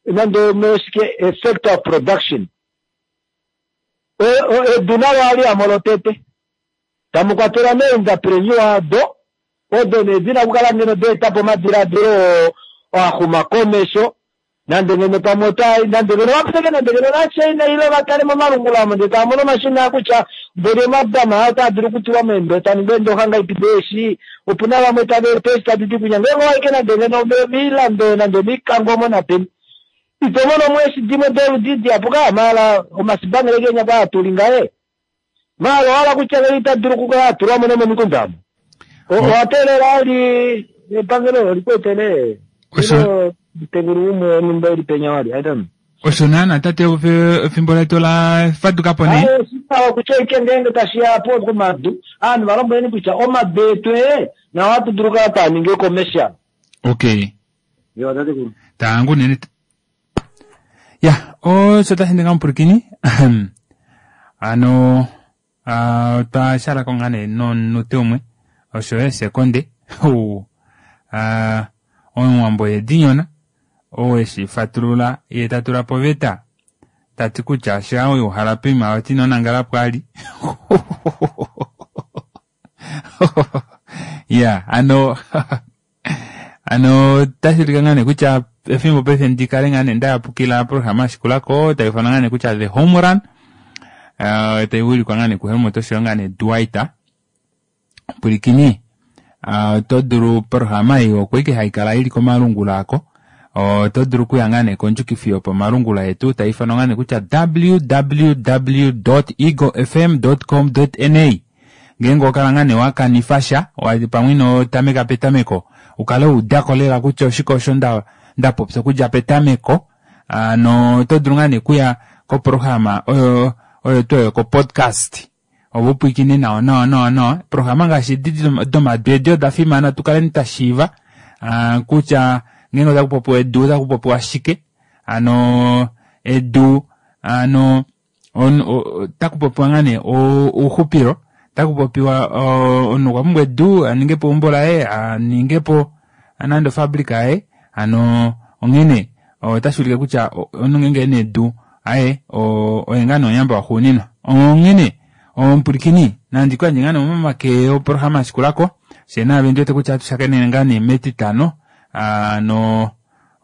nande oshike effect of production edu nalo ali lotete tamukwatela nee-entrepreneur ado odo nee dina okukala ngeno deetapo omadiladilo axuma komesho nande ngeno pamwe ota nande ngeno vaputeke nande ngeno nachina ile vatale momalungula amo ndee taamono omashina kutya mboli omadama aa otaa dulu okutulwa meendo taninga eendoxa ngaipi deeshi opuna vamwe tava eta eeshi taditi kunya ngeenge owaike nande ngeno miilando nande omikango omo napeni ito mono mo eeshi dimwe doludi dihapu maala omasibangele kenya kwa atuli ngaye maala owala kutya ngenge ita dulu okukala atulwamo nomomikunda amo owateelela ali epangelo olikwetele Osho tegulu umwe onhumba ili penya wali I don't know. Osho naana tate efimbo letu la fadukapo nee. Awo kutya ike ngeenge tashiya po komadu aanhu valombweleni kutya omadu etu ee nawo ohatu dulu okukala taaningi commercial. Okay. Yo tatekulu. Tangu nene. Ya, osho tashi ninga omupulakeni. Ano otwa shalako ngaa nee nomunute umwe osho yo esekonde. Omuwambo yedinyona oo eshi fatulula ye tatula poveta tati kutya sha uhala poima oti nonangala pwali. Ya, ano ano tashi ulike ngaa nee kutya efimbo paife ndikale ngaa nee ndayapukila programa yashikulako taifanwa ngaa nee kutya The Home Run uh, taiwilikwa ngaa nee kuHelmut oshoyo ngaa nee Dwight. Pwilikini Oto dulu programa ei oko ike haikala ili komalungula ako. Oto dulu okuya ngaa nee kondjukifi yopamalungula yetu tai ifanwa ngaa nee kutya w w w dot eagle f m dot com dot n a. Ngeenge owa kala ngaa nee wa kanifa sha, pamwe ino tameka petameko, ukale wa udako lela kutya oshike osho nda nda popya okudja petameko. No oto dulu ngaa nee okuya koprograma oyo oyo tuu oyo kopodcast. Opo upwiikine nawa nawa nawa nawa. Programa ngaashi edi domadu edi oda fimana tukaleni twashiiva kutya ngeenge otaku popiwa edu otaku popiwa shike. Hano edu hano otaku popiwa ngaa nee ouxupilo, otaku popiwa omunhu okwa pumbwa edu aningepo eumbo laye, aningepo nande ofabrika yaye. Hano onghene otashi ulike kutya omunhu ngeenge ena edu aye oye ngaa nee omuyamba waxuuninwa. Onghene omupwilikini nandi kuyandje ngaa nee momake oprograma yashikulako fyee naave ndiwete kutya ohatu ngaa nee metitano. No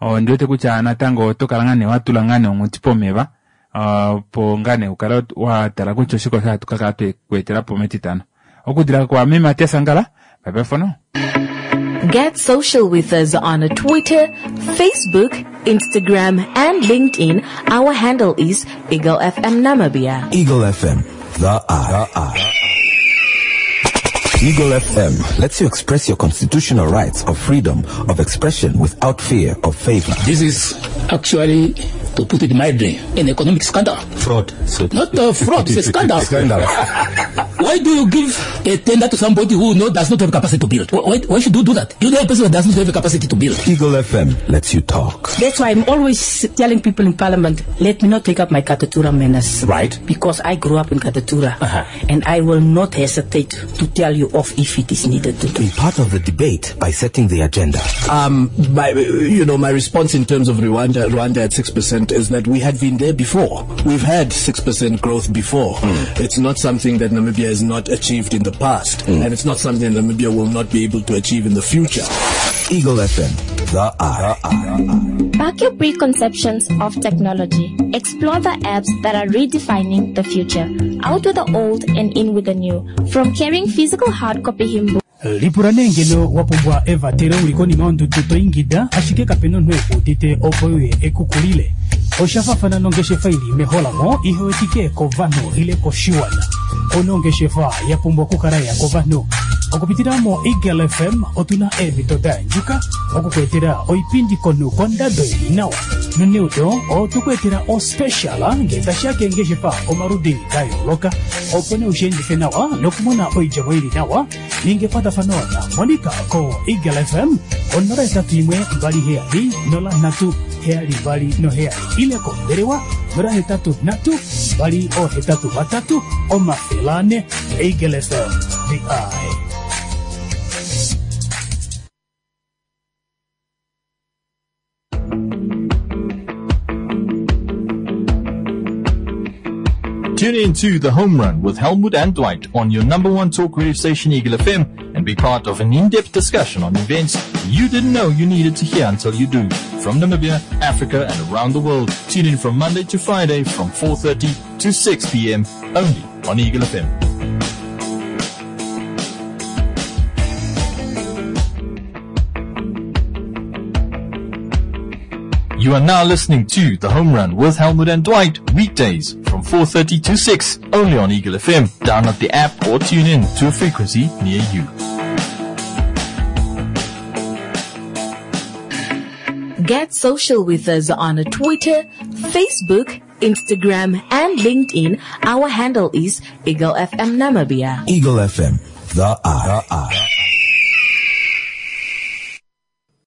ondiwete kutya natango oto kala ngaa nee watula ngaa nee onghuti pomeva opo ngaa nee ukale watala kutya oshike osho hatu kakala twekweetelapo metitano. Okudila kwa me Matias Angala, bye bye for now. Get social with us on Twitter, Facebook, Instagram and LinkedIn. Our handle is Eagle F M Namibia. Eagle F M, the eye. The eye. Eagle F M lets you express your constitutional rights of freedom of expression without fear of favor. This is actually, to put it mildly, an economic scandal. Fraud. So Not a fraud, it's a scandal. Scandal. Why do you give a tender to somebody who no, does not have capacity to build? Why, why should you do that? You know a person who does not have the capacity to build. Eagle F M lets you talk. That's why I'm always telling people in Parliament, let me not take up my Katutura manners. Right. Because I grew up in Katutura. Uh-huh. And I will not hesitate to tell you off if it is needed to do. Be part of the debate by setting the agenda. Um, my, you know, my response in terms of Rwanda, Rwanda at six percent is that we had been there before. We've had six percent growth before. Mm. It's not something that Namibia has not achieved in the past, mm. and it's not something that Namibia will not be able to achieve in the future. Eagle F M, the eye. The eye. Back your preconceptions of technology. Explore the apps that are redefining the future. Out with the old and in with the new. From carrying physical hard copy hymn Lipula nee ngeno wa pumbwa evatelo uli konima yondudu to ingida ashike kapena omunhu ekuudite opo uye ekukulile. Osha faafana nongeshefa ili meholamo ihewetike kovanhu ile koshiwana. Ono ongeshefa ya pumbwa okukala ya kovanhu. Okupitila mo Eagle F M otuna eemhito da yandjuka okukweetela oipindi komunhu kondado ili nawa. Noneudo otukuetela ospecial ngee tashiya keengeshefa omaludi da yooloka opo nee ushiendife nawa nokumona oidjemo ili nawa. Ninga ekwatafano na Monica ko Eagle F M onola etatu imwe mbali heyali nola nhatu heyali mbali noheyali ile kombelewa nola hetatu nhatu mbali ohetatu vatatu omafele ane. Eagle F M, the eye. Tune in to The Home Run with Helmut and Dwight on your number one talk radio station, Eagle F M, and be part of an in-depth discussion on events you didn't know you needed to hear until you do. From Namibia, Africa, and around the world. Tune in from Monday to Friday from four thirty to six P M only on Eagle F M. You are now listening to The Home Run with Helmut and Dwight, weekdays from four thirty to six, only on Eagle F M. Download the app or tune in to a frequency near you. Get social with us on Twitter, Facebook, Instagram, and LinkedIn. Our handle is Eagle F M Namibia. Eagle F M, the eye. The eye.